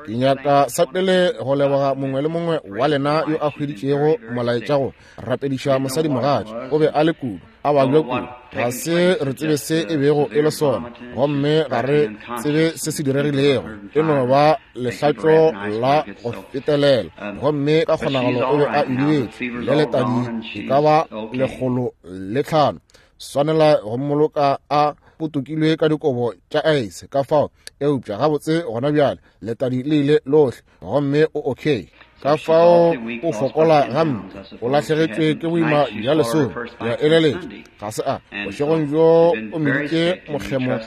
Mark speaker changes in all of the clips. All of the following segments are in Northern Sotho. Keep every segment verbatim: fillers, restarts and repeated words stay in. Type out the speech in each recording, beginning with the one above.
Speaker 1: Ke nyaka sa pele go leboga mongwe le mongwe wa lena yo a hweditšego molaetša go rapediša mosadimogatša. O be a le kudu, a babja kudu, ga se re tsebe se e bego e le sona, gomme ga re tsebe se se diregilego. E no ba lehlatšo la go fetelela, gomme ka kgonagalo o be a idibetše le letadi e ka ba lekgolo le tlhano. Swanela go mmoloka a potokilwe ka dikobo tša aese ka fao, eupša gabotse gona bjale letadi le ile lohle, gomme o okay. Ka fao o fokola gampe, o lahlegetšwe ke boima bja lesome. Ke a eleletša ga se a bošegong bjo o meditše mokgemo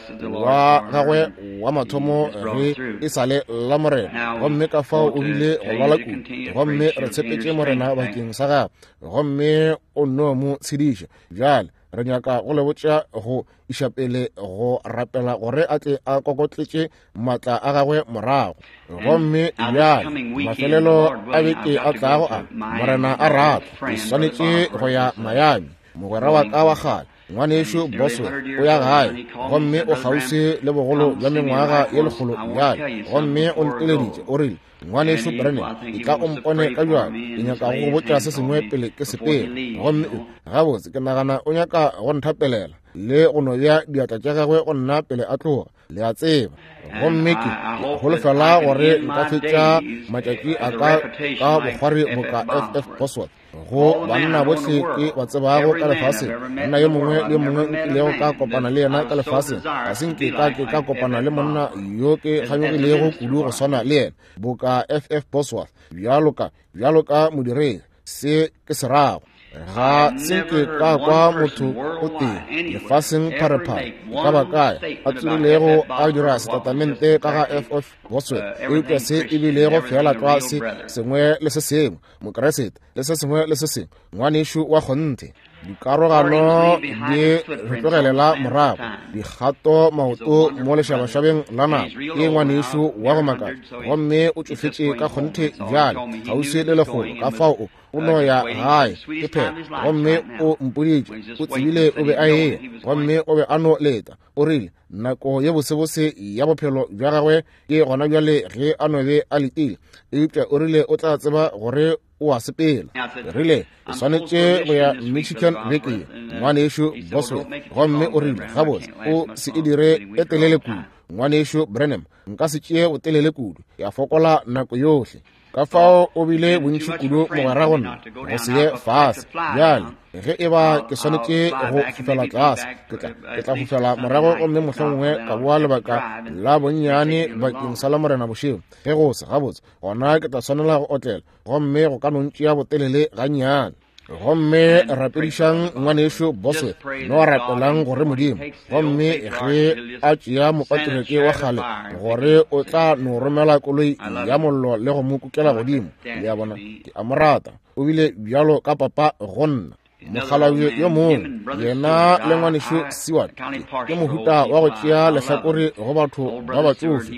Speaker 1: wa gagwe wa mathomo ge e sa le la Morena, gomme ka fao o bile go lwala kudu, gomme re tshepetše Morena bakeng sa gagwe, gomme o nno mo tshediša. Bjale re nyaka go le botša go iša pele go rapela gore a tle a kokotletše maatla a gagwe morago. Gomme bjale mafelelo a beke a tlago a Morena a rata, ke swanetše go ya Miami. Mogwera wa ka wa kgale, ngwanešo Boswell, o ya gae, gomme o kgauswi le bogolo bja mengwaga ye lekgolo bjale, gomme o nteleditše o rile, ngwanešo Branham, e tla o mpone ka bjalo, ke nyaka go go botša se sengwe pele ke sepela. Gomme gabotse ke nagana o nyaka go nthapelela le go no bea diatla tša gagwe go nna pele a tloga, le a tseba. Gomme ke holofela gore nka fetša matšatši a ka ka bokgwari boka F F Bosworth go banna bohle ke ba tsebago ka lefaseng. Monna yo mongwe le yo mongwe nkilego ka kopana le yena ka lefaseng, ga se nke ka ke ka kopana le monna yo ke kganyogilego kudu go swana le yena boka F F Bosworth, bjalo ka bjalo ka modiredi. Se ke se rago, ga se nke ka kwa motho o tee lefaseng pharephare ka ba kae a tswilego a dira setatamente ka ga F F Bosworth, eupša se e bilego fela tlwa se sengwe le se sengwe, Mokeresete le se sengwe le se sengwe, ngwanešo wa kgonthe. Dikarogano di re tlogelela morago, dikgato maoto mo lešabašabeng la nako. Ke ngwanešo wa go makatša, gomme o tšofetše ka kgonthe bjale, kgauswi le lekgolo, ka fao o o no ya gae ke phela. Gomme o mpoditše, o tsebile o be a eya, gomme o be a no leta. O rile nako ye bosebose ya bophelo bja gagwe ke gona bjale ge a no be a letile, eupša o rile o tla tseba gore o a sepela. Rile ke swanetše go ya Michigan beke ye, ngwanešo Boswell. Gomme o rile gabotse o se e dire e telele kudu, ngwanešo Branham, nka se tšee botelele kudu, ke a fokola nako yohle. Ka fao o bile bontši kudu mogwera go nna go se ye fase. Bjale ge e ba ke swanetše go fofela tlase, ke tla ke tla fofela morago, gomme mohlomongwe ka boa lebaka la bonnyane bakeng sa la Morena bošego. Ge go se gabotse, gona ke tla swanela go otlela, gomme go ka no ntšea botelele gannyane. Gomme rapedišang ngwanešo Boswell, no rapelang gore Modimo, gomme ge a tšea mopatriareke wa kgale, gore o tla no romela koloi ya mollo le go mo kukela godimo. Le a bona, ke a mo rata, o bile bjalo ka papa go nna. Mokgalabje yo mongwe, yena le ngwanešo Seward, ke mohuta wa go tšea lehlakore go batho ba batsofe,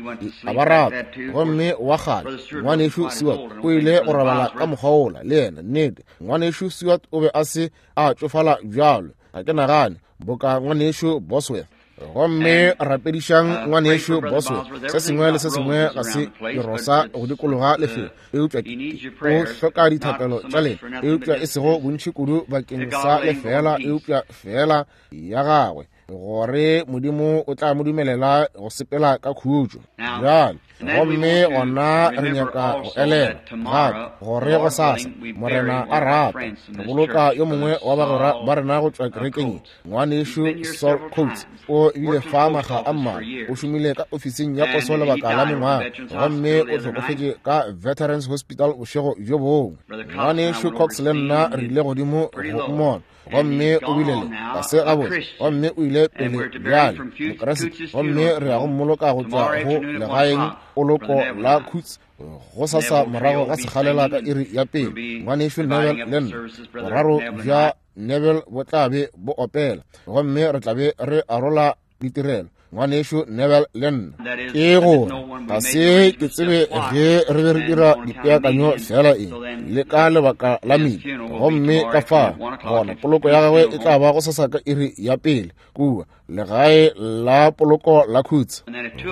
Speaker 1: a ba rata. Gomme wa kgale ngwanešo Seward o ile go robala ka mokgwa wola le yena. Nnete, ngwanešo Seward o be a se a tšofala bjalo, ga ke nagane, boka ngwanešo Boswell. Gomme rapedišang ngwanešo Boswell. Se sengwe le se sengwe ga se dirosa go dikologa lefelo, eupša o hloka dithapelo tša lena, eupša e sego bontši kudu bakeng sa lefela, eupša fela ya gagwe, gore Modimo o tla mo dumelela go sepela ka khutšo. Bjale gomme gona re nyaka go elela gape gore gosasa, Morena a rata, re boloka yo mongwe wa bagwera ba rena go tšwa kerekeng, ngwanešo Saul Coates. O bile fa makga a mmalwa, o šomile ka ofising ya poso lebaka la mengwaga, gomme o hlokofetše ka Veterans Hospital bošego bjo bongwe. Ngwanešo Cox le nna re ile godimo go mmona, gomme o bile le ga se gabotse, gomme o ile pele bjale Mokeresete, gomme re ya go mmoloka go tšwa go legaeng poloko la Coutts go sasa morago ga sekgalela ka iri ya pele. Ngwanešo Neville le nna, boraro bja Neville bo tla be bo opela, gomme re tla be re arola ditirelo. Ngwanešu Neville le nna. Ke gore ga se ke tsebe ge re be re dira dipeakanyo fela eng le ka lebaka la mile, gomme ka fa gona poloko ya gagwe e tla ba go sasa ka iri ya pele kua legae la poloko la Khutse.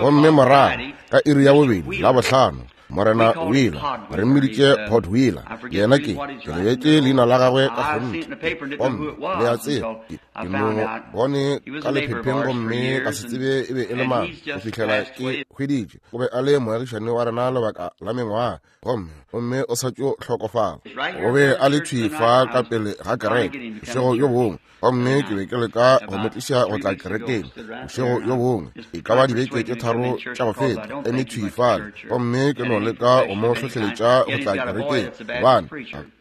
Speaker 2: Gomme morago ka iri ya bobedi la bohlano Morena Wheeler, re mmiditše Port Wheeler, yena ke ke lebetše leina la gagwe ka kgonthe, gomme le a tseba ke mo bone ka lephepheng gomme ka se tsebe e be e le mang go fihlela ke hweditše o be a le moagišane wa rena lebaka la mengwaga, gomme gomme o sa tšo hlokofala. O be a le thwi fa ka pele ga kereke bošego yo bongwe, gomme ke be ke leka go mo tliša go tla kerekeng bošego yo bongwe, e ka ba dibeke tše tharo tša go feta, eme thwi fale, gomme ke no leka go mo hlohleletša go tla kerekeng, gobane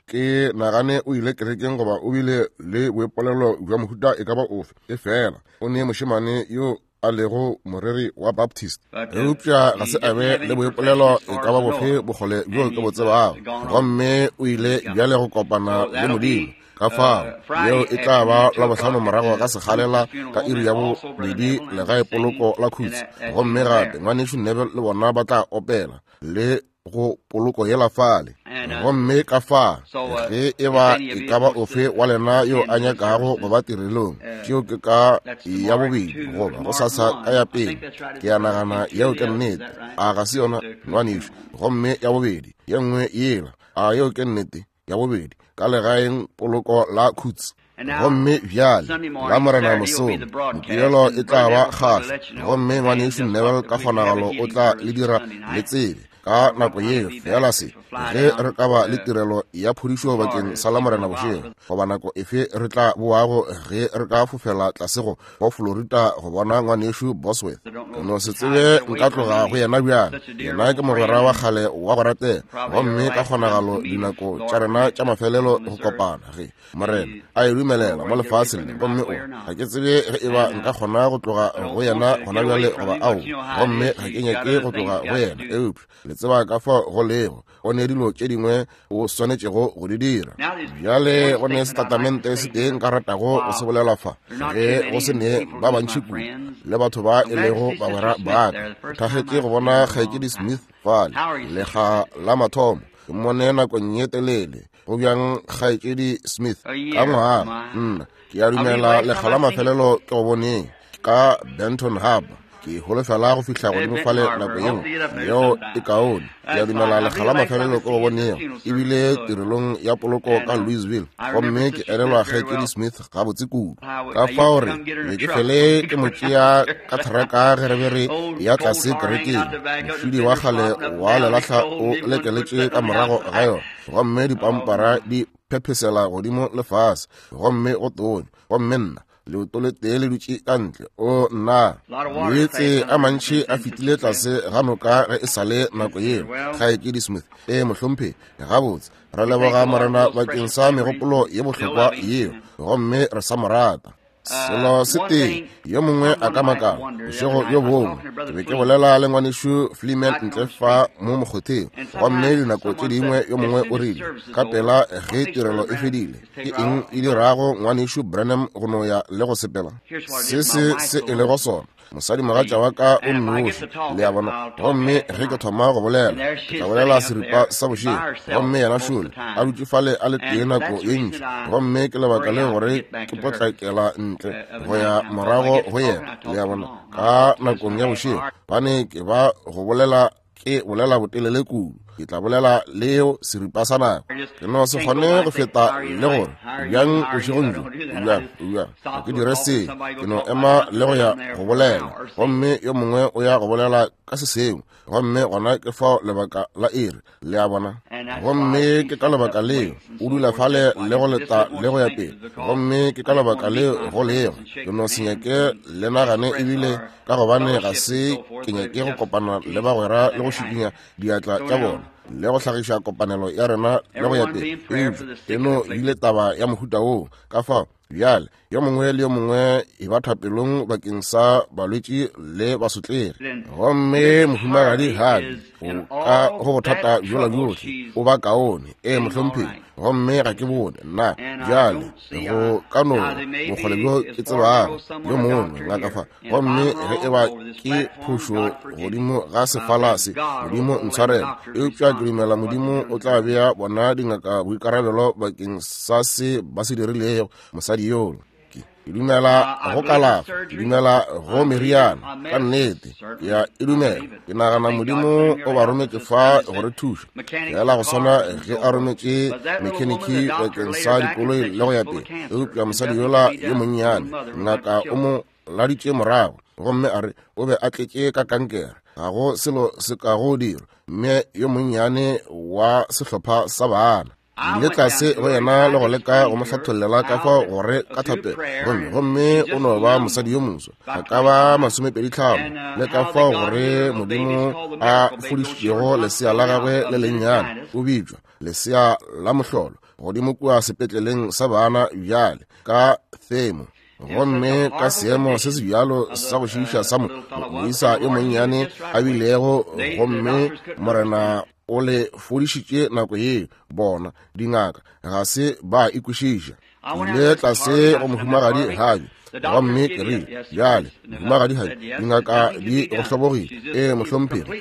Speaker 2: ke nagane o ile kerekeng goba o bile le boipolelo bja mohuta e ka ba ofe, e fela o ne mošemane yo a lego moreri wa Baptist, eupša ga se a be le boipolelo e ka ba bofe bokgole bjo ke bo tsebago, gomme o ile bjale go kopana le Modimo. Ka fao yeo e tla ba la bohlano morago ga sekgalela ka iri ya bobedi legae poloko la Khutse, gomme gape ngwanešu Neville le bona ba tla opela le go poloko yela fale. Gomme ka fa ge e ba e ka ba ofe wa lena yo a nyakago go ba tirelong, tšeo ke ka ya bobedi goba go sasa ka ya pele, ke a nagana yeo ke nnete, a ga se yona ngwanešu? Gomme ya bobedi ye nngwe yela, a yeo ke nnete ya bobedi ka legaeng poloko la Khutse. Gomme bjale la Morena mosong mokibelo e tla ba kgahlo, gomme ngwanešu Neville ka kgonagalo o tla le dira le tsebe ka nako yeo fela se ge re ka ba le tirelo ya phodišo bakeng sa la Morena bošego, goba nako efe re tla boago ge re ka fofela tlase go go Florida go bona ngwanešu Bosworth. Ke no se tsebe nka tloga go yena bjang, yena ke mogwera wa kgale wa go ratega, gomme ka kgonagalo dinako tša rena tša mafelelo go kopana ge Morena a e dumelela mo lefaseng le, gomme o ga ke tsebe ge e ba nka kgona go tloga go yena gona bjale goba ao, gomme ga ke nyake go tloga go yena, eupša le tseba ka fao go lego go ne dilo tše dingwe o swanetšego go di dira. Bjale go ne setatamente se tee nka ratago go se bolela fa, ge go se ne ba bantši kudu le batho ba e lego bagwera ba ka. Thagetše go bona kgaetšedi Smith fale lekga la mathomo, ke mmone nakong ye telele. Go bjang kgaetšedi Smith? Ka ngwaga nna ke a dumela lekga la mafelelo ke go boneng ka Benton Harbor, ke holofela go fihla godimo fale nako ye nngwe yeo e kaone. Ke a dumela lekga la mafelelo ke go bonego ebile tirelong ya poloko ka Louisville, gomme ke elelwa kgaetšedi Smith gabotse kudu. Ka fao re be ke fele ke mo tšea ka theraka ge re be re ya tlase kerekeng, mošidi wa kgale wa lelahla o lekeletše ka morago ga yona, gomme dipampara di phephesela godimo le fase, gomme go tonya, gomme nna leoto le tee le dutše ka ntle. O nna, meetse a mantši a fetile tlase ga noka ge e sa le nako yeo. Kgaetšedi Smith, e mohlomphegi, gabotse re leboga Morena bakeng sa megopolo ye bohlokwa yeo, gomme re sa mo rata. Selo se tee yo mongwe a ka makala bošego yo bongwe ke be ke bolela le ngwanešu Fleeman ntle fa mo mokgotheng, gomme dinako tše dingwe yo mongwe o rile ka pela ge tirelo e fedile, ke eng e dirago ngwanešu Branham go no ya le go sepela? Se se se e lego sona, mosadi mogatša wa ka o nnoši, le a bona, gomme ge ke thoma go bolela ke tla bolela seripa sa bošego, gomme yena šole a dutše fale a le tee nako ye ntši, gomme ke lebaka le gore ke potlakela ntle go ya morago go yena, le a bona, ka nakong ya bošego, bane ke ba go bolela ke bolela botelele kudu, ke tla bolela leo seripa sa nako, ke no se kgone go feta le gore bjang bošegong bjo, bjang bjang ga ke dire se, ke no ema le go ya go bolela, gomme yo mongwe o ya go bolela ka se sengwe, gomme gona ke fao lebaka la iri, le a bona, gomme ke ka lebaka leo o dula fale le go leta le go ya pele, gomme ke ka lebaka leo go lego ke no se nyake le nagane, ebile ka gobane ga se ke nyake go kopana le bagwera le go šikinya diatla tša bona le go hlagiša kopanelo ya rena le go ya pele, eupša e no bile taba ya mohuta woo. Ka fao Bjale yo mongwe le yo mongwe e ba thapelong bakeng sa balwetši le basotlegi. Gomme mohumagadi Harvey o ka go bothata bjola bjohle o ba kaone, ee mohlomphegi. Gomme ga ke bone nna bjale go ka no bokgole bjo ke tsebago yo mongwe ngaka fa. Gomme ge e ba ke phošo godimo ga sefala se, Modimo ntshwarele, eupša ke dumela Modimo o tla bea bona dingaka boikarabelo bakeng sa se ba se dirilego mosadi yola. Ke dumela go kalafa, ke dumela go meriana, ka nnete ke a e dumela. Ke nagana Modimo o ba rometše fa go re thuša, fela go swana ge a rometše mekheniki bakeng sa dikoloi le go ya pele. Eupša mosadi yola yo monnyane, ngaka o mo laditše morago, gomme a re o be a tletše ka kankere, ga go selo se ka go dira. Mme yo monnyane wa sehlopha sa bana ile tlase go yena le go leka go mo hlathollela ka fao gore ka thapelo, gomme gomme o no ba mosadi yo moswa, a ka ba masomepedi tlhano, le ka fao gore Modimo a fodišitšego lesea la gagwe le lennyane, o bitšwa lesea la mohlolo, godimo kua sepetleleng sa bana bjale ka themo. Gomme ka seemo se se bjalo sa go šiiša sa moisa yo monnyane a bilego, gomme Morena o le fodišitše nako yeo. Bona dingaka ga se ba ikwešiša. Ile tlase go mohumagadi Harvey, gomme ke rile, bjale mohumagadi Harvey, dingaka di go hlobogile. Ee mohlomphegi.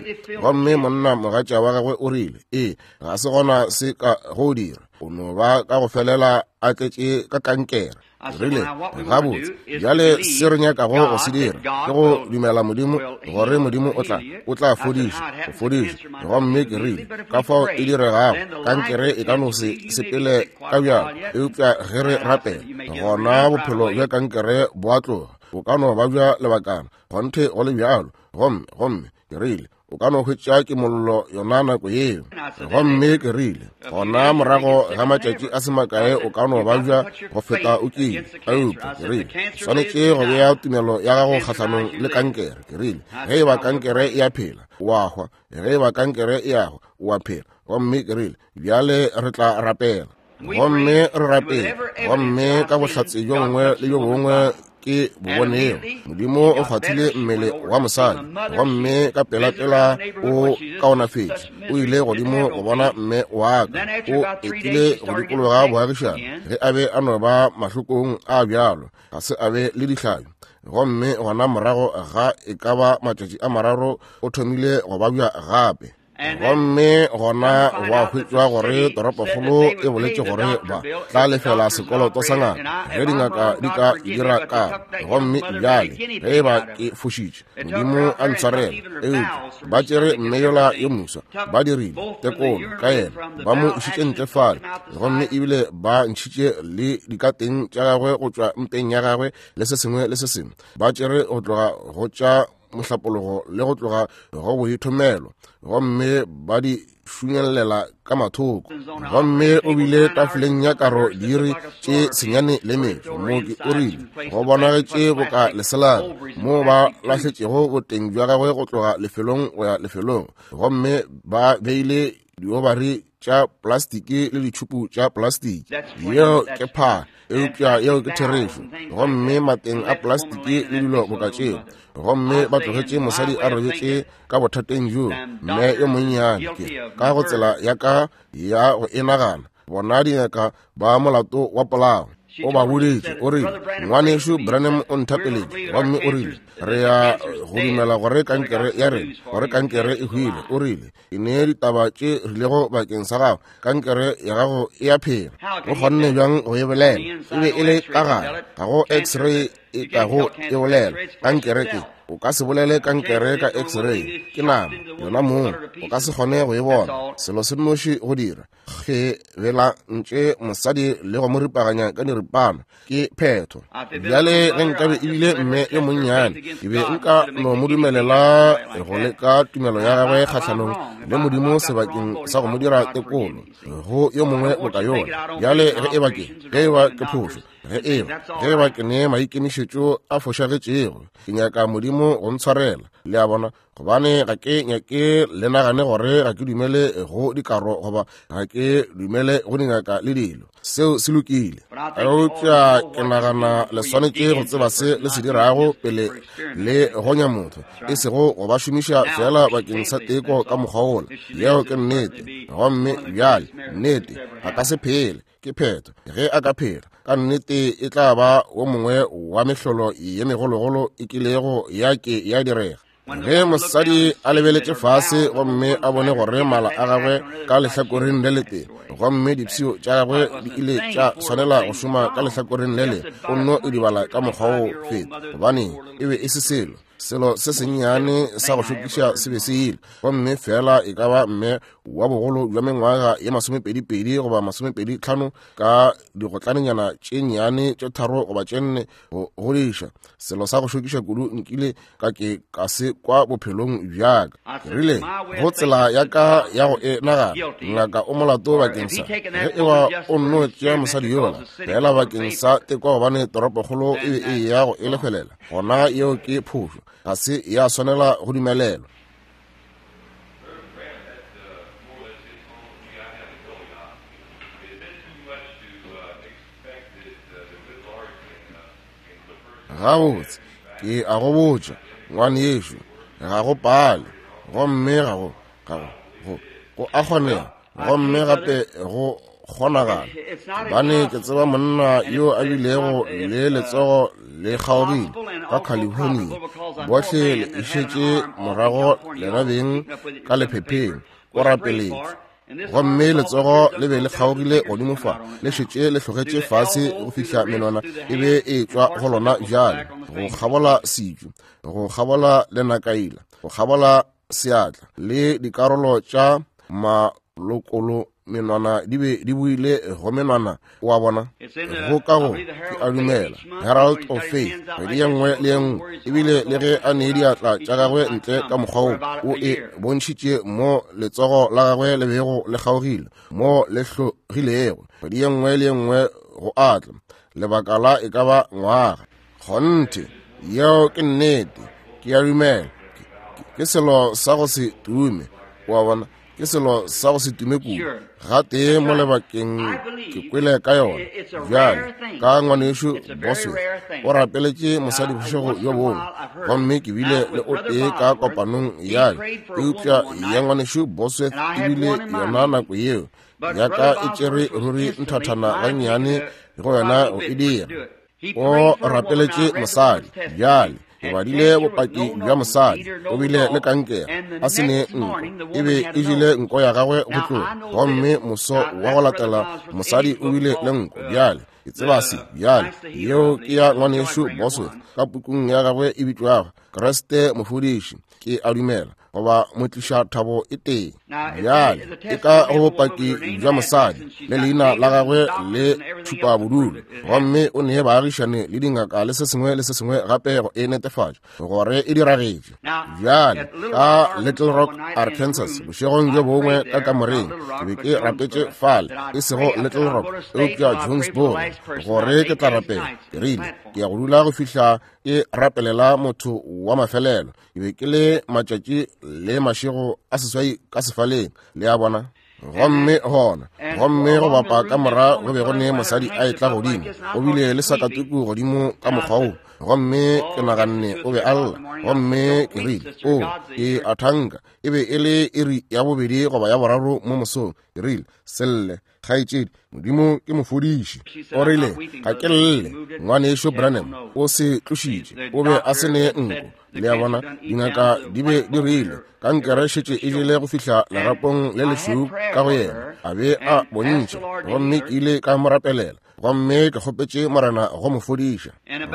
Speaker 2: Gomme monna mogatša wa gagwe o rile, ee, ga se gona se ka go dira, o no ba ka go felela a tletše ka kankere. Rile, gabotse, bjale se re nyakago go se dira ke go dumela Modimo gore Modimo o tla o tla fodiša, go fodiša. Gomme ke rile, ka fao e diregago, kankere e ka no se sepele ka bjalo, eupša ge re rapela, gona bophelo bja kankere bo a tloga, bo ka no ba bja lebakana, kgonthe go le bjalo. Gomme gomme ke rile, o ka no hwetša ke mollo yona nako yeo. Gomme ke rile, gona morago ga matšatši a se makae o ka no babja go feta o kile. Eupša ke rile, swanetše go bea tumelo ya gago kgahlanong le kankere. Ke rile, ge e ba kankere e a phela, o a hwa. Ge e ba kankere e a hwa, o a phela. Gomme ke rile, bjale re tla rapela. Gomme re rapela. Gomme ka bohlatse bjo bongwe le bjo bongwe ke bo bonego, Modimo o kgwathile mmele wa mosadi, gomme ka pelapela o kaonafetše. O ile godimo go bona mme wa ka, o etile go dikologa boagišane ge a be a no ba mahlokong a bjalo, ga se a be le dihlabi. Gomme gona morago ga e ka ba matšatši a mararo o thomile go babja gape. Gomme gona gwa hwetšwa gore toropokgolo e boletše gore ba tla lefela sekoloto sa ngaka ge dingaka di ka dira ka. Gomme bjale ge e ba ke fošitše, Modimo a ntshwarele. Eupša ba tšere mme yola yo moswa, ba dirile tekolo ka yena, ba mo išitše ntle fale, gomme ebile ba ntšhitše le dikateng tša gagwe go tšwa mpeng ya gagwe le se sengwe le se sengwe. Ba tšere go tloga go tša mohlapologo le go tloga go boithomelo, gomme ba di šunyelela ka mathoko. Gomme o bile tafoleng ya karo diiri tše senyane le metšo. Mooki o rile go bonagetše boka leselana moo ba lahletšego boteng bja gagwe go tloga lefelong go ya lefelong, gomme ba beile diobari tša plastiki le ditšhupu tša plastiki. Yeo ke phaa, eupša yeo ke therešo. Gomme mateng a plastiki le dilo boka tšeo. Gomme ba tlogetše mosadi a robetše ka bothateng bjo, mme yo monnyane. Ke ka go tsela ya ka ya go e nagana, bona dingaka ba molato wa polao. O ba boditše, o rile, ngwanešu Branham o nthapeletše, gomme o rile, re ya go dumela gore kankere ya rena, gore kankere e hwile. O rile, ke ne ditaba tše rilego bakeng sa gago, kankere ya gago e a phela. O kgonne bjang go e bolela? E be e le ka gare, ga go x-ray e ka go e bolela. Kankere ke, o ka se bolele kankere ka x-ray, ke nama yona mong, o ka se kgone go e bona. Selo se nnoši go dira, ge bela ntše mosadi le go mo ripaganya ka diripana, ke phetho. Bjale ge nkabe ebile mme yo monnyane, ke be nka no mo dumelela go leka tumelo ya gagwe kgahlanong le Modimo sebakeng sa go mo dira tekolo go yo mongwe boka yona. Bjale ge e ba ke, ge e ba ke phošo, Ge eba ge ba ke ne maikemišetšo a fošagetšego, ke nyaka Modimo go ntshwarela, le a bona, gobane ga ke nyake le nagane gore ga ke dumele go dikaro goba ga ke dumele go dingaka le dilo. Seo se lokile. Eupša ke nagana le swanetše go tseba se le se dirago pele le gonya motho, e sego go ba šomiša fela bakeng sa teko ka mokgwa wola. Yeo ke nnete. Gomme bjale nnete a ka se phele, ke phetho. Ge a ka phela, ka nnete e tla ba wo mongwe wa mehlolo ye megologolo e kilego ya ke ya direga. Ge mosadi a lebeletše fase gomme a bone gore mala a gagwe ka lehlakoreng le letee, gomme dipshio tša gagwe di ile tša swanela go šoma ka lehlakoreng le le, o nno e dibala ka mokgwa wo feta, gobane e be e se selo. Selo se sennyane sa go šokiša se be se ile, gomme fela e ka ba mme wa bogolo bja mengwaga ye masomepedi-pedi goba masomepedi tlhano ka digotlanenyana tše nnyane tše tharo goba tše nne go godiša. Selo sa go šokiša kudu nkile ka ke ka se kwa bophelong bjaka. Ke rile go tsela ya ka ya go e nagana, ngaka o molato bakeng sa ge eba o nno tšea mosadi yola fela bakeng sa tekwa, gobane toropokgolo e be e ya go e lefelela, gona yeo ke phošo, ga se ya swanela go dumelelwa. Gabotse, ke a go botša, ngwanešu, ga go pale, gomme ga go ga go go go a kgonega, gomme gape go kgonagala, gobane ke tseba monna yo a bilego le letsogo le kgaogile ka California. Bohle le išetše morago lena beng ka lephepheng, o rapeletše. Gomme letsogo le be le kgaogile godimo fa, le šetše le hlogetše fase go fihla menwana e be e tšwa go lona bjale, go kgabola setšu, go kgabola lenakaila, go kgabola seatla, le dikarolo tša malokolo menwana di be di buile go menwana wa bona. Go ka go ke a dumela Herald of Faith kgwedi ye nngwe le ye nngwe, ebile le ge a nee diatla tša gagwe ntle ka mokgwa wo, o e bontšhitše mo letsogo la gagwe le bego le kgaogile, mo le hlogilego, kgwedi ye nngwe le ye nngwe go atla lebaka la e ka ba ngwaga. Kgonthe, yeo ke nnete, ke a dumela ke selo sa go se tume, wa bona, ke selo sa go se tume kudu. Gatee mo lebakeng ke kwele ka yona. Bjale ka ngwanešu Bosworth o rapeletše mosadi bošego bjo bongwe, gomme ke bile le o tee ka kopanong ya ka, eupša ya ngwanešu Bosworth e bile yona nako yeo ya ka e tšere ruri nthathana gannyane go yona go e dira. O rapeletše mosadi. Bjale ke badile bopaki bja mosadi, o bile le kankere, a se ne nko, e be e jele nko ya gagwe go tloga, gomme moso wa go latela mosadi o bile le nko. Bjale ke tseba se. Bjale yeo ke ya ngwanešu Bosworth ka pukung ya gagwe e bitšwago Kriste Mofodiši, ke a dumela, goba motliša thabo e tee. Bjale e ka go bopaki bja mosadi le leina la gagwe le tšhupa bodulo, gomme o nee baagišane le dingaka le se sengwe le se sengwe gape go e netefatša gore e diragetše. Bjale ka Little Rock, Arkansas, bošegong bjo bongwe ka kamoreng ke be ke rapetše fale, e sego Little Rock eupša Jonesboro, gore ke tla rapela. Ke rile ke ya go dula go fihla ke rapelela motho wa mafelelo. Ke be ke le matšatši le mašego a seswai ka sefaleng, le a bona. Gomme gona, gomme go bapa ka mora go be go ne mosadi a etla godimo, o bile le sakatuku godimo ka mokgwa wo, gomme ke naganne o be a lla, gomme ke rile, o ke a thanka e be e le iri ya bobedi goba ya boraro mo mosong. Ke rile, selle kgaetšedi, Modimo ke mofodiši. O rile, ga ke lle, ngwanešu Branham o se tlošitše, o be a se ne nko. Le a bona, dingaka di be di rile kankere šetše e jele go fihla lerapong le lešweu ka go yena, a be a bontšha, gomme ke ile ka mo rapelela, gomme ke kgopetše Morena go mo fodiša.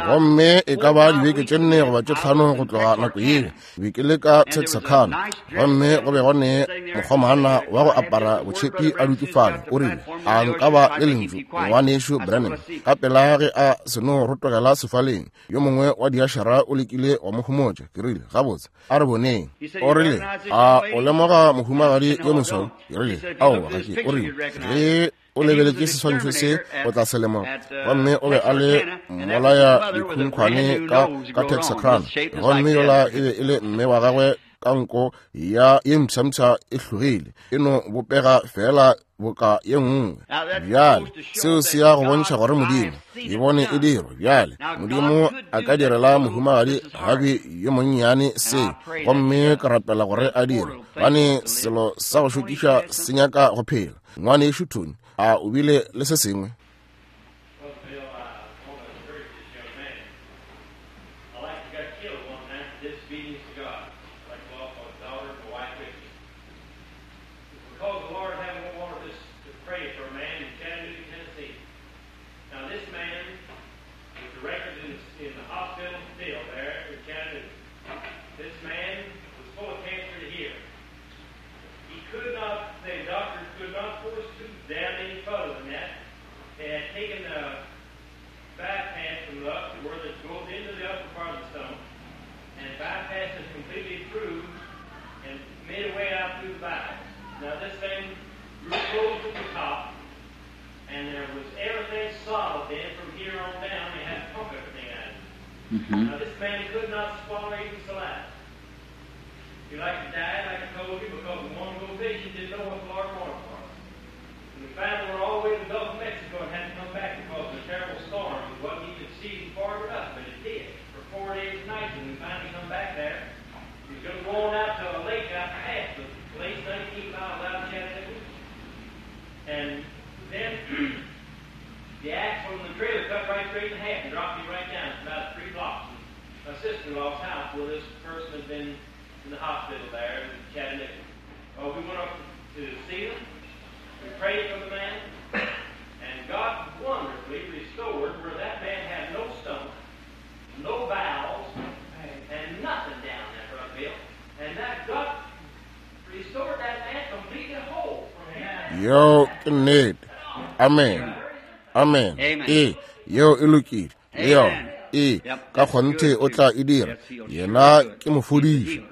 Speaker 2: Gomme e ka ba dibeke tše nne goba tše tlhano go tloga nako yeo, be ke le ka Texarkana, gomme go be go ne mokgomana wa go apara botšhepi a dutše fale. O rile, a nka ba le lentšu, ngwanešu Branham? Ka pela ge a seno rotogela sefaleng, yo mongwe wa diašara o lekile wa mo homotša. Ke rile, gabotse, a re boneng. O rile, a o lemoga mohumagadi yo mosweu? Ke rile, aowa, ga ke. O rile, ge O lebeletše seswantšho se o tla se lemoga. Gomme o be a le mmolaya dikhunkhwane ka, ka Texarkana. Gomme yola e be e le mme wa gagwe ka nko ya ye mpshampsha e hlogile, e no bopega fela boka ye nngwe. Bjale seo se ya go bontšha gore Modimo e bone e dirwa. Bjale Modimo a ka direla mohumagadi Gabi yo monnyane se, gomme ka rapela gore a dire, gobane selo sa go šokiša se nyaka go phela. Ngwanešu Tony, a o bile le se sengwe?
Speaker 3: Mm-hmm.
Speaker 4: Now this man could not swallow even saliva. He like to die, like I told you, because the one go fishing didn't know what the Lord wanted for him. And we finally were all the way to the Gulf of Mexico and had to come back because of a terrible storm. It wasn't even season far enough, but it did for four days and nights. And we finally come back there. He was going to go on out to a lake out past the place, nineteen miles out of Chattanooga. And then the axle on the trailer cut right straight in half and dropped me right down. It's about three blocks from my sister-in-law's house where this person had been in the hospital there in Chattanooga. Well, we went up to see them. We prayed for the man. And God wonderfully restored where that man had no stomach, no bowels, and nothing down there, Brother Bill. And that God restored that man completely whole.
Speaker 2: Yo, ke nnete. Amen. Amen. E, yeo e lokile. Le yona. E, ka kgonthe o tla e dira. Yena ke mofodiši.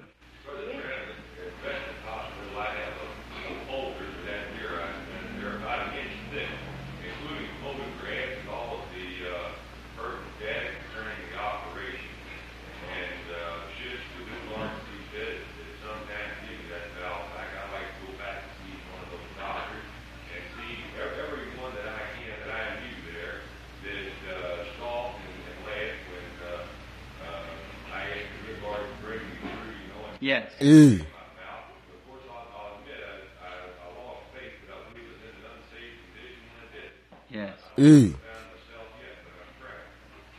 Speaker 3: Yes.
Speaker 2: Ee.
Speaker 3: Yes.
Speaker 2: Ee.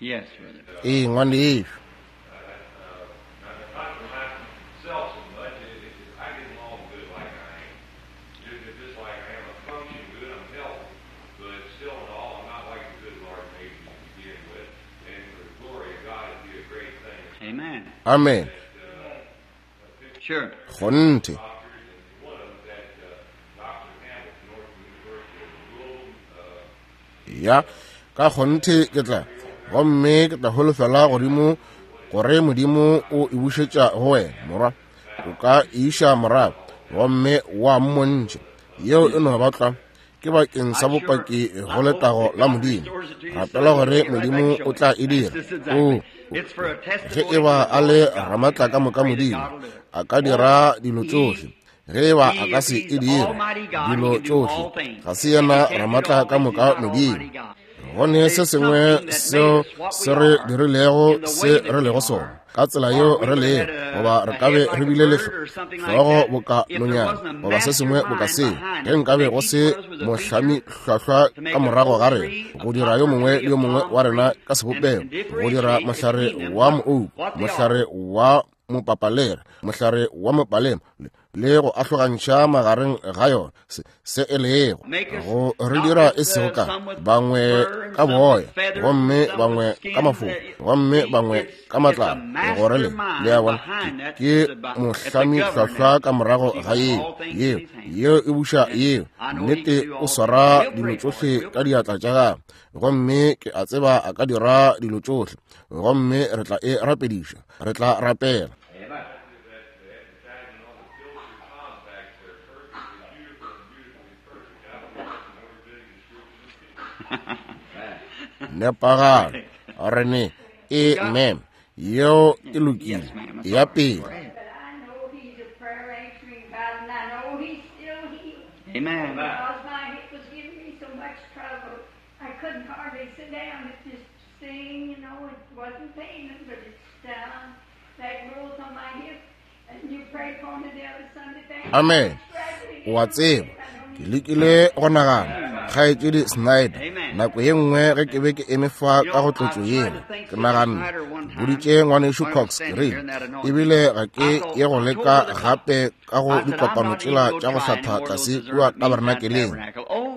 Speaker 3: Yes, brother.
Speaker 2: Ee, ngwanešu.
Speaker 3: Amen.
Speaker 2: Amen.
Speaker 3: Sure.
Speaker 2: Kgonthe. Ya, ka kgonthe ke tla, gomme ke tla holofela godimo gore Modimo o e bušetša go wena, morwa. O ka e iša morago, gomme wa mmontšha. Yeo e no ba tlwa ke bakeng sa bopaki go letago la Modimo. Rapela gore Modimo o tla e dira. O, ge e ba a le ramatla ka moka Modimo, a ka dira dilo tšohle. Ge e ba a ka se e dire dilo tšohle, ga se yena ramatla ka moka Modimo. Go ne se sengwe seo se re dirilego se re lego sona, ka tsela yeo re lego, goba re ka be re bile le hlogo boka nonyana, goba se sengwe boka seo, ge nkabe go se mohlami hlwahlwa ka morago ga rena, go dira yo mongwe le yo mongwe wa rena ka sebopego, go dira mohlare wa moouku, mohlare wa mopapalera, mohlare wa mopalema, le go ahlogantšha magareng ga yona se, se e lego, go re dira e sego ka bangwe ka boya, gomme bangwe ka mafofa, gomme bangwe ka matlalo, gore le le a bona ke mohlami hlwahlwa ka morago ga yeo, yeo yeo e buša yeo nnete. O swara dilo tšohle ka diatla tša gagwe, gomme ke a tseba a ka dira dilo tšohle, gomme re tla e rapediša, re tla rapela. Nepagalo. Rene, amen. Yeo e lokile. Ya pele.
Speaker 3: Amen.
Speaker 5: Because my hip was giving me so much trouble, I couldn't hardly sit down. It just sing, you know, it wasn't paining, but it's down. That growth on my hip, and you prayed for me the other Sunday. Thank
Speaker 2: Amen. O a tseba, ke lekile go nagana, Kgaetšedi Snyder, nako ye nngwe ge ke be ke eme fa ka go tlotšo yela, ke naganne, ke boditše ngwanešu Cox, ke rile, ebile ga ke ye go leka gape ka go dikopano tšela tša go hlatha tlase kua tabernakeleng.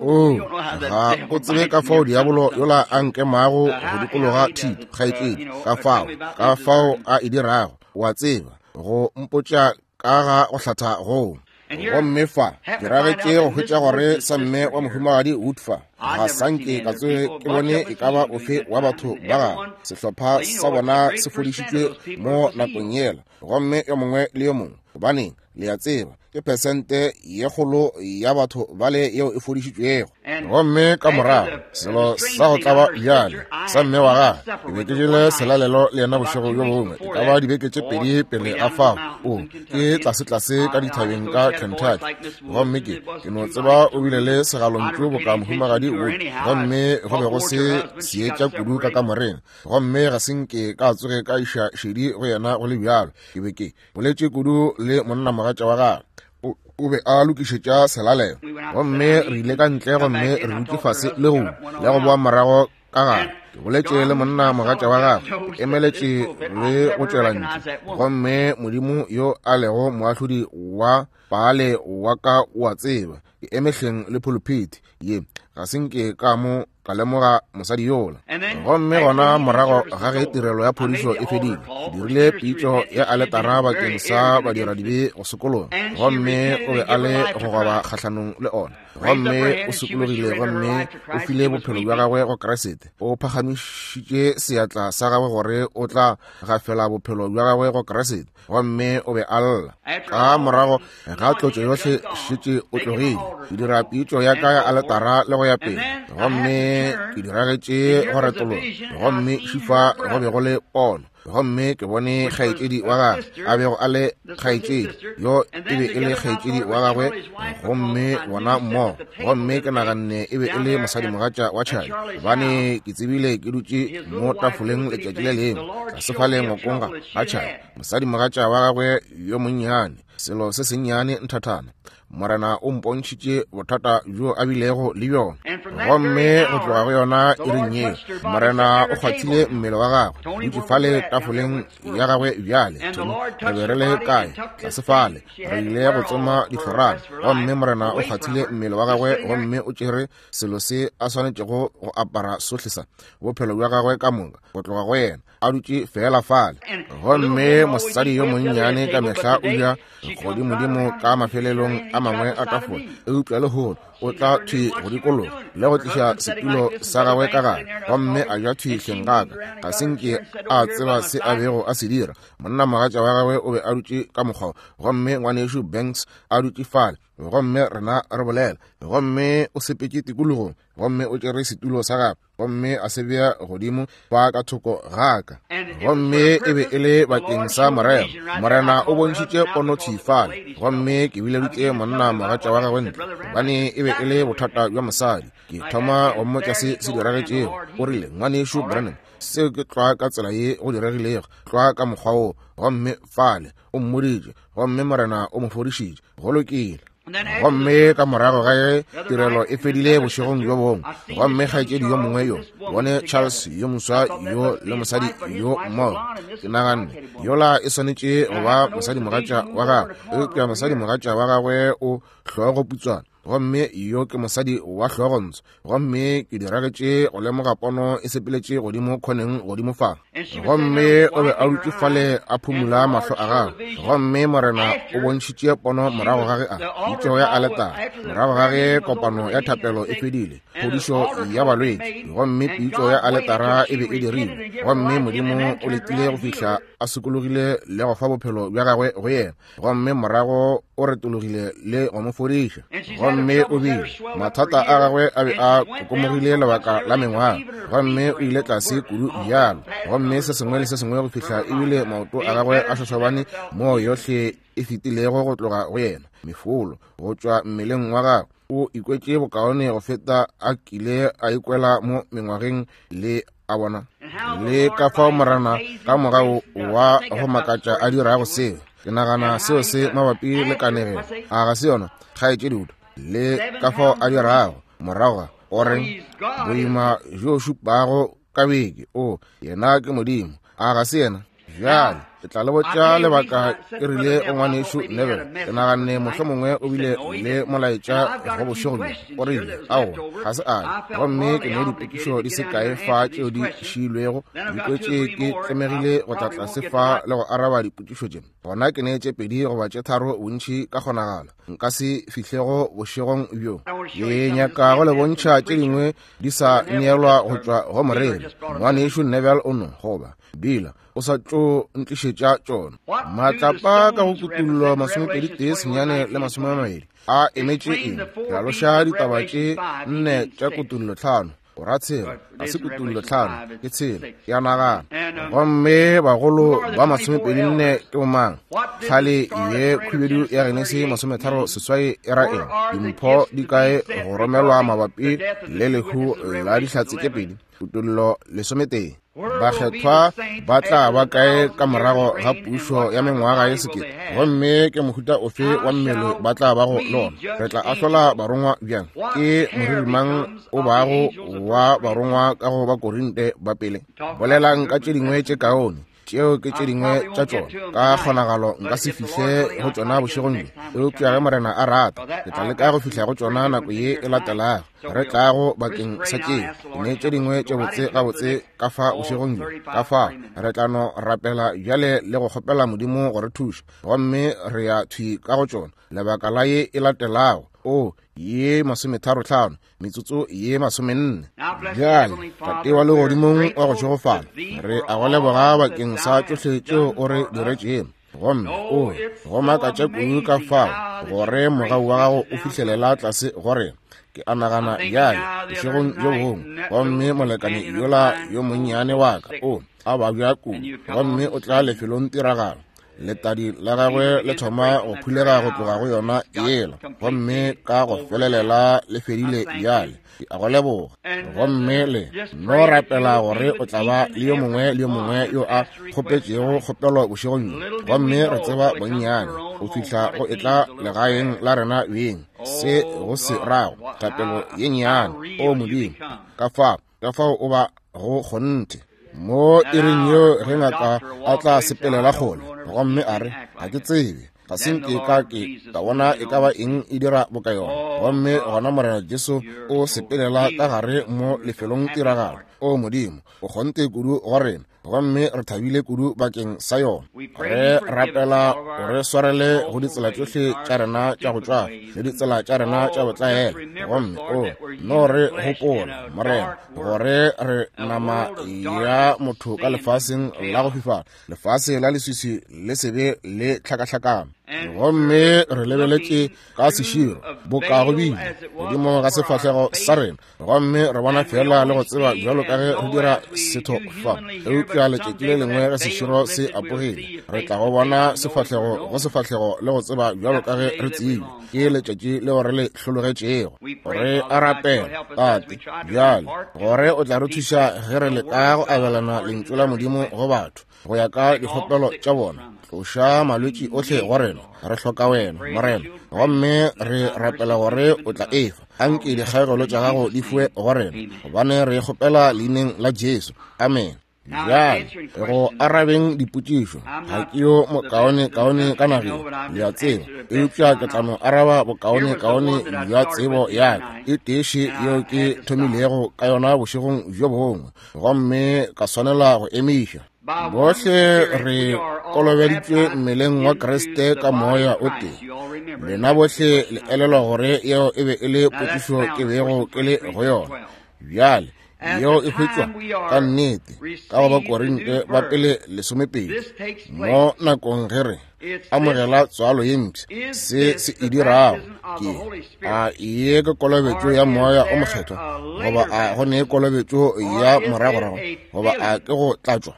Speaker 2: O, ga o tsebe ka fao diabolo yola a nkemago go dikologa thito, kgaetšedi, ka fao, ka fao a e dirago, o a tseba, go mpotša ka ga go hlatha goo. Gomme fa, ke ragetše go hwetša gore sa mme wa mohumagadi Wood fa, ga sanke ka tsoge ke bone e ka ba ofe wa batho ba gagwe. Sehlopha sa bona se fodišitšwe mo nakong yela, gomme yo mongwe le yo mongwe, gobaneng, le a tseba, ke pesente ye kgolo ya batho bale yeo e fodišitšwego. Gomme ka morago, selo sa go tlaba bjale sa mme wa gagwe, ke be ke jele selalelo le yena bošego bjo bongwe, e ka ba dibeke tše pedi pele ga fao. O, ke tlase-tlase ka dithabeng ka Kentucky. Gomme ke, ke no tseba o bile le segalontšu boka mohumagadi Wood, gomme go be go se seetša kudu ka kamoreng, gomme ga se nke ka tsoge ka iša šedi go yena go le bjalo. Ke be ke boletše kudu le monnamogatša wa gagwe. O be a lokišetša selalelo, gomme re ile ka ntle gomme re dutše fase le go le go boa morago ka gare. Ke boletše le monna mogatša wa gagwe, ke emeletše le go tšwela ntle, gomme Modimo yo a lego moahlodi wa paale wa ka o a tseba, ke emehleng le pulpit ye, ga se nke ka mo ka lemoga mosadi yola. Gomme gona morago ga ge tirelo ya phodišo e fedile, ke dirile pitšo ya aletara bakeng sa badiradibe go sokologa, gomme o be a le go goba kgahlanong le ona. Gomme o sokologile gomme o file bophelo bja gagwe go Kriste. O phagamišitše seatla sa gagwe gore o tla gafela bophelo bja gagwe go Kriste, gomme o be a lla. Ka morago ga tlotšo yohle šetše o tlogile, ke dira pitšo ya ka ya aletara le go ya pele, gomme ke diragetše go retologa, gomme šifa go be go le pono. Gomme ke bone kgaetšedi wa gagwe a bego a le kgaetšedi yo e be e le kgaetšedi wa gagwe, gomme bona mmogo. Gomme ke naganne e be e le mosadimogatša wa Charlie, gobane ke tsebile ke dutše mo tafoleng letšatši le lengwe tlase fale ngwakong ga Charlie, mosadimogatša wa gagwe yo monnyane, selo se sennyane nthathana. Morena o mpontšhitše bothata bjo a bilego le bjona, gomme go tloga go yona iring yeo Morena o kgwathile mmele wa gagwe, dutše fale tafoleng ya gagwe bjale. Re be re le kae? Tlase fale re ile go tsoma dihlorana, gomme Morena o kgwathile mmele wa gagwe, gomme o tšere selo se a swanetšego go apara sohle sa bophelo bja gagwe ka moka go tloga go yena, a dutše fela fale. Gomme mosadi yo monnyane ka mehla o ja godimodimo ka mafelelong a mangwe a tafola, eupša lehono o tla thwi go dikologa le go tliša setulo sa gagwe ka gare, gomme a ja thwi hleng ga ka. Ga se nke a tseba se a bego a se dira. Monnamogatša wa gagwe o be a dutše ka mokgwa, gomme ngwanešu Banks a dutše fale, gomme rena re bolela, gomme o sepetše tikologong, gomme o tšere setulo sa gagwe gomme a se bea godimo fa ka thoko ga ka. Gomme e be e le bakeng sa morero. Morena o bontšhitše pono thwi fale, gomme ke bileditše monna mogatša wa gagwe ntle, gobane e be e le bothata bja mosadi. Ke thoma go mmotša se se diragetšego. O rile, ngwanešu Branham, seo ke tlwa ka tsela ye go diregilego, tlwa ka mokgwa wo. Gomme fale o mmoditše, gomme Morena o mo fodišitše. Go lokile. Gomme ka morago ga ge tirelo e fedile bošegong bjo bongwe, gomme kgaetšedi yo mongwe yo bone Charles yo moswa yo le mosadi yo mmogo, ke naganne yola e swanetše go ba mosadimogatša wa gagwe, eupša mosadimogatša wa gagwe o hlogo putswana, gomme yo ke mosadi wa hlogontsho. Gomme ke diragetše go lemoga pono e sepeletše godimo khoneng godimo fa, gomme o be a dutše fale a phumula mahlo a gagwe. Gomme Morena o bontšhitše pono morago ga ge a pitšo ya aletara, morago ga ge kopano ya thapelo e fedile, phodišo ya balwetši, gomme pitšo ya aletara e be e dirilwe, gomme Modimo o letile go fihla a sokologile le go fa bophelo bja gagwe go yena, gomme morago o retologile le go mo fodiša. Gomme o bile mathata a gagwe a be a kokomogile lebaka la mengwaga, gomme o ile tlase kudu bjalo, gomme se sengwe le se sengwe go fihla ebile maoto a gagwe a šošobane moo yohle e fetilego go tloga go yena, mefolo go tšwa mmeleng wa gagwe. O ikwetše bokaone go feta a kile a ikwela mo mengwageng le a bona. Le ka fao Morena ka mogau wa go makatša a dirago seo. Ke nagana seo se mabapi le kanegelo, a ga se yona, kgaetšedi Wood? Le ka fao a dirago morago ga o reng boima bjo šupago ka beke, o yena ke Modimo, a ga se yena? Bjale ke tla le botša lebaka ke rile go ngwanešu Neville. Ke naganne mohlomongwe o bile le molaetša go bošego bjo. O rile aowa, ga se a ye. Gomme ke ne dipotšišo di se kae fa tšeo di šiilwego, di kwetše ke tlemegile go tla tlase fa le go araba dipotšišo tše. Gona ke ne tše pedi goba tše tharo bontši ka kgonagalo nka se fihlego bošegong bjo. Ke nyaka go le bontšha tše dingwe di sa neelwa go tšwa go moreri. Ngwanešu Neville o no goba Bila o sa tšo ntlišetša tšona. Matlapa ka go kutullo masomepedi tee senyane le masome a mabedi a emetše eng? Hlaloša ditaba tše nne tša kutullo tlhano. O ra tshela, ga se kutullo tlhano, ke tshela, ke a nagana. Gomme bagolo ba masomepedi nne ke bomang? Tlhale ye khubedu ya Genesi masometharo seswai e ra eng? Dimpho di kae go romelwa mabapi le lehu la dihlatse tše pedi? Kutullo lesometee. Bakgethwa ba tla ba kae ka morago ga pušo ya mengwaga ye sekete? Gomme ke mohuta ofe wa mmele ba tla bago le ona? Re tla ahlola barongwa bjang? Ke moriri mang o bago wa barongwa ka go Bakorinte ba pele? Bolelang ka tše dingwe tše kaone. Tšeo ke tše dingwe tša tšona. Ka kgonagalo nka se fihle go tšona bošegong bjo, eupša ge Morena a rata, ke tla leka go fihla go tšona nako ye e latelago re tlago bakeng sa tšeo. Ke ne tše dingwe tše botse gabotse ka fa bošegong bjo. Ka fa re tla no rapela bjale le go kgopela Modimo go re thuša, gomme re ya thwi ka go tšona lebaka la ye e latelago, o ye masometharo tlhano metsotso ye masomenne. Bjale Tate wa legodimong wa go šegofala, re a go leboga bakeng sa tšohle tšeo o re diretšego. Gomme o go makatša kudu ka fao gore mogau wa gago o fihlelela tlase go rena. Ke a nagana bjale bošegong bjo bongwe, gomme molekane yola yo monnyane wa ka o a babja kudu, gomme o tla lefelong tiragalo. Letadi la gagwe le thoma go phulega go tloga go yona yela, gomme ka go felelela le fedile bjale. Ke a go leboga. Gomme le no rapela gore o tla ba le yo mongwe le yo mongwe yo a kgopetšego kgopelo bošegong bjo. Gomme re tseba bonnyane go fihla go etla legaeng la rena beng se go se rago thapelo ye nnyane. O Modimo, ka fao ka fao o ba go kgonthe mo iring yeo ge ngaka a tla sepelela kgole gomme a re ga ke tsebe, ga se nke ka ke ka bona e ka ba eng e dira boka yona. Gomme gona Morena Jesu o sepelela ka gare mo lefelong tiragalo. O Modimo, o kgonthe kudu go rena, gomme re thabile kudu bakeng sa yona. Re rapela o re swarele go ditsela tšohle tša rena tša go tšwafa le ditsela tša rena tša botlaela. Gomme o no re gopola, Morena, gore re nama ya motho ka lefaseng la go fifala, lefase la leswiswi le sebe le tlhakahlakano. Gomme re lebeletše ka seširo boka go bile godimo ga sefahlego sa rena, gomme re bona fela le go tseba bjalo ka ge re dira setho fa. Eupša letšatši le lengwe ge seširo se apogile, re tla go bona sefahlego go sefahlego le go tseba bjalo ka ge re tsebile. Ke letšatši leo re le hlologetšego. Re a rapela, Tate, bjale gore o tla re thuša ge re leka go abelana lentšu la Modimo go batho go ya ka dikgopelo tša bona. Tloša malwetši ohle go rena, re hloka wena, Morena, gomme re rapela gore o tla efa. Anke dikgaegelo tša gago di fiwe go rena, gobane re kgopela leineng la Jesu. Amen. Bjale go arabeng dipotšišo, ga ke yo mokaone kaone ka nageng, le a tseba, eupša ke tla no araba bokaone kaone bja tsebo ya ka e teše yeo ke thomilego ka yona bošegong bjo bongwe, gomme ka swanela go emiša. Bohle re kolobeditšwe mmeleng wa Kriste ka moya o tee. Lena bohle le elelwa gore yeo e be e le potšišo ke bego ke le go yona. Bjale
Speaker 1: Yeo e hwetšwa ka nnete ka go Bakorinte ba pele lesomepedi. Mo nakong ge re amogela tswalo ye mpsha, se se e dirago ke a ye ke kolobetšo ya Moya o Mokgethwa, goba a go ne kolobetšo ya moragorago, goba a ke go tlatšwa?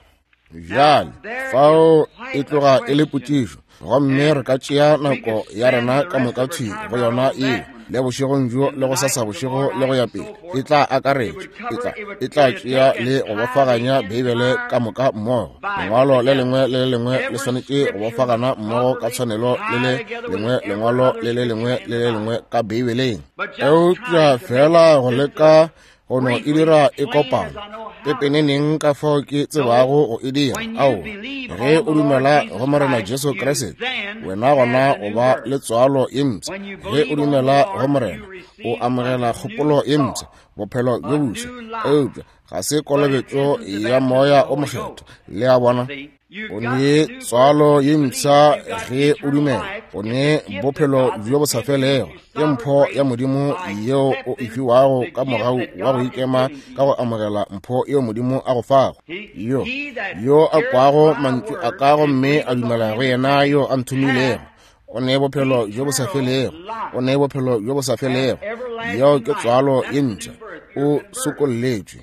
Speaker 1: Bjale fao e tloga e le potšišo, gomme re ka tšea nako ya rena ka moka thwi go yona eo, le bošegong bjo le go sasa bošego le go ya pele. E tla akaretša, e tla e tla tšea le go bofaganya Beibele ka moka mmogo. Lengwalo le lengwe le le lengwe le swanetše go bofagana mmogo ka tshwanelo le le lengwe lengwalo le le lengwe le le lengwe ka Beibeleng. Eupša fela go leka go no e dira e kopana pepeneneng ka fao ke tsebago go e dira. Ao, ge o dumela go Morena Jesu Kriste, wena gona o ba le tswalo ye mpsha. Ge o dumela go Morena, o amogela kgopolo ye mpsha, bophelo bjo boswa. Eupša ga se kolobetšo ya Moya o Mokgethwa. Le a bona? O ne tswalo ye mpsha ge o dumela, o ne bophelo bjo bo sa felego. Ke mpho ya Modimo yeo o e fiwago ka mogau wa go ikema ka go amogela mpho yeo Modimo a go fago. Yo yo a kwago mantšu a ka gomme a dumela go yena yo a nthomilego, o ne bophelo bjo bo sa felego, o ne bophelo bjo bo sa felego. Yeo ke tswalo ye mpsha. O sokolletšwe,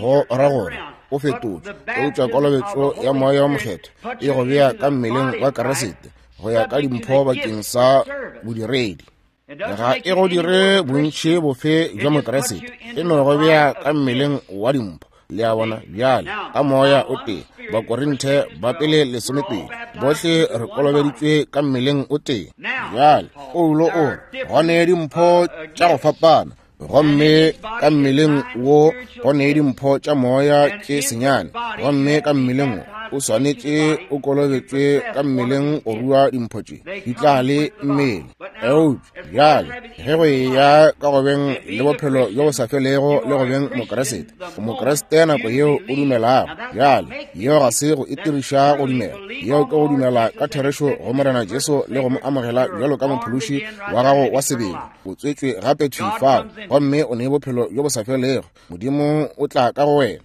Speaker 1: go ra gore o fetotšwe. Eupša kolobetšo ya Moya o Mokgethwa e go bea ka mmeleng wa Kriste go ya ka dimpho bakeng sa bodiredi. Ga e go dire bontši bofe bja Mokriste, e no go bea ka mmeleng wa dimpho. Le a bona? Bjale ka Moya o tee, Bakorinthe ba pele lesomepedi, bohle re kolobeditšwe ka mmeleng o tee. Bjale Paulo o re go ne dimpho tša go fapana, gomme ka mmeleng wo go ne dimpho tša moya tše senyane, gomme ka mmeleng wo o swanetše o kolobetšwe ka mmeleng go rua dimpho tše di tla le mmele. Eupša bjale ge go eya ka go beng le bophelo bjo bo sa felego le go beng Mokriste, Mokriste nako yeo o dumelago. Bjale yeo ga se go itiriša go dumela, yeo ke go dumela ka therešo go Morena Jesu le go mo amogela bjalo ka mophološi wa gago wa sebele. O tswetšwe gape thwi fao, gomme o ne bophelo bjo bo sa felego. Modimo o tla ka go wena.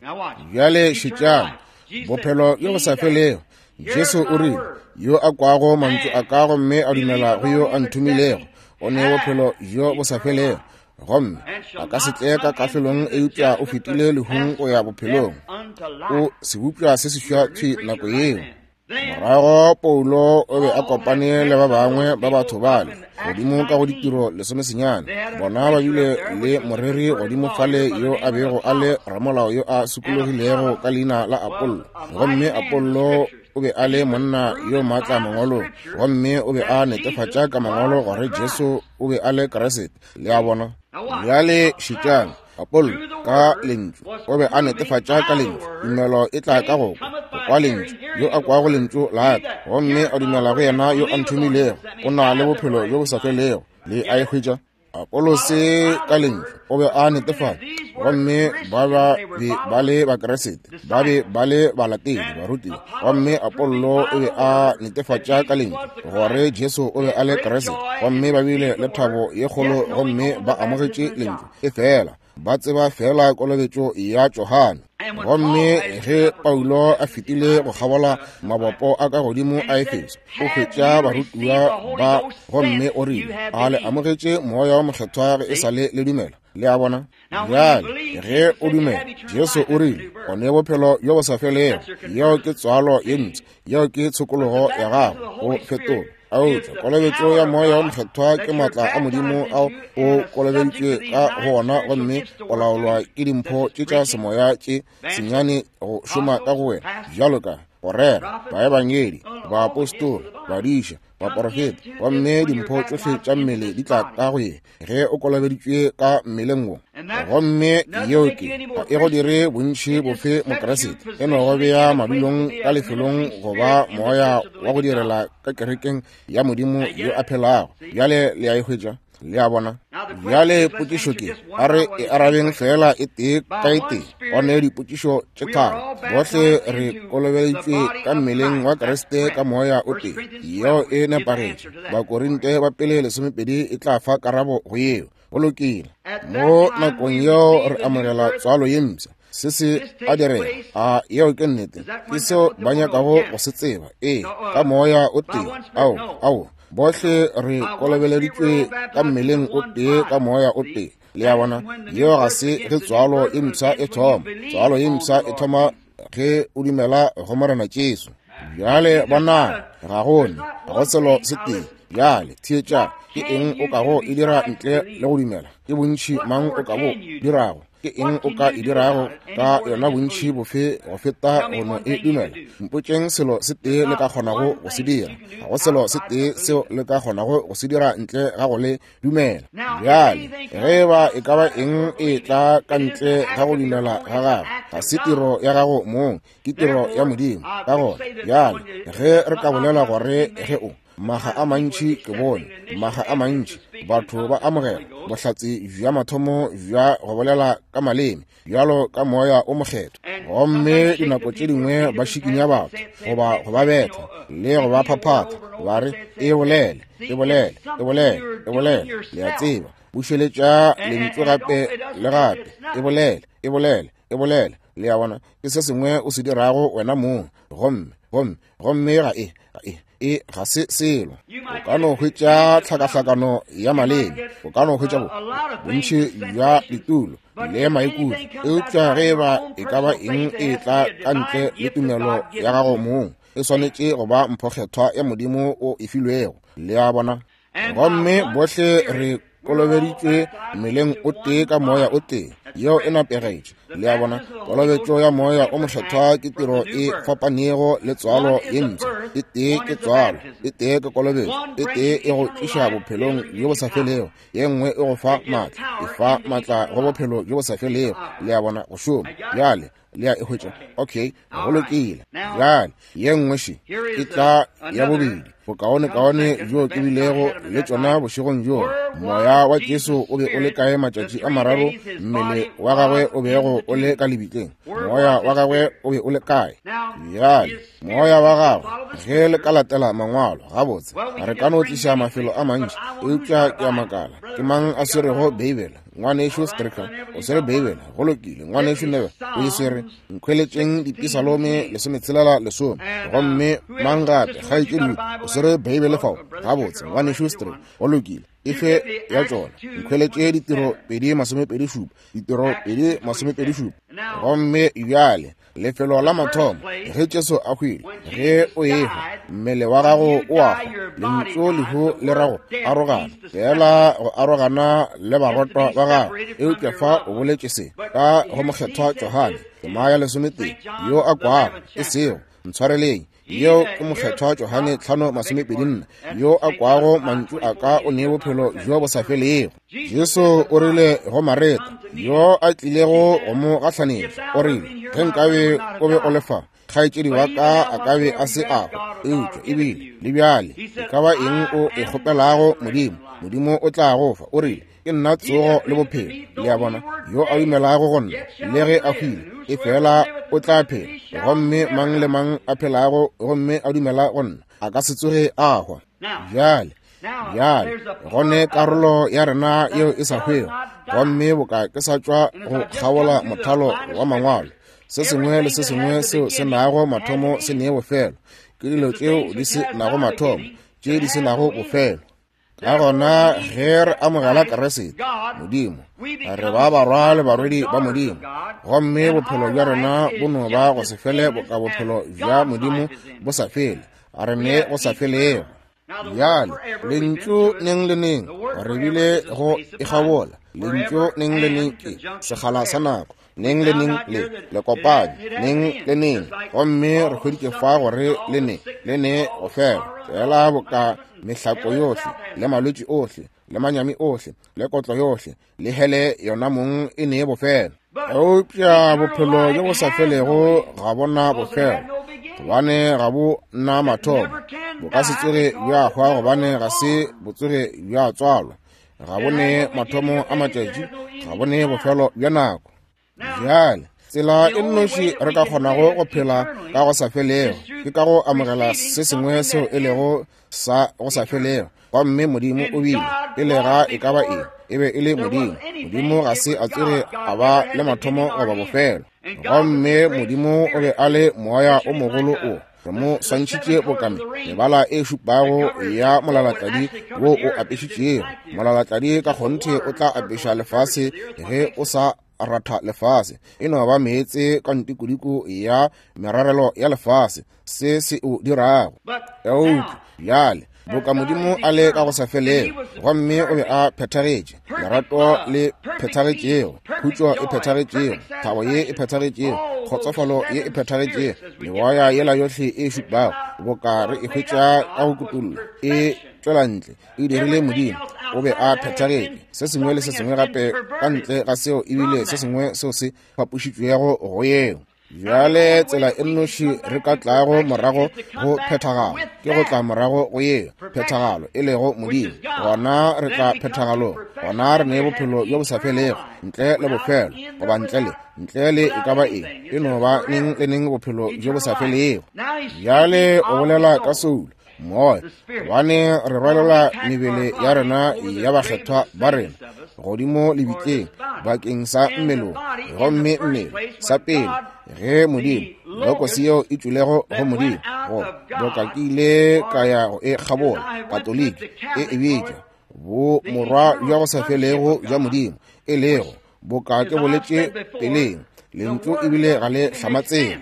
Speaker 1: Bjale šetšang bophelo bjo bo sa felego. Jesu o rile, yo a kwago mantšu a ka gomme a dumela go yo a nthomilego, o ne bophelo bjo bo sa felego, gomme a ka se tle ka kahlolong, eupša o fetile lehung go ya bophelong. O sebopša se seswa thwi nako yeo. Morago Paulo o be a kopane le ba bangwe ba batho bale godimo ka go ditiro lesomesenyane. Bona ba bile le moreri godimo fale yo a bego a le ramolao yo a sokologilego ka leina la Apollo, gomme Apollo o be a le monna yo maatla mangwalong, gomme o be a netefatša ka mangwalo gore Jesu o be a le Kriste. Le a bona? Bjale šetšang. Apollo ka lentšu o be a netefatša ka lentšu. Tumelo e tla ka go kwa, go kwa lentšu. Yo a kwago lentšu la ka gomme a dumela go yena yo a nthomilego, o na le bophelo bjo bo sa felego. Le a e hwetša? Apolose ka lentšu o be a netefatša, gomme ba ba be ba le Bakriste, ba be ba le balatedi, barutiwa. Gomme Apollo o be a netefatša ka lentšu gore Jesu o be a le Kriste, gomme ba bile le thabo ye kgolo, gomme ba amogetše lentšu. E fela ba tseba fela kolobetšo ya Johane. Gomme ge Paulo a fetile go kgabola mabopo a ka godimo a Efeso, o hwetša barutiwa ba, gomme o rile, a le amogetše Moya o Mokgethwa ge e sa le le dumela? Le a bona? Bjale ge o dumela, Jesu o rile, o ne bophelo bjo bo sa felego. Yeo ke tswalo ye mpsha, yeo ke tshokologo ya gago, go fetola. Eupša kolobetšo ya Moya o Mokgethwa ke maatla a Modimo ao o kolobeditšwe ka go ona, gomme o laolwa ke dimpho tše tša semoya tše senyane go šoma ka go wena, bjalo ka go rera, baebangedi, baapostola, badiša, baporofeta, gomme dimpho tšohle tša mmele di tla ka go ye ge o kolobeditšwe ka mmeleng wo. Gomme yeo ke ga e go dire bontši bofe Mokriste, e no go bea madulong ka lefelong go ba moya wa go direla ka kerekeng ya Modimo yo a phelago. Bjale le a e hwetša? Le a bona? Bjale potšišo ke, a re e arabeng fela e tee ka e tee. Go ne dipotšišo tše tharo. Bohle re kolobeditšwe ka mmeleng wa Kriste ka moya o tee. Yeo e nepagetše. Bakorinte ba pele lesomepedi e tla fa karabo go yeo. Go lokile. Mo nakong yeo re amogela tswalo ye mpsha. Se se a direga. A yeo ke nnete? Ke seo ba nyakago go se tseba. Ee, ka moya o tee. Ao, ao, bohle re kolobeleditšwe ka mmeleng o tee ka moya o tee. Le a bona, yeo ga se ge tswalo e mpsha e thoma. Tswalo e mpsha e thoma ge o dumela go Morena Jesu. Bjale bonang, ga gone, ga go selo se tee. Bjale theetša, ke eng o kago e dira ntle le go dumela? Ke bontši mang o ka bo dirago? Ke eng o ka e dirago ka yona bontši bofe go feta go no e dumela? Mpotšeng selo se tee le ka kgonago go se dira. Ga go selo se tee seo le ka kgonago go se dira ntle ga go le dumela. Bjale ge ba e ka ba eng e tla ka ntle ga go dumela ga gago, ga se tiro ya gago mong, ke tiro ya Modimo. Ka gona bjale ge re ka bolela gore ge o maga a mantši ke bone, maga a mantši batho ba amogela bohlatse bja mathomo bja go bolela ka maleme bjalo ka moya o mokgethwa, gomme dinako tše dingwe ba šikinya batho goba go ba betha le go ba phaphatha, ba re e bolele, e bolele, e bolele, e bolele. Le a tseba, bušeletša lentšu gape le gape, e bolele, e bolele, e bolele. Le a bona, ke se sengwe o se dirago wena mong, gomme gomme gomme ga e ga e e ga se selo. O ka no hwetša tlhakahlakano ya maleme, o ka no hwetša bontši bja ditulo le maikutlo, eupša ge ba e ka ba eng e tla ka ntle le tumelo ya gago mong, e swanetše go ba mphokgethwa ya Modimo o e filwego. Le a bona, gomme bohle re kolobeditšwe mmeleng o tee ka moya o tee. Yeo e napegetše. Le a bona, kolobetšo ya moya o mokgethwa ke tiro e fapanego le tswalo ye mpsha. E tee ke tswalo, e tee ke kolobetšo, e tee e go tliša bophelong bjo bo sa felego, ye nngwe e go fa maatla, e fa maatla go bophelo bjo bo sa felego. Le a bona, go šoma. Bjale le a e hwetša. Okay, go lokile. Bjale ye nngwe še e tla ya bobedi, bokaonekaone bjo ke bilego le tšona bošegong bjo. Moya wa Jesu o be o le kae matšatši a mararo mmele wa gagwe o bego o le ka lebitleng? Moya wa gagwe o be o le kae? Bjale moya wa gagwe, ge le ka latela mangwalo gabotse, re ka no tliša mafelo a mantši, eupša ke a makala, ke mang a swerego Beibele? Ngwanešu Stricker o swere Beibele. Go lokile. Ngwanešu Neve o e swere. Nkhweletšeng Dipisalome lesometshelela lesome. Gomme mang gape? Kgaetšedi o swere Beibele fao. Gabotse, ngwanešu Stricker, go lokile. Efe ya tšona? Nkhweletše ditiro pedi masomepedi šupa, ditiro pedi masomepedi šupa. Gomme bjale lefelo la mathomo, ge Jesu a hwile, ge o ehwa, mmele wa gago o a hwa. Lentšu lehu le rago arogana, fela go arogana le barotwa ba gago. Eupša fa o boletše se ka go mokgethwa Johane tema ya lesometee, yo a kwago, e sego ntshwareleng, yeo ke mokgethwa Johane tlhano masomepedi nne, yo a kwago mantšu a ka o ne bophelo bjo bo sa felego. Jesu o rile go Mareta, yo a tlilego go mo gahlanetša, o rile, ge nkabe o be o le fa, kgaetšedi wa ka a ka be a se a hwa. Eupša ebile le bjale e ka ba eng o e kgopelago Modimo, Modimo o tla go fa. O rile, ke nna tsogo le bophelo. Le a bona, yo a dumelago go nna, le ge a hwile, e fela o tla phela. Gomme mang le mang a phelago gomme a dumela go nna, a ka se tsoge a hwa. Bjale bjale gone karolo ya rena yeo e sa hwego, gomme boka ke sa tšwa go kgaola mothalo wa mangwalo, se sengwe le se sengwe seo se nago mathomo se nee bofelo. Ke dilo tšeo di se nago mathomo, tše di se nago bofelo. Ka gona ge re amogela Kriste, Modimo, re ba barwa le barwedi ba Modimo, gomme bophelo bja rena bo no ba go se fele boka bophelo bja Modimo bo sa fele. A re ne go sa felego. Bjale lentšu neng le neng re bile go ikgabola, lentšu neng le neng ke sekgala sa nako, neng le neng le le kopane, neng le neng, gomme re hweditše fa gore le ne le ne go fela, fela boka mehlako yohle le malwetši ohle le manyami ohle le kotlo yohle le hele yona mong e ne bofelo. Eupša bophelo bjo bo sa felego ga bona bofelo, gobane ga bo na mathomo. Bo ka se tsoge bja hwa, gobane ga se bo tsoge bja tswalwa. Ga bo ne mathomo a matšatši, ga bo ne bofelo bja nako. Bjale tsela e nnoši re ka kgonago go phela ka go sa felego ke ka go amogela se sengwe seo e lego sa go sa felego. Gomme Modimo o bile pele ga e ka ba eng, E be e le Modimo. Modimo ga se a tsoge a ba le mathomo goba bofelo. Gomme Modimo o be a le moya o mogolo o re mo swantšhitše bokame mebala e šupago ya molalatladi wo o apešitšego. Molalatladi ka kgonthe o tla apeša lefase ge o sa ratha lefase. E no ba meetse ka ntikodiko ya merarelo ya lefase, se se o dirago. Eupša bjale boka Modimo a le ka go sa felego, gomme o be a phethagetše, lerato le phethagetšego, khutšo e phethagetšego, thabo ye e phethagetšego, kgotsofalo ye e phethagetšego, meoya yela yohle e šupago boka re e hwetša ka go kutollo e tšwela ntle, e dirile Modimo. O be a phethagetše. Se sengwe le se sengwe gape ka ntle ga seo ebile se sengwe seo se fapošitšwego go yeo. Bjale tsela e nnoši re ka tlago morago go phethagalo ke go tla morago go yeo phethagalo e lego Modimo. Gona re tla phethagalong, gona re ne bophelo bjo bo sa felego, ntle le bofelo goba ntle le ntle le e ka ba eng, e no ba neng le neng bophelo bjo bo sa felego. Bjale o bolela ka soulo, moya, gobane re rwalela mebele ya rena ya bakgethwa ba rena godimo lebitleng bakeng sa mmelong. Gomme mmele sa pele ge Modimo lokosi yeo e tšwilego go Modimo, go boka ke ile ka ya go e kgabola Katoliki e e bitša bo morwa bja go sa felego bja Modimo, e lego boka ke boletše peleng, lentšu ebile ga le hlamatsega.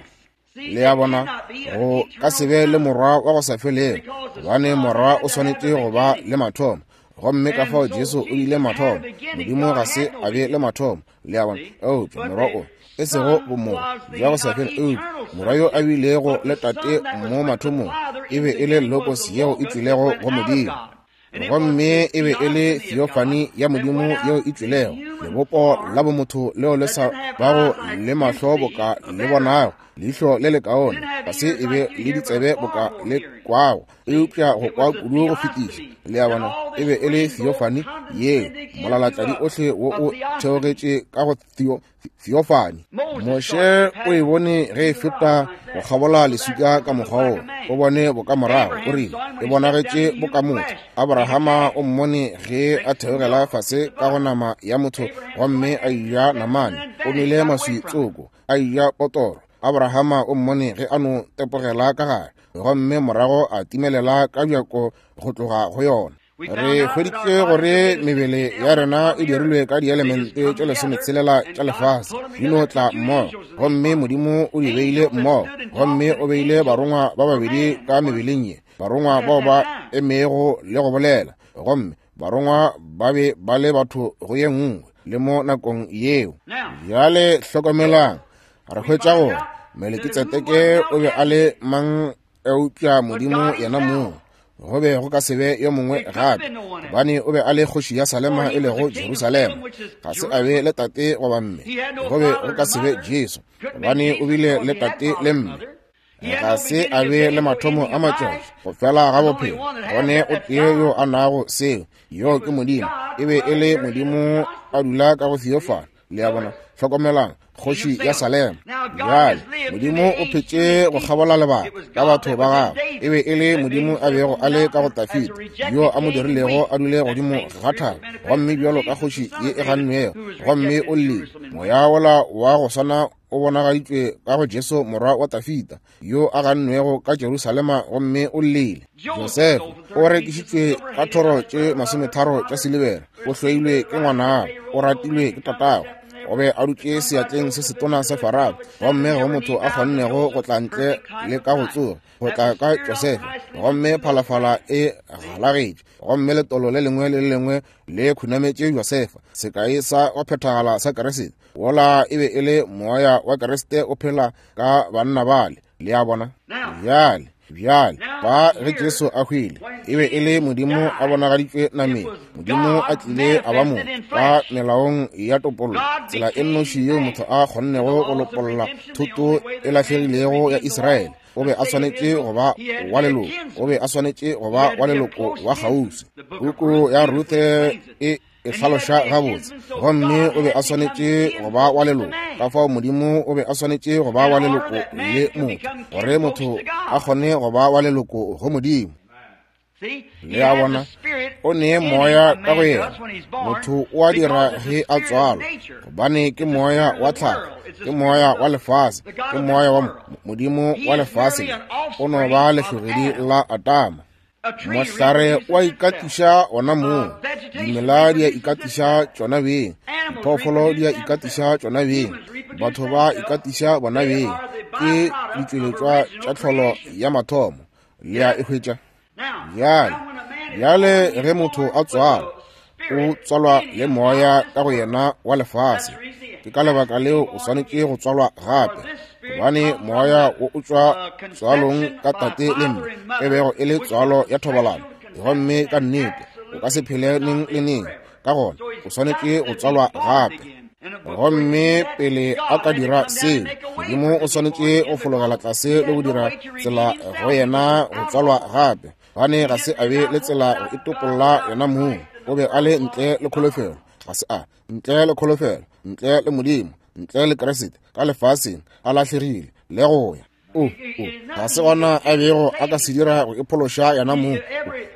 Speaker 1: Le a bona, go ka se be le morwa wa go sa felego, gobane morwa o swanetše go ba le mathomo. Gomme ka fao Jesu o bile mathomo. Modimo ga se a be le mathomo, le a bona. Eupša morwa o e sego bomorwa bja go sa fele, eupša morwa yo a bilego le tate mo mathomong e be e le logos yeo e tšwilego go Modimo. Gomme e be e le theophany ya Modimo yeo e tšwilego, lebopo la bomotho leo le sa bago le mahlo boka le bonago, leihlo le lekaone, ga se e be le ditsebe boka le kwago, eupša go kwa kudu go fetiša. Le a bona, e be e le theophany yeo, molalatladi ohle wo o theogetše ka go theo theophany. Moshe o e bone ge e feta go kgabola leswika ka mokgwa wo, o bone bokamorago, o rile e bonagetše bokamotho. Abrahama o mmone ge a theogela fase ka go nama ya motho gomme a eja namane, o nwele maswi tsoko, a eja potoro. Abrahama o mmone ge a no tepogela ka gare, gomme morago a timelela ka bjako go tloga go yona. Re hweditše gore mebele ya rena e dirilwe ka dielemente tše lesometshelela tša lefase, di no tla mmogo, gomme Modimo o di beile mmogo, gomme o beile barongwa ba babedi ka mebeleng ye, barongwa bao ba emego le go bolela, gomme barongwa ba be ba le batho go ye nngwe le mo nakong yeo. Bjale hlokomelang, re hwetša gore Melekitsedeke o be a le mang eupša Modimo yena mong. Go be go ka se be yo mongwe gape, gobane o be a le kgoši ya Salema e lego Jerusalema. Ga se a be le tate goba mme. Go be go ka se be Jesu, gobane o bile le tate le mme. Ga se a be le mathomo a matšatši, go fela ga bophelo. Gone o tee yo a nago seo, yo ke Modimo. E be e le Modimo a dula ka go theophany. Le a bona, hlokomelang, kgoši ya Salema. Bjale Modimo o phetše go kgabola lebaka ka batho ba gagwe. E be e le Modimo a bego a le ka go Dafida, yo a mo dirilego a dule godimo ga thaba, gomme bjalo ka kgoši ye e gannwego, gomme o llile. Moya wola wa go swana o bonagaditšwe ka go Jesu morwa wa Dafida, yo a gannwego ka Jerusalema, gomme o llile. Josefa o rekišitšwe ka thoro tše masometharo tša silibera, o hloilwe ke ngwanabo, o ratilwe ke tatagwe. O be a dutše seatleng se setona sa Farao, gomme go motho a kgonnego go tla ntle le ka go tsoga, go tla ka Josefa, gomme phalafala e galagetše, gomme letolo le lengwe le le lengwe le khunametše Josefa, sekai sa go phethagala sa Kriste. Wola e be e le moya wa Kriste o phela ka banna bale. Le a bona? Bjale, bjale, ba ge Jesu a hwile, e be e le Modimo a bonagaditšwe nameng. Modimo a tlile a ba motho ka melaong ya topollo, tsela e nnoši yeo motho a kgonnego go lopolla thoto e lahlegilego ya Israele. O be a swanetše go ba wa leloko, o be a swanetše go ba wa leloko wa kgauswi. Puku ya Ruthe e e hlaloša gabotse, gomme o be a swanetše go ba wa leloko. Ka fao Modimo o be a swanetše go ba wa leloko le motho, gore motho a kgone go ba wa leloko go Modimo. Le a bona, o ne moya ka go yena. Motho o a dira ge a tswalwa, gobane ke moya wa tlhago, ke moya wa lefase, ke moya wa Modimo wa lefase. O no ba lehlogedi la Adama. Mohlare wa ikatiša ona mong, dimela di a ikatiša tšona beng, diphoofolo di a ikatiša tšona beng, batho ba ikatiša bona beng. Ke ditšweletšwa tša tlholo ya mathomo. Le a e hwetša? Bjale, bjale ge motho a tswalwa, o tswalwa le moya ka go yena wa lefase. Ke ka lebaka leo o swanetše go tswalwa gape, gobane moya wo o tšwa tswalong ka tate le mme, e bego e le tswalo ya thobalano, gomme ka nnete o ka se phele neng le neng. Ka gona o swanetše go tswalwa gape. Gomme pele a ka dira seo, Modimo o swanetše go fologela tlase le go dira tsela go yena go tswalwa gape, gobane ga se a be le tsela go itopolla yena mong. O be a le ntle le kholofelo, ga se a ntle le kholofelo, ntle le Modimo, ntle le Kriste, ka lefaseng a lahlegile le go ya. O, o, ga se gona a bego a ka se dira go iphološa yena mong.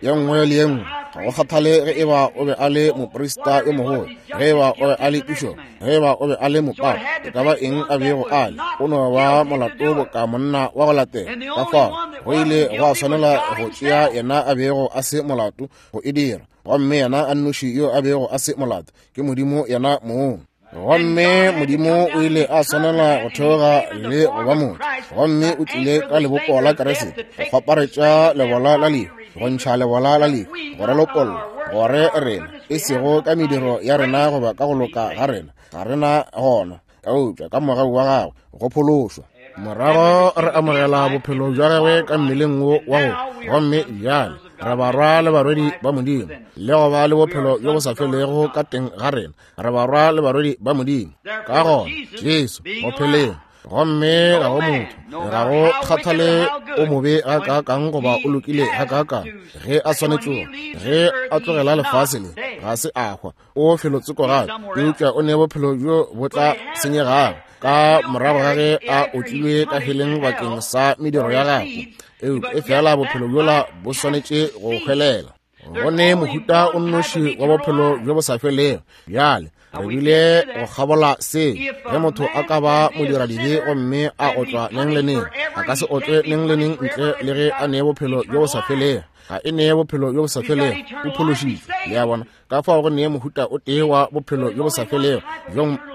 Speaker 1: Ye nngwe le ye nngwe, ga go kgathale ge eba o be a le moprista yo mogolo, ge eba o be a le pišopo, ge eba o be a le mopapa, e ka ba eng a bego a le, o no ba molato boka monna wa go latela. Ka fao go ile gwa swanela go tšea yena a bego a se molato go e dira, gomme yena a nnoši yo a bego a se molato ke Modimo yena mong. Gomme Modimo o ile a swanela go theoga le go ba motho, gomme o tlile ka lebopo la Kriste go kgwaparetša lebola la lehu, go ntšha lebola la lehu, go re lopolla, gore rena, e sego ka mediro ya rena goba ka go loka ga rena, ga rena gona, eupša ka mogau wa gagwe go phološwa. Morago re amogela bophelo bja gagwe ka mmeleng wo wa go, gomme bjale re barwa le barwedi ba Modimo, le go ba le bophelo bjo bo sa felego ka teng ga rena. Re barwa le barwedi ba Modimo. Ka gona Jesu go pheleng, gomme ga go motho, ga go kgathale o mobe gakaakang goba o lokile gakaakang, ge a swanetšego, ge a tlogela lefase le, ga se a hwa, o felotsoko gape, eupša o ne bophelo bjo bo tla senyegago ka morago ga ge a otlilwe ka heleng bakeng sa mediro ya gagwe. Eupša e fela bophelo bjola bo swanetše go hwelela. Go ne mohuta o nnoši wa bophelo bjo bo sa felego. Bjale re bile go kgabola se. Ge motho a ka ba modiradibe gomme a otlwa neng le neng, a ka se otlwe neng le neng ntle le ge a nee bophelo bjo bo sa felego. Ga e nee bophelo bjo bo sa felego, o phološitšwe. Le a bona? Ka fao go nee mohuta o tee wa bophelo bjo bo sa felego,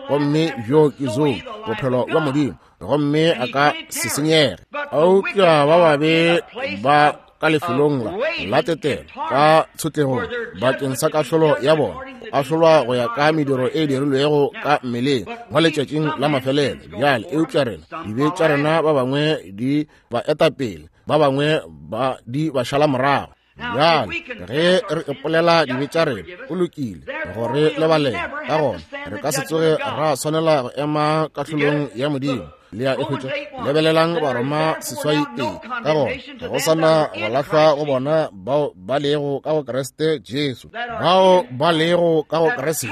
Speaker 1: gomme bjo ke Zoe, bophelo bja Modimo, gomme a ka se senyege. Eupša ba babe ba ka lefelong la la tetelo ka tshotlegong bakeng sa kahlolo ya bona, ahlolwa go ya ka mediro e dirilwego ka mmeleng mo letšatšing la mafelelo. Bjale eupša rena, dibe tša rena ba bangwe di ba etapele, ba bangwe ba di ba šala morago. Bjale ge re ipolela dibe tša rena, o lokile gore lebalele. Ka gona re ka se tsoge ra swanela go ema kahlolong ya Modimo. Le a e hwetša? Lebelelang Baroma seswai tee. Ka gona ga go sana go lahlwa go bona bao ba lego ka go Kriste Jesu, bao ba lego ka go Kriste,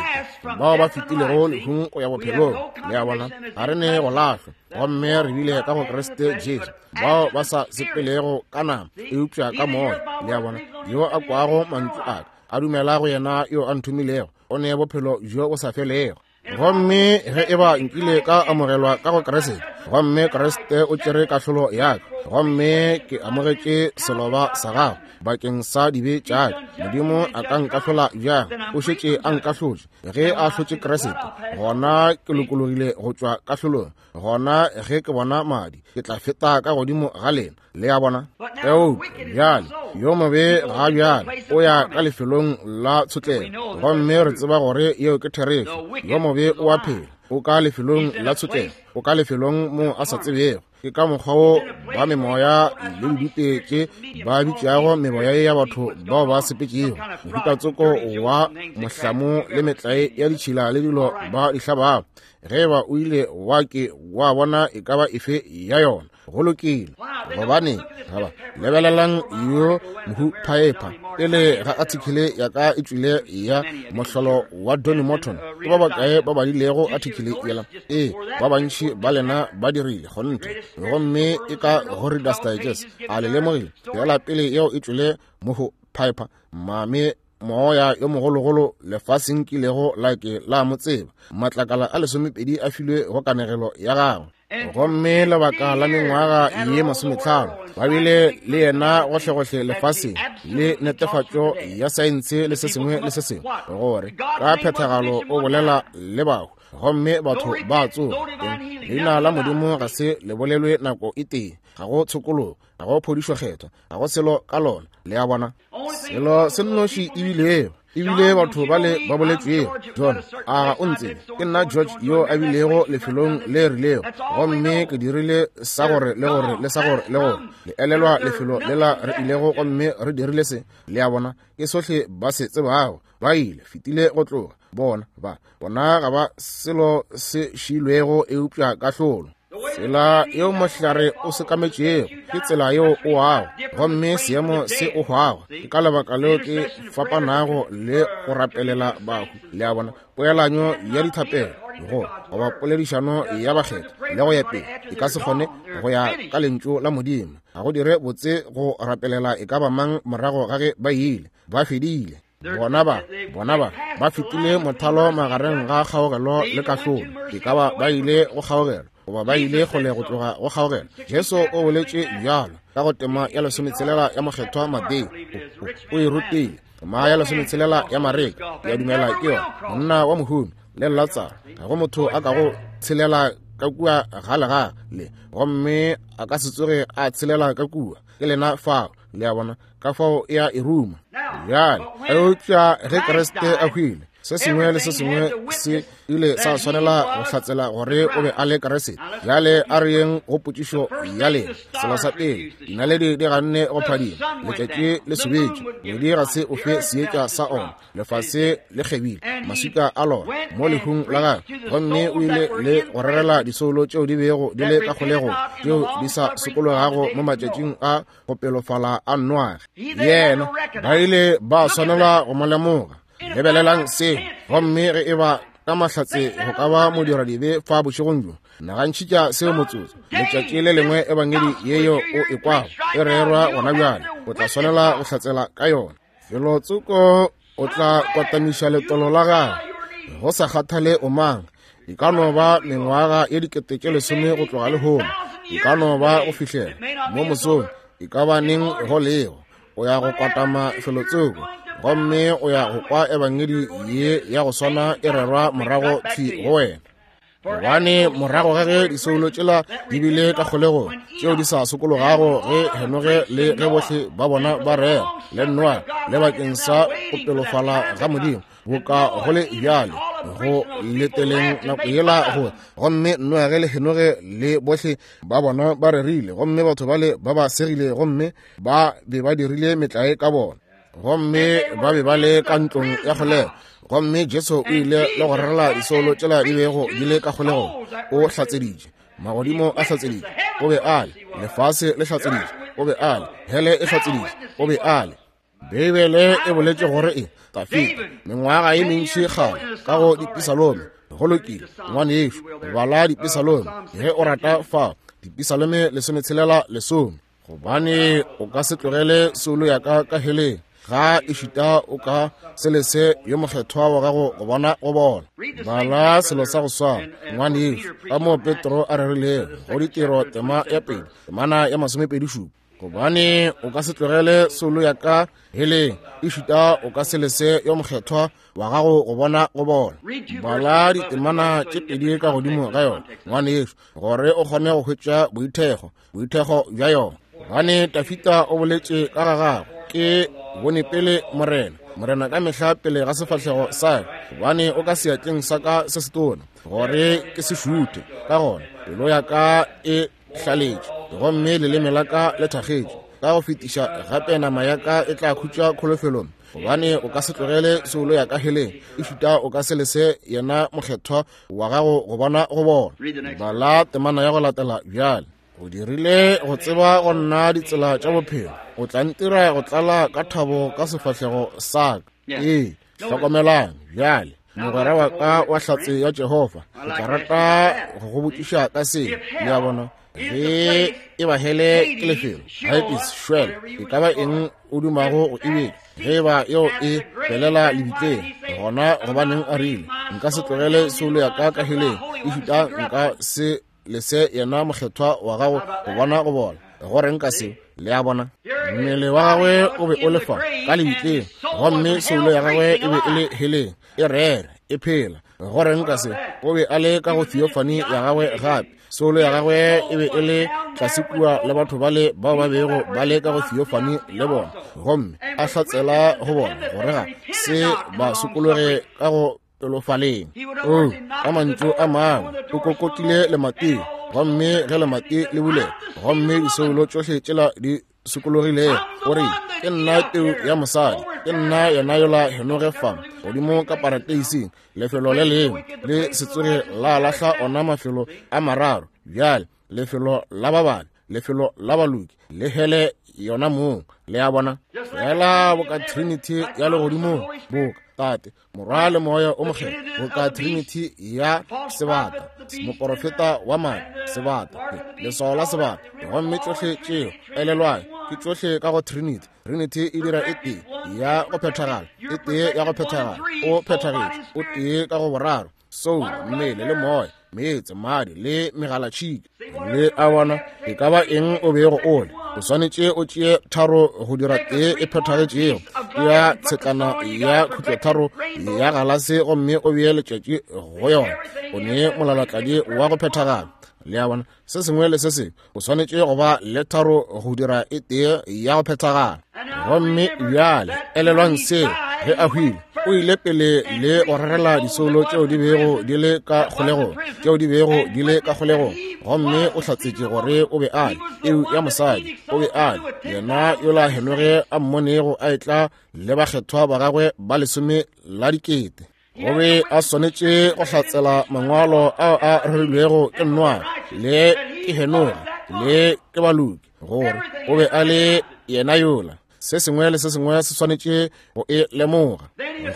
Speaker 1: bao ba fetilego lehung go ya bophelong. Le a bona? Ga re ne go lahlwa, gomme re bile ka go Kriste Jesu, bao ba sa sepelego ka nama eupša ka moya. Le a bona? Yo a kwago mantšu a ka, a dumela go yena yo a nthomilego, o ne bophelo bjo bo sa felego. Gomme ge eba nkile ka amogelwa ka go Kriste, gomme Kriste o tšere kahlolo ya ka, gomme ke amogetše seloba sa gagwe bakeng sa dibe tša ka, Modimo a ka nkahlola bjang? O šetše a nkahlotše. Ge a ahlotše Kriste, gona ke lokologile go tšwa kahlolong. Gona ge ke bona madi, ke tla feta ka godimo ga lena. Le a bona? Eupša bjale yo mobe ga bjale o ya ka lefelong la tshotlego, gomme re tseba gore yeo ke therešo. Yo mobe o a phela, o ka lefelong la tshotlego, o ka lefelong mo a sa tsebego. Ke ka mokgwa wo ba memoya le didupe tše ba bitšago memoya ya batho bao ba sepetšego, mohutatsoko wa mohlamo le metlae ya ditšhila le dilo ba di hlabago. Ge eba o ile wa ke wa bona e ka ba efe ya yona, go lokile. Gobane gaba lebelelang yo mohu Piper, pele ga article ya ka e tšwile ya mohlolo wa Donny Morton, ke ba bakae ba badilego article yela? Ee, ba bantši ba lena ba dirile kgonthe. Gomme e ka go Reader's Digest. A le lemogile? Yela pele yeo e tšwile mohu Piper, mame moya yo mogologolo lefaseng kilego la ke la mo tseba. Matlakala a lesomepedi a filwe go kanegelo ya gagwe. Gomme lebaka la mengwaga ye masometlhano ba bile le yena gohlegohle lefaseng le netefatšo ya saense le se sengwe le se sengwe gore ka phethagalo o bolela le bahu gomme batho ba tsoga. Leina la Modimo ga se le bolelwe nako e tee, ga go tshokologo, ga go phodišo kgethwa, ga go selo ka lona. Le a bona, selo se nnoši ebilego ebile batho ba le ba boletšwego. John, a ga o ntsebe? Ke nna George yo a bilego lefelong le rilego, gomme ke dirile sa gore le gore le sa gore le gore. Le elelwa lefelo lela re ilego gomme re dirile se. Le a bona, ke sohle ba se tsebago. Ba ile fetile go tloga. Bona ba bona ga ba selo se šilwego eupša kahlolo. Tsela yeo mohlare o sekametšego ke tsela yeo o wago, gomme seemo se o hwago. Ke ka lebaka leo ke fapanago le go rapelela bahu. Le a bona, poelanyo ya dithapelo go goba poledišano ya bakgethwa le go ya pele e ka se kgone go ya ka lentšu la Modimo. Ga go dire botse go rapelela e ka ba mang morago ga ge ba ile ba fedile. Bona ba bona ba ba fetile mothalo magareng ga kgaogelo le kahlolo. E ka ba ba ile go kgaogelo goba ba ile kgole go tloga go kgaogelo. Jesu o boletše bjalo ka go tema ya lesometshelela ya mokgethwa Mateo. O e rutile tema ya lesometshelela ya Mareka. Ke a dumela ke yona monna wa mohumi le Latsaro. Ga go motho a ka go tshelela ka kua ga lega le, gomme a ka se tsoge a tshelela ka kua. Ke lena fao. Le a bona, ka fao e a e ruma. Bjale eupša ge Kriste a hwile, se sengwe le se sengwe se ile sa swanela go hlatsela gore o be a le Kriste. Bjale a re yeng go potšišo ya lena. Selo sa pele, dinaledi di ganne go phadima, letšatši le sobetše, ngwedi ga se o fe seetša sa ona, lefase le kgebile maswika a lona mo lehung la gagwe. Gomme o ile le go rerela disoulo tšeo di bego di le ka kgolegong, tšeo di sa sokologago mo matšatšing a go pelofala a Noage. Yena ba ile ba swanela go mo lemoga. Lebelelang seo. Gomme ge e ba ka mahlatse go ka ba modiradibe fa bošegong bjo, nagantšhitša seo motsotso. Letšatši le lengwe ebangedi yeyo o e kwago e rerwa gona bjale, o tla swanela go hlatsela ka yona. Felo tsoko o tla kwatamiša letolo la gagwe, go sa kgathale o mang. E ka no ba mengwaga ye dikete tše lesome go tloga lehono, e ka no ba go fihlela mo mosong, e ka ba neng go lego. O ya go kwatama felo tsoko, gomme o ya go kwa ebangedi ye ya go swana e rerwa morago thwi go wena. Gobane morago ga ge disoulo tšela di bile ka kgolegong, tšeo di sa sokologago ge Henoge le ge bohle ba bona ba rera le Noa le bakeng sa go pelofala ga Modimo, boka go le bjale go leteleng nako yela go. Gomme Noage le Henoge le bohle ba bona ba rerile, gomme batho bale ba ba segile, gomme ba be ba dirile metlae ka bona, gomme ba be ba le ka ntlong ya kgolego. Gomme Jesu o ile le go rerela disoulo tšela di bego di le ka kgolegong. O hlatseditše, magodimo a hlatseditše, o be a le, lefase le hlatseditše, o be a le, hele e hlatseditše, o be a le. Beibele e boletše gore e Dafida mengwaga ye mentši kgale ka go dipisalome. Go lokile ngwanešo, bala dipisalome ge o rata fa, dipisalome lesometshelela lesome. Gobane o ka se tlogele soulo ya ka ka heleng, ga e šita o ka se lese yo mokgethwa wa gago go bona go bona. Bala selo sa go swana ngwanešo, ka mo Petro a rerilego go ditiro tema ya pele temana ya masomepedi šupa. Gobane o ka se tlogele soulo ya ka heleng, e šita o ka se lese yo mokgethwa wa gago go bona go bona. Bala ditemana tše pedi ka godimo ga yona ngwanešo, gore o kgone go hwetša boithekgo boithekgo bja yona. Gobane Dafida o boletše ka ga gagwe, ke bone pele Morena, Morena ka mehla pele ga sefahlego sa ka, gobane o ka seatleng sa ka se setona, gore ke se šuthe. Ka gona pelo ya ka e hlaletše, gomme leleme la ka le thakgetše. Ka go fetiša gape nama ya ka e tla khutša kholofelong, gobane o ka se tlogele soulo ya ka heleng, e šuta o ka se lese yena mokgethwa wa gago go bona go bona. Bala temana ya go latela bjale. O dirile go tseba go nna ditsela tša bophelo, o tla ntira go tlala ka thabo ka sefahlego sa ka. Ee, hlokomelang bjale, mogwera wa ka wa hlatse ya Jehofa, ke tla rata go go botšiša ka se. Le a bona, Ge e ba hele ke lefelo, Hades, Sheol, e ka ba eng o dumago go e bitša, ge ba yeo e felela lebitleng, gona gobaneng a rile, nka se tlogele soulo ya ka ka heleng, ešita nka se lese yena mokgethwa wa gago go bona go bola. Go reng ka seo? Le a bona, mmele wa gagwe o be o le fa ka lebitleng, gomme soulo ya gagwe e be e le heleng, e rere, e phela. Go reng ka seo? O be a le ka go theophany ya gagwe gape. Soulo ya gagwe e be e le tlase kua le batho bale bao ba bego ba le ka go theophany le bona, gomme a hlatsela go bona gore ga se ba sokologe ka go pelofaleng. O ka mantšu a mangwe, o kokotile lemati, gomme ge lemati le bulega, gomme disoulo tšohle tšela di sokologilego, o re, ke nna peu ya mosadi, ke nna yena yola Henoge fa godimo ka parateising, lefelo le lengwe le se tsoge la lahla ona mafelo a mararo bjale, lefelo la bababe, lefelo la baloki, le hele yona mong. Le a bona, fela boka Trinity ya legodimong, boka Tate, Morwa le Moya o Mokgethwa, boka Trinity ya sebata, moporofeta wa madi, sebata, leswao la sebata, gomme tšohle tšeo, elelwang, ke tšohle ka go Trinity. Trinity e dira e tee ya go phethagala, e tee ya go phethagala, o phethagetše, o tee ka go boraro, soul, mmele le moya, meetse, madi le megalatšhika. Le a bona, e ka ba eng o bego o le, o swanetše o tšee tharo go dira tee e phethagetšego ya tshetlana ya khutlotharo ya galase, gomme o bee letšatši go yona, o ne molalatladi wa go phethagala. Le a bona, se sengwe le se sengwe o swanetše go ba le tharo go dira e tee ya go phethagala. Gomme bjale elelwang seo, ge a hwile, o ile pele le go rerela disoulo tšeo di bego di le ka kgolegong, tšeo di bego di le ka kgolegong, gomme o hlatsetše gore o be a le peu ya mosadi, o be a le yena yola Henoge a mmonego a etla le bakgethwa ba gagwe ba lesome la dikete. O be a swanetše go hlatsela mangwalo ao a rerilwego ke Noa le ke Henoge le ke baloki, gore o be a le yena yola. Se sengwe le se sengwe se swanetše go e lemoga.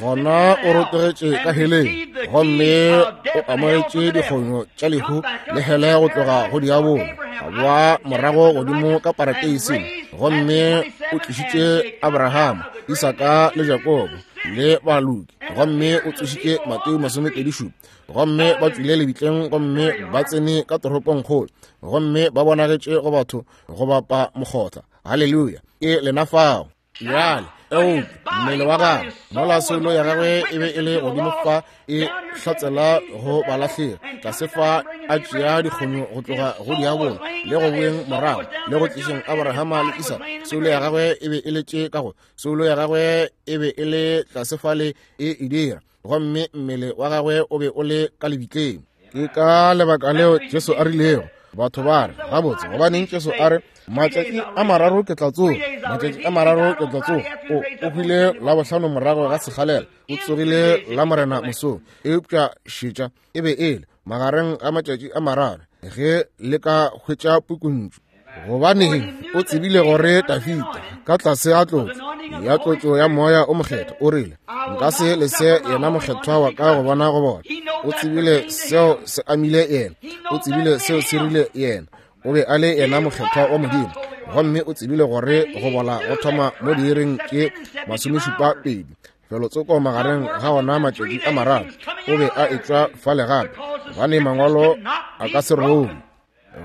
Speaker 1: Gona o rotogetše ka heleng, gomme o amogetše dikgonyo tša lehu le hele go tloga go diabolo, a boa morago godimo ka parateising, gomme o tlišitše Abrahama, Isaka le Jakobo le baloki, gomme o tsošitše Mateo masomepedi šupa, gomme ba tšwile lebitleng, gomme ba tsene ka toropongkgolo, gomme ba bonagetše go batho go bapa mokgotla. Haleluya, ke lena fao. Bjale eupša mmele wa gagwe, mola soulo ya gagwe e be e le godimo fa e hlatsela go balahlegi, tlase fa a tšea dikgonyo go tloga go diabolo le go boeng morago le go tlišeng Abrahama le Isaka, soulo ya gagwe e be e le tše ka go, soulo ya gagwe e be e le tlase fale e e dira, gomme mmele wa gagwe o be o le ka lebitleng. Ke ka lebaka leo Jesu a rilego, batho ba re, gabotse, gobaneng Jesu a re, matšatši a mararo ke tla tsoga, matšatši a mararo ke tla tsoga. O o hwile la bohlano morago ga sekgalela, o tsogile la morena mosong, eupša šetša e be e le magareng ga matšatši a mararo ge le ka hwetša pukuntšu. Gobaneng o tsebile gore Dafita ka tlase a tlotšo ya tlotšo ya moya o mokgethwa o rile, nka se lese yena mokgethwa wa ka go bona go bona. O tsebile seo se amile yena, o tsebile seo se rile yena, o be a le yena mokgethwa wa Modimo, gomme o tsebile gore go bola go thoma mo diiring tše masomešupa pedi felotsoko magareng ga ona matšatši a mararo, o be a etšwa fale gape, gobane mangwalo a ka se robe.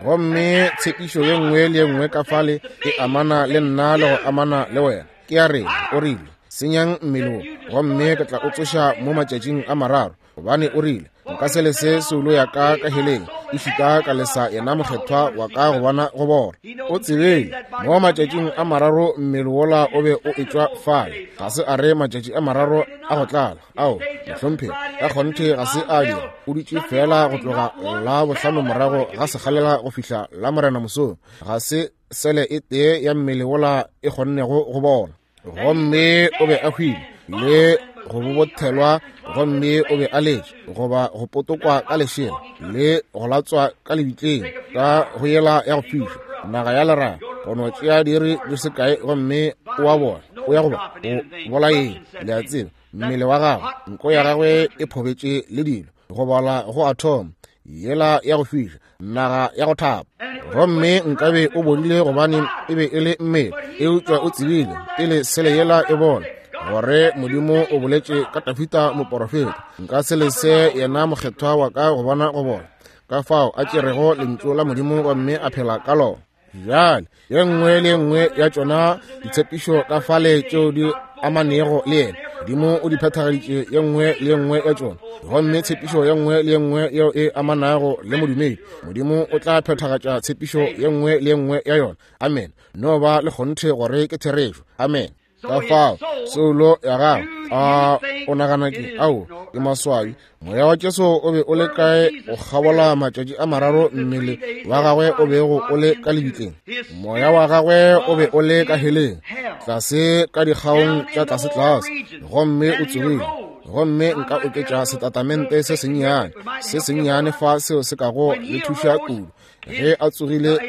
Speaker 1: Gomme tshepišo ye nngwe le ye nngwe ka fale e amana le nna le go amana le wena. Ke a rena, o rile, senyang mmele wo, gomme ke tla o tsoša mo matšatšing a mararo, gobane o rile, nka se lese soulo ya ka ka heleng, ešita ka lesa yena mokgethwa wa ka go bona go bola. O tsebile mo matšatšing a mararo mmele wola o be o etšwa fale. Ga se a re matšatši a mararo a go tlala, ao mohlomphegi, ka kgonthe ga se a dira. O dutše fela go tloga la bohlano morago ga sekgalela go fihla la morena mosong, ga se sele e tee ya mmele wola e kgonnego go bola. Gomme o be a hwile le go bobothelwa, gomme o be a letše goba go potokwa ka lešela le go latswa ka lebitleng ka go yela ya go fiša naga ya leraga, go no tšea diiri di se kae, gomme o a bona o ya goba o bolaeng. Le a tseba, mmele wa gagwe, nko ya gagwe e phobetše le dilo, go bola go a thoma. yela ya go fiša, naga ya go thapa. Gomme nkabe o bodile gobane e be e le mmele, eupša o tsebile pele sele yela e bona gore Modimo o boletše ka Dafida moporofeta, nka se lese yena mokgethwa wa ka go bona go bona. Ka fao a tšerego lentšu la Modimo gomme a phela ka lona. Bjale ye nngwe le ye nngwe ya tšona ditshepišo ka fale tšeo di amanego le yena, Modimo o di phethagaditše ye nngwe le ye nngwe ya tšona. Gomme tshepišo ye nngwe le ye nngwe yeo e amanago le modumedi, Modimo o tla phethagatša tshepišo ye nngwe le ye nngwe ya yona. Amen. No ba le kgonthe gore ke therešo. Amen. Ka fao soulo ya gago, a o nagana ke ao ke maswabi. Moya wa Jesu o be o le kae go kgabola matšatši a mararo mmele wa gagwe o bego o le ka lebitleng? Moya wa gagwe o be o le ka heleng, tlase ka dikgaong tša tlase-tlase, gomme o tsogile. Gomme nka oketša setatamente se sennyane se sennyane fa seo se kago le thuša kudu. Ge a tsogile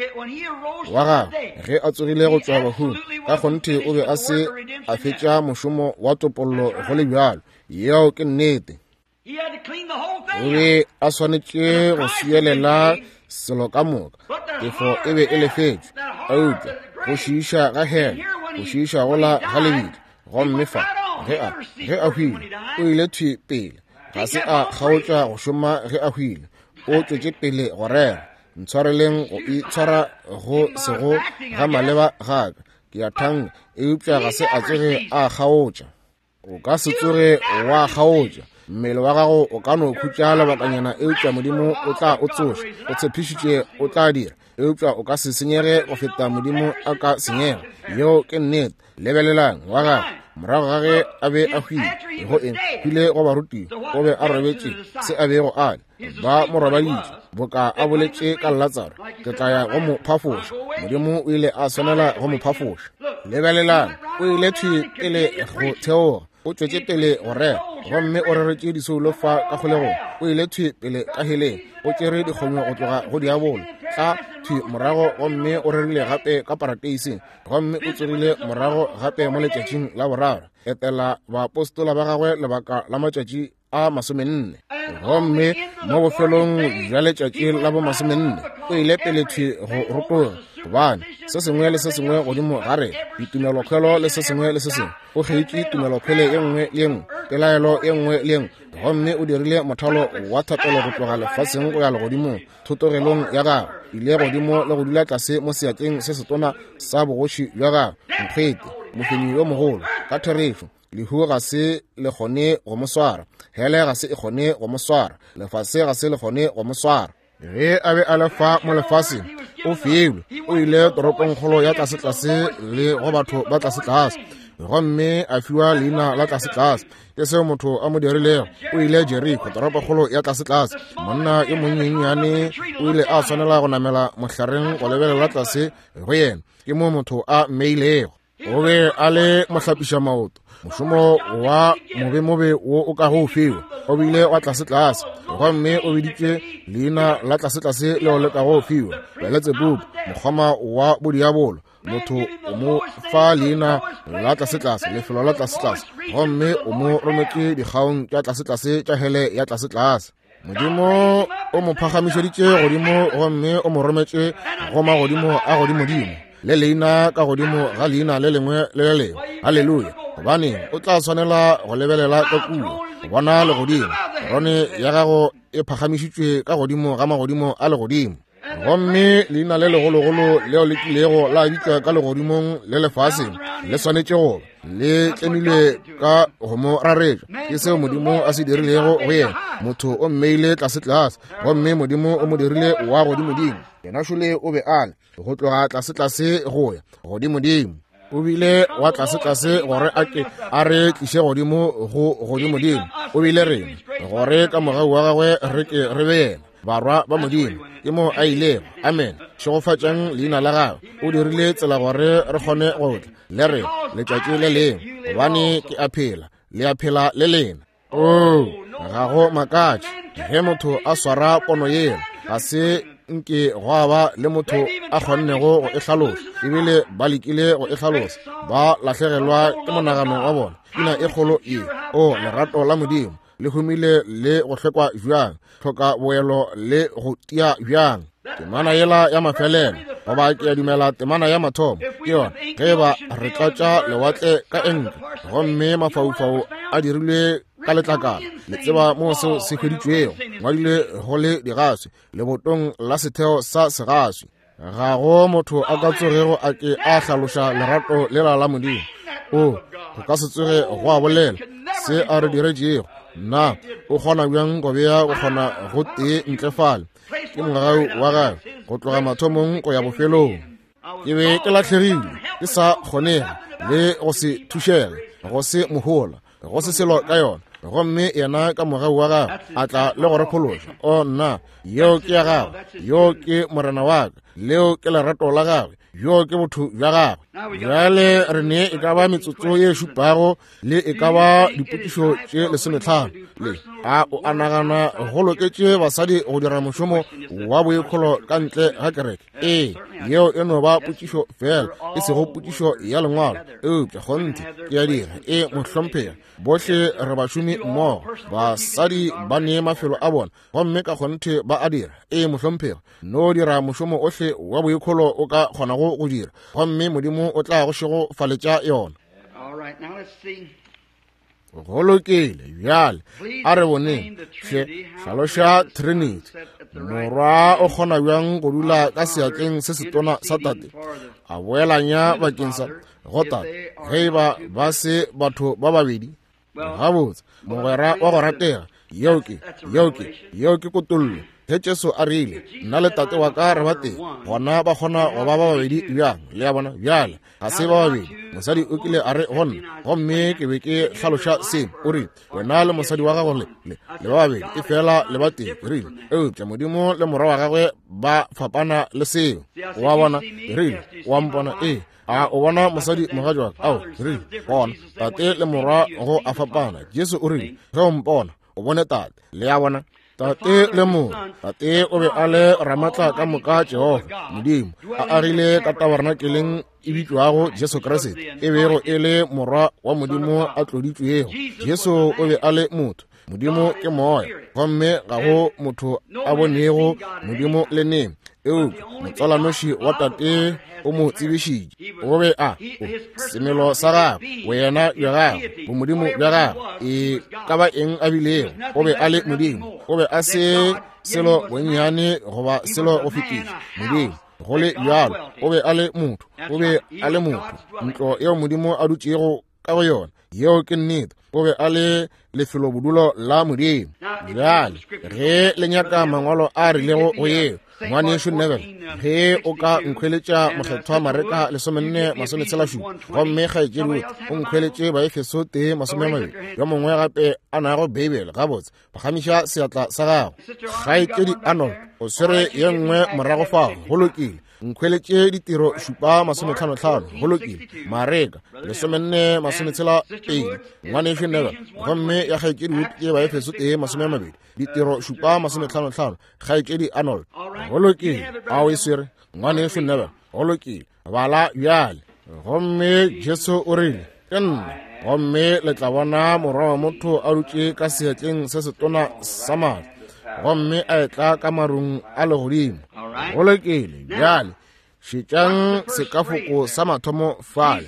Speaker 1: wa gagwe, ge a tsogile go tšwa bahung, ka kgonthe o be a se a fetša mošomo wa topollo go le bjalo. Yeo ke nnete. O be a swanetše go swielela selo ka moka. Tefo e be e lefetšwe, eupša go šiiša ga hele, go šiiša gola ga lebitla. Gomme fa ge a ge a hwile, o ile thwi pele. Ga se a kgaotša go šoma ge a hwile, o tšwetše pele go rera. Ntshwareleng go itshwara go sego ga maleba gaka, ke a thanka, eupša ga se a tsoge a kgaotša. O ka se tsoge wa kgaotša. Mmele wa gago o ka no khutša lebakanyana, eupša Modimo o tla o tsoša. O tshepišitše o tla dira, eupša o ka se senyege go feta Modimo a ka senyega. Yeo ke nnete. Lebelelang wa gagwe morago ga ge a be a hwile, go eng hwile go barutiwa, o be a robetše se a bego a le, ba mo robaditše boka a boletše ka Latsaro, ke tla ya go mo phafoša. Modimo o ile a swanela go mo phafoša. Lebelelang, o ile thwi pele go theoga, o tšwetše pele go rera, gomme o reretše disoulo fa ka kgolegong. O ile thwi pele ka heleng, o tšere dikgonyo go tloga go diabolo, tla thwi morago, gomme o rerile gape ka parateising, gomme o tsogile morago gape mo letšatšing la boraro, etela baapostola ba gagwe lebaka la matšatši a masomenne. Gomme mo bofelong bja letšatši la bo masomenne, o ile pele thwi go rotoga, gobane se sengwe le se sengwe godimo ga re ditumelokhwelo le se sengwe le se sengwe, o kgeitše tumelokhwele ye nngwe le ye nngwe, pelaelo ye nngwe le ye nngwe, gomme o dirile mothalo wa thapelo go tloga lefaseng go ya legodimong. Thotogelong ya gagwe ile godimo le go dula tlase mo seatleng se setona sa bogoši bja gagwe. Nkgwete, mofenyi yo mogolo, ka therešo. Lehu ga se le kgone go mo swara, hele ga se e kgone go mo swara, lefase ga se le kgone go mo swara. Ge a be a le fa mo lefaseng, o filwe, o ile toropongkgolo ya tlase-tlase le go batho ba tlase-tlase, gomme a fiwa leina la tlase-tlase. Ke seo motho a mo dirilego. O ile Jeriko, toropokgolo ya tlase-tlase. Monna yo monyenyane o ile a swanela go namela mohlareng go lebelela tlase go yena. Ke mo motho a mmeilego. O be a le mohlapiša maoto, mošomo wa mobemobe wo o kago o fiwa. O bile wa tlase-tlase, gomme o biditše leina la tlase-tlase leo le kago o fiwa, Beletsebubu, mokgoma wa bodiabolo. Motho o mo fa leina la tlase-tlase, lefelo la tlase-tlase, gomme o mo rometše dikgaong tša tlase-tlase tša hele ya tlase-tlase. Modimo o mo phagamišeditše godimo, gomme o mo rometše go magodimo a godimodimo, le leina ka godimo ga leina le lengwe le le lengwe. Haleluya! Gobane o tla swanela go lebelela ka kua go bona legodimo. Terone ya gago e phagamišitšwe ka godimo ga magodimo a legodimo. Gomme leina le legologolo leo le tlilego la bitšwa ka legodimong le lefaseng le swanetše go ba le tlemilwe ka go mo raretša. Ke seo Modimo a se dirilego go yena. Motho o mmeile tlase-tlase, gomme Modimo o mo dirile wa godimodimo. Yena šole o be a le go tloga tlase-tlase go ya godimodimo. O bile wa tlase-tlase gore a ke a re tliše godimo go godimodimo. O bile rena gore ka mogau wa gagwe re ke re be yena, barwa ba Modimo. Ke mo a ilego. Amen. Šegofatšang leina la gagwe. O dirile tsela gore re kgone go tla le re letšatši le lengwe, gobane ke a phela, le a phela le lena. Oo, ga go makatše ge motho a swara pono yela, ga se nke gwa ba le motho a kgonnego go e hlalosa, ebile ba lekile go e hlalosa, ba lahlegelwa ke monagano wa bona. Pina e kgolo ye, o lerato la Modimo, le humile le go hlekwa bjang, hloka boelo le go tia bjang. Temana yela ya mafelelo, goba ke a dumela temana ya mathomo ke yona, ge ba re tlatša lewatle ka enke gomme mafaufau a dirilwe ka letlakala, le tseba mo seo se hweditšwego, ngwadile go le digaswi lebotong la setheo sa segaswi. Ga go motho a ka tsogego a ke a hlaloša lerato lela la Modimo. O go ka se tsoge go a bolela se a re diretšego. Nna o kgona bjang go bea go kgona go tee ntle fale? Ke mogau wa gagwe go tloga mathomong go ya bofelong. Ke be ke lahlegile, ke sa kgonege le go se thušege, go se mohola, go se selo ka yona, gomme yena ka mogau wa gagwe a tla le go re phološa. O nna, yeo ke ya gagwe, yo ke morena wa ka, leo ke lerato la gagwe, yo ke botho bja gagwe. Bjale re ne e ka ba metsotso ye šupago le e ka ba dipotšišo tše lesometlhano. Le a o a nagana go loketše basadi go dira mošomo wa boikholo ka ntle ga kereke? Ee, yeo e no ba potšišo fela, e sego potšišo ya lengwalo, eupša kgonthe ke ya dira. E mohlomphegi, bohle re bašomi mmogo, basadi ba ne mafelo a bona gomme ka kgonthe ba a dira. E mohlomphegi, no dira mošomo ohle wa boikholo o ka kgonago go dira, gomme Modimo o tla go šegofaletša yona. Go lokile. Bjale a re boneng hle, hlaloša Trinity. Morwa o kgona bjang go dula ka seatleng se setona sa tate, a boelanya bakeng sa go tate, ge ba ba se batho ba babedi? Gabotse, mogwera wa go ratega, yeo ke yeo ke yeo ke kotollo. Ge Jesu a rile, nna le tate wa ka re ba tee, gona ba kgona go ba ba babedi bjang? Le a bona? Bjale ga se ba babedi. Mosadi o kile a re go nna, gomme ke be ke hlaloša seo, o rile, wena le mosadi wa gago le le le ba babedi, e fela le ba tee. Ke rile, eupša Modimo le morwa wa gagwe ba fapana le seo. Wa bona? Ke rile, wa mpona? Ee. A o bona mosadi mogatši wa ka? Ao, ke rile, bona tate le morwa go a fapana. Jesu o rile, ge o mpona o bone tate. Le a bona? Tate le morwa. Tate o be a le ramatla ka moka Jehofa Modimo, a agile ka tabernakeleng e bitšwago Jesu Kriste, e bego e le morwa wa Modimo a tloditšwego. Jesu o be a le motho, Modimo ke moya, gomme ga go motho a bonego Modimo le neng, eupša motswalanoši wa tate o mo tsebišitše. O be a o semelo sa gagwe, boyena bja gagwe, bomodimo bja gagwe, e ka ba eng a bilego, o be a le Modimo. O be a se selo bonnyane goba selo go fetiša Modimo. Go le bjalo, o be a le motho, o be a le motho, ntlo yeo Modimo a dutšego ka go yona. Yeo ke nnete. O be a le lefelobodulo la Modimo. Bjale ge le nyaka mangwalo a rilego go yeo, ngwanešu Neville, ge o ka nkhweletša mokgethwa Mareka lesomenne masometshela šupa, gomme kgaetšedi Wood o nkhweletše Baefeso tee masome a mabedi, yo mongwe gape a nago Beibele, gabotse, phagamiša seatla sa gago. Kgaetšedi Arnold o swere ye nngwe morago fao. Go lokile. Nkhweletše ditiro šupa masometlhanotlhano. Go lokile. Mareka lesomenne masometshela pedi, ngwanešu Neville, gomme ya kgaetšedi Wood ke Baefeso tee masome a mabedi, ditiro šupa masometlhanotlhano, kgaetšedi Arnold. Go lokile. A o e swere, ngwanešu Neville? Go lokile. Bala bjale. Gomme Jesu o rile, ke nna, gomme le tla bona morwa wa motho a dutše ka seatleng se setona sa maatla, gomme a etla ka marung a legodimo. Go lokile. Bjale šetšang sekafoko sa mathomo fale.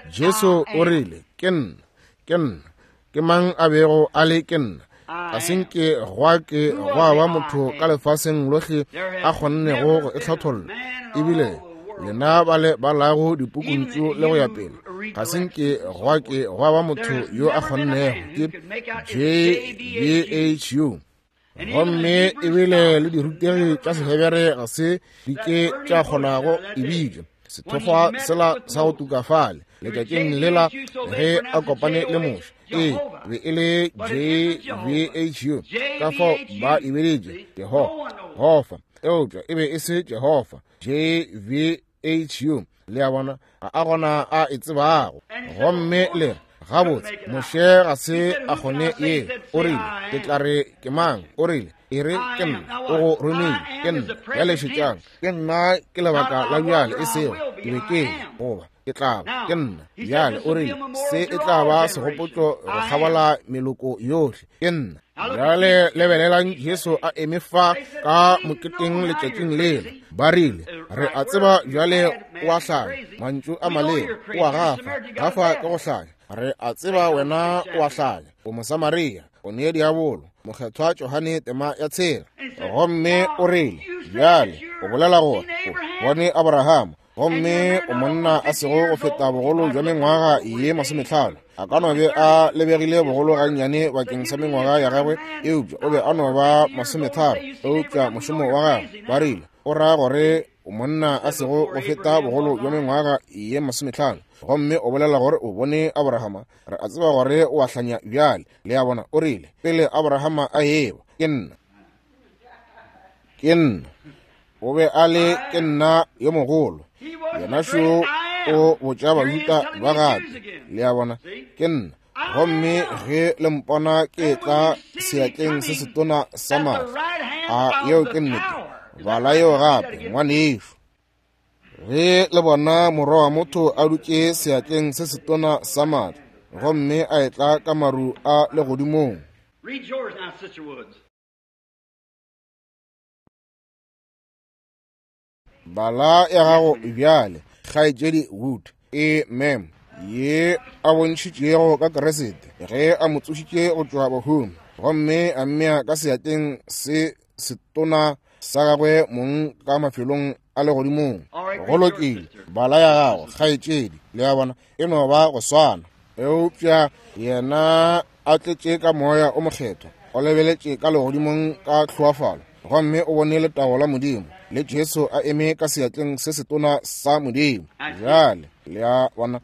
Speaker 1: Jesu o rile, ke nna, ke nna. Ke mang a bego a le ke nna? Ga se nke gwa ke gwa ba motho ka lefaseng lohle a kgonnego go e hlatholla. Ebile lena ba le balago dipukuntšu le go ya pele, ga se nke gwa ke gwa ba motho yo a kgonnego. Ke J B H U. Gomme ebile le dirutegi tša Sehebere ga se di ke tša kgonago e bitša sethokgwa sela sa go tuka fale letšatšing lela ge a kopane le Moshe. Ee, be e le J B H U. Ka fao ba e biditše Jehofa, eupša e be e se Jehofa. J V H U. Le a bona, ga a gona a e tsebago. Gomme le re, gabotse, Moshe ga se a kgone ye. O rile, ke tla re ke mang? O rile, e re ke nna, o go romile, ke nna. Bjale šetšang, ke nna ke lebaka la bjale, e sego ke be ke goba ke Ke tla ba, ke nna. Bjale o rile, se e tla ba segopotšo go kgabola meloko yohle. Ke nna. Bjale lebelelang Jesu a eme fa ka moketeng letšatšing lela. Ba rile, re a tseba bjale o a hlanya, mantšu a maleba, o a gafa, gafa ke go hlanya. Re a tseba wena o a hlanya, o Mosamaria, o ne diabolo, mokgethwa Johane tema ya tshela. Gomme o rile, bjale o bolela gore o bone Abraham, gomme o monna a sego go feta bogolo bja mengwaga ye masometlhano. A ka no be a lebegile bogolo gannyane bakeng sa mengwaga ya gagwe, eupša o be a no ba masometharo. Eupša mošomo wa gagwe, ba rile, o ra gore o monna a sego go feta bogolo bja mengwaga ye masometlhano, gomme o bolela gore o bone Abrahama. Re a tseba gore o a hlanya bjale. Le a bona, o rile, pele Abrahama a eba, ke nna. Ke nna. O be a le ke nna yo mogolo. Yena šo o botša Bajuda ba gape. Le a bona, ke nna. Gomme ge le mpona ke tla seatleng se setona sa maatla. A yeo ke nnete. Bala yeo gape, ngwanešu. Ge le bona morwa wa motho a dutše seatleng se setona sa maatla, gomme a etla ka maru a legodimong.
Speaker 3: Read yours now, Sister Woods.
Speaker 1: Bala ya gago bjale, kgaetšedi Wood. E mem ye a bontšhitšego ka Kriste ge a mo tsošitše go tšwa bahung, gomme a mmea ka seatleng se setona sa gagwe mong ka mafelong a legodimong. Go lokile, bala ya gago, kgaetšedi. Le a bona, e no ba go swana. Eupša yena a tletše ka moya o mokgethwa, o lebeletše ka legodimong ka tlhoafalo, gomme o bone letago la Modimo le Jesu a eme ka seatleng se setona sa Modimo. Bjale le a bona,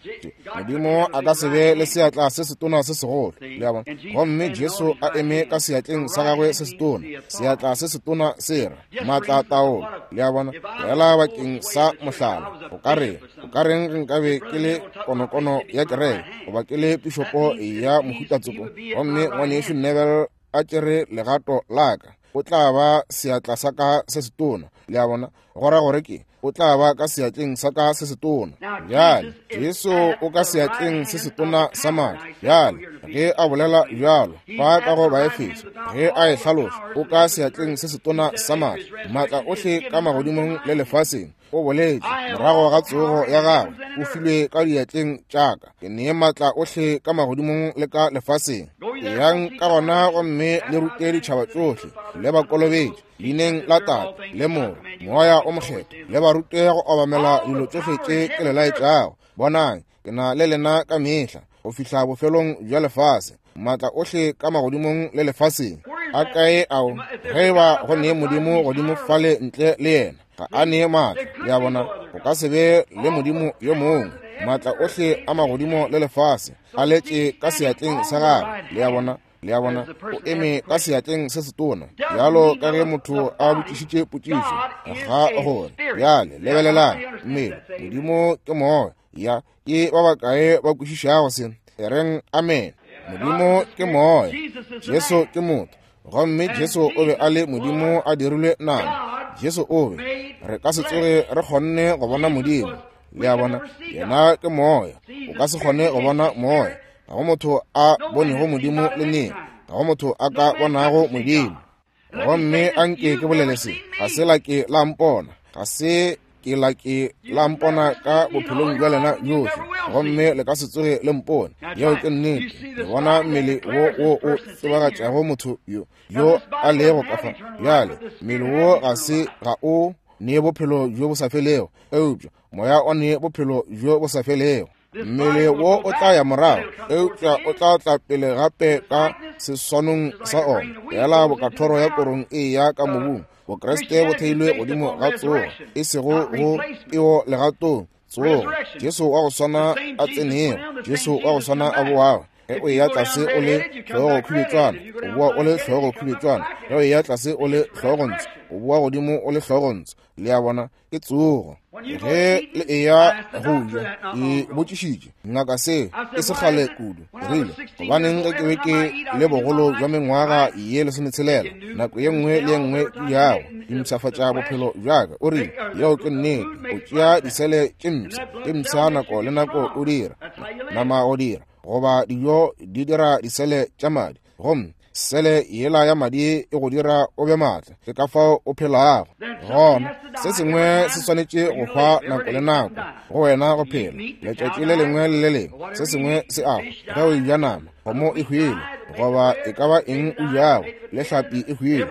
Speaker 1: Modimo a ka se be le seatla se setona se segolo. Le a bona, gomme Jesu a eme ka seatleng sa gagwe se setona, seatla se setona se ra maatla taolo. Le a bona, fela bakeng sa mohlala, o ka reng, o ka reng ge nkabe ke le konokono ya kereke goba ke le pišopo ya mohutatsoko, gomme ngwanešu Neville a tšere legato la ka, o tla ba seatla sa ka se setona. Le a bona, go ra gore ke o tla ba ka seatleng sa ka se setona. Bjale Jesu o ka seatleng se setona sa maatla. Bjale ge a bolela bjalo fa ka go Baefeso, ge a e hlaloša, o ka seatleng se setona sa maatla, maatla ohle ka magodimong le lefaseng. O boletše morago ga tsogo ya gagwe, o filwe ka diatleng tša ka. Ke nee maatla ohle ka magodimong le ka lefaseng. Eyang ka gona gomme le rute ditšhaba tšohle, le ba kolobetše leineng la Tate le Morwa Moya o Mokgethwa, le ba rute go obamela dilo tšohle tše ke le laetšago. Bonang, ke na le lena ka mehla go fihla bofelong bja lefase. Maatla ohle ka magodimong le lefaseng a kae ao? Ge e ba go nee Modimo godimo fale ntle le yena, ga a nee maatla. Le a bona, go ka se be le Modimo yo mongwe. Maatla ohle a magodimo le lefase a letše ka seatleng sa gagwe. Le a bona, le a bona, o eme ka seatleng se setona, bjalo ka ge motho a botšišitše potšišo ga gore. Bjale lebelelang mmele, Modimo ke moya. Ya ke ba bakae ba kwešišago se? E reng amen. Modimo ke moya, Jesu ke motho, gomme Jesu o be a le Modimo a dirilwe nama. Jesu o be, re ka se tsoge re kgonne go bona Modimo. Le a bona, yena ke moya, o ka se kgone go bona moya. Ga go motho a bonego Modimo le neng, ga go motho a ka bonago Modimo. Gomme anke ke bolele se, ga se la ke la mpona, ga se ke la ke la mpona ka bophelong bja lena bjohle, gomme le ka se tsoge le mpone. Yeo ke nnete. Le bona mmele wo wo o tsebagatšago motho yo yo a lego ka fa. Bjale mmele wo ga se ga o nee bophelo bjo bo sa felego, eupša moya o nee bophelo bjo bo sa felego. Mmele wo o tla ya morago, eupša o tla tla pele gape ka seswanong sa ona. Fela bokathoro ya korong e ya ka mobung. Bokreste bo theilwe godimo ga tsogo, e sego go peo legatong. Tsogo, Jesu wa go swana a tsenego, Jesu wa go swana a boago. Ge o eya tlase o le hlogo khubetšwana, o boa o le hlogo khubetšwana. Ge o eya tlase o le hlogontsho, o boa godimo o le hlogontsho. Le a bona, ke tsogo. Ge le eya go ja, ke botšišitše ngaka se e se kgale kudu. Ke rile, gobaneng ge ke be ke le bogolo bja mengwaga ye lesometshelela, nako ye nngwe le ye nngwe ke jago, ke mpshafatša bophelo bja ka. O rile, yeo ke nnete. O tšea disele tše mpsha, tše mpsha nako le nako o dira nama o dira, goba dijo di dira disele tša madi, gomme sele yela ya madi e go dira o be maatla. Ke ka fao o phelago. Gona se sengwe se swanetše go hwa nako le nako go wena go phela. Letšatši le lengwe le le lengwe se sengwe se a hwa. Ge o eja nama, kgomo e hwile, goba e ka ba eng o jago, le hlapi e hwile,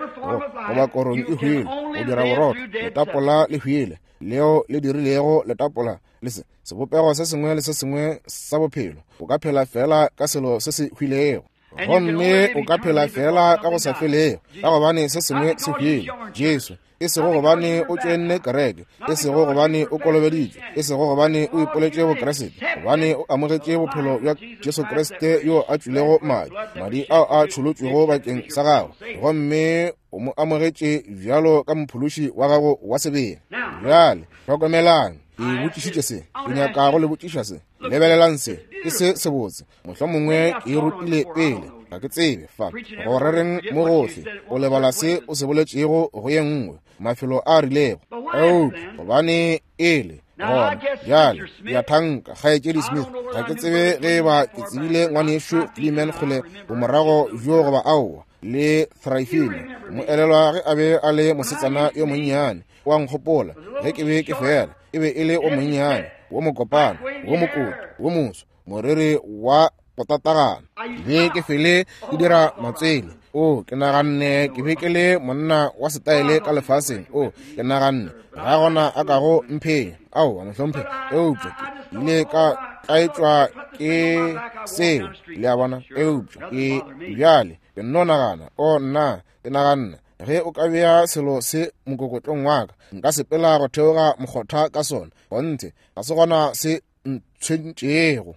Speaker 1: goba korong e hwile, go dira borotho, letapola le hwile, leo le dirilego letapola le se sebopego se sengwe le se sengwe sa bophelo. O ka phela fela ka selo se se hwilego, gomme o ka phela fela ka go sa felego, ka gobane se sengwe se hwile. Jesu, e sego gobane o tšoenne kereke, e sego gobane o kolobeditšwe, e sego gobane o ipoletše boKriste, gobane o amogetše bophelo bja Jesu Kriste yo a tšwilego madi, madi ao a tšholotšwego bakeng sa gago, gomme o mo amogetše bjalo ka mophološi wa gago wa sebele. Bjale hlokomelang, ke botšišitše se, ke nyaka go le botšiša se. Lebelelang se, ke se sebotse. Mohlomongwe ke e rutile pele, ga ke tsebe fa go rereng mo gohle. O lebala se o se boletšego go ye nngwe, mafelo a rilego. Eupša gobane ele gona bjale, ke a thanka Kgaetšedi Smith, ga ke tsebe ge eba ke tsebile ngwanešo Fleeman kgole bomorago bjo goba aowa, le Thrifina. Mo elelwa ge a be a le mosetsana yo monnyane, wa nkgopola ge ke be ke fela, e be e le o monnyane, wo mokopana, wo mokoto, wo moso, moriri wa go tatagana. Be ke fele ke dira matswele. O, ke naganne ke be ke le monna wa setaele ka lefaseng. O, ke naganne ga gona a kago mphenya. Aowa, mohlomphegi. Eupša ke ile ka tlaetšwa ke seo, le a bona. Eupša ke bjale ke nno nagana, o nna, ke naganne ge o ka bea selo se mokokotlong wa ka, nka sepela go theoga mokgotha ka sona. Gonthe ga se gona se ntshwentšego.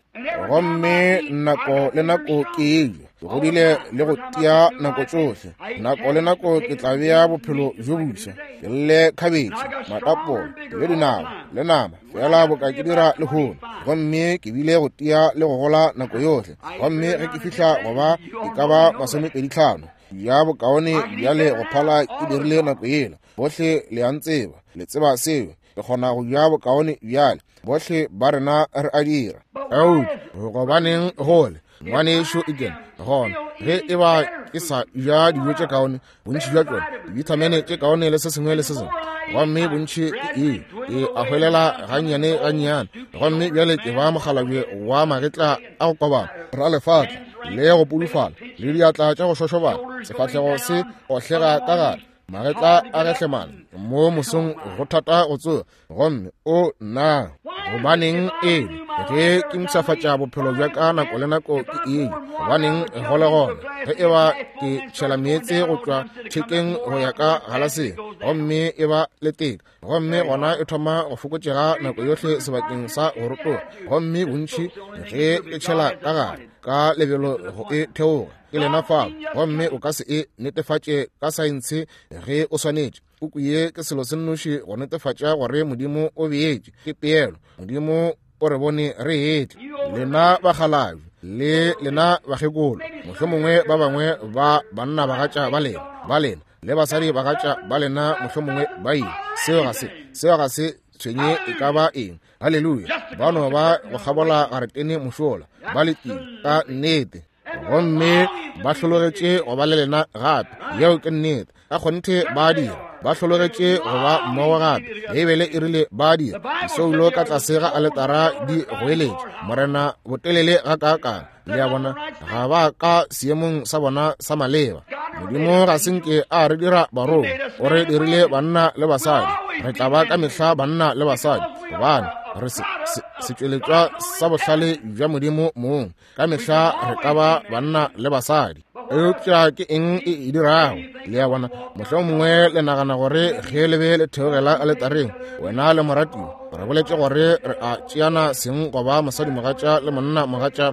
Speaker 1: Gomme nako le nako ke eja, ke godile le go tia nako tšohle. Nako le nako ke tla bea bophelo bjo bofsa, ke lle khabetše, matapola, le dinao, le nama, fela boka ke dira lehono. Gomme ke bile go tia le go gola nako yohle. Gomme ge ke fihla go ba e ka ba masomepedi tlhano, ya bokaone bjale go phala ke dirile nako yela. Bohle le a ntseba, le tseba seo. Ke kgona go ja bokaone bjale. Bohle ba rena re a dira. Eupša gobaneng gole ngwanešo Eken, gona ge e ba ke sa ja dijo tše kaone, bontši bja tšona dibithamene tše kaone le se sengwe le se sengwe, gomme bontši ke eng, ke a hwelela gannyane gannyane. Gomme bjale ke ba mokgalabje wa magetla a go kobana, ra lefatla le go pudufala, le diatla tša go šošobana, sefahlego se ohlega ka gare, magetla a gehlemana mo mosong go thata go tsoga. Gomme o nna, gobaneng ele ge ke mpshafatša bophelo bja ka nako le nako ke eng? Gobaneng go le gona ge e ba ke tšhela meetse go tšwa thekeng go ya ka galaseng, gomme e ba le teka, gomme gona e thoma go fokotšega nako yohle sebakeng sa go rotoga, gomme bontši ge ke tšhela ka gare ka lebelo go e theoga, ke lena fao. Gomme o ka se e netefatše ka saense ge o swanetše. Puku ye ke selo se nnoši go netefatša gore Modimo o beetše, ke peelo. Modimo o re bone re etla. Lena bakgalabje le lena bakgekolo, mohlomongwe ba bangwe ba banna bagatša ba lena, ba lena le basadi bagatša ba lena, mohlomongwe ba ile. Seo ga se, seo ga se tshwenye e ka ba eng. Haleluya. Ba no ba go kgabola garetene mošola, ba letile ka nnete, gomme ba hlologetše go ba le lena gape. Yeo ke nnete. Ka kgonthe ba dira, ba hlologetše go ba mmogo gape. Beibele e rile ba dira. Disoulo ka tlase ga aletara di goeletše Morena botelele gakaakang. Le a bona, ga ba ka seemong sa bona sa maleba. Modimo ga se nke a re dira barongwa, o re dirile banna le basadi. Re tla ba ka mehla banna le basadi, gobane Re se, se, setšweletšwa sa bohlale bja Modimo mong. Ka mehla re ka ba banna le basadi. Eupša ke eng e e dirago? Le a bona, mohlomongwe le nagana gore ge le be le theogela aletareng, wena le moratiwa, re boletše gore re a tšeana seng go ba mosadimogatša le monnamogatša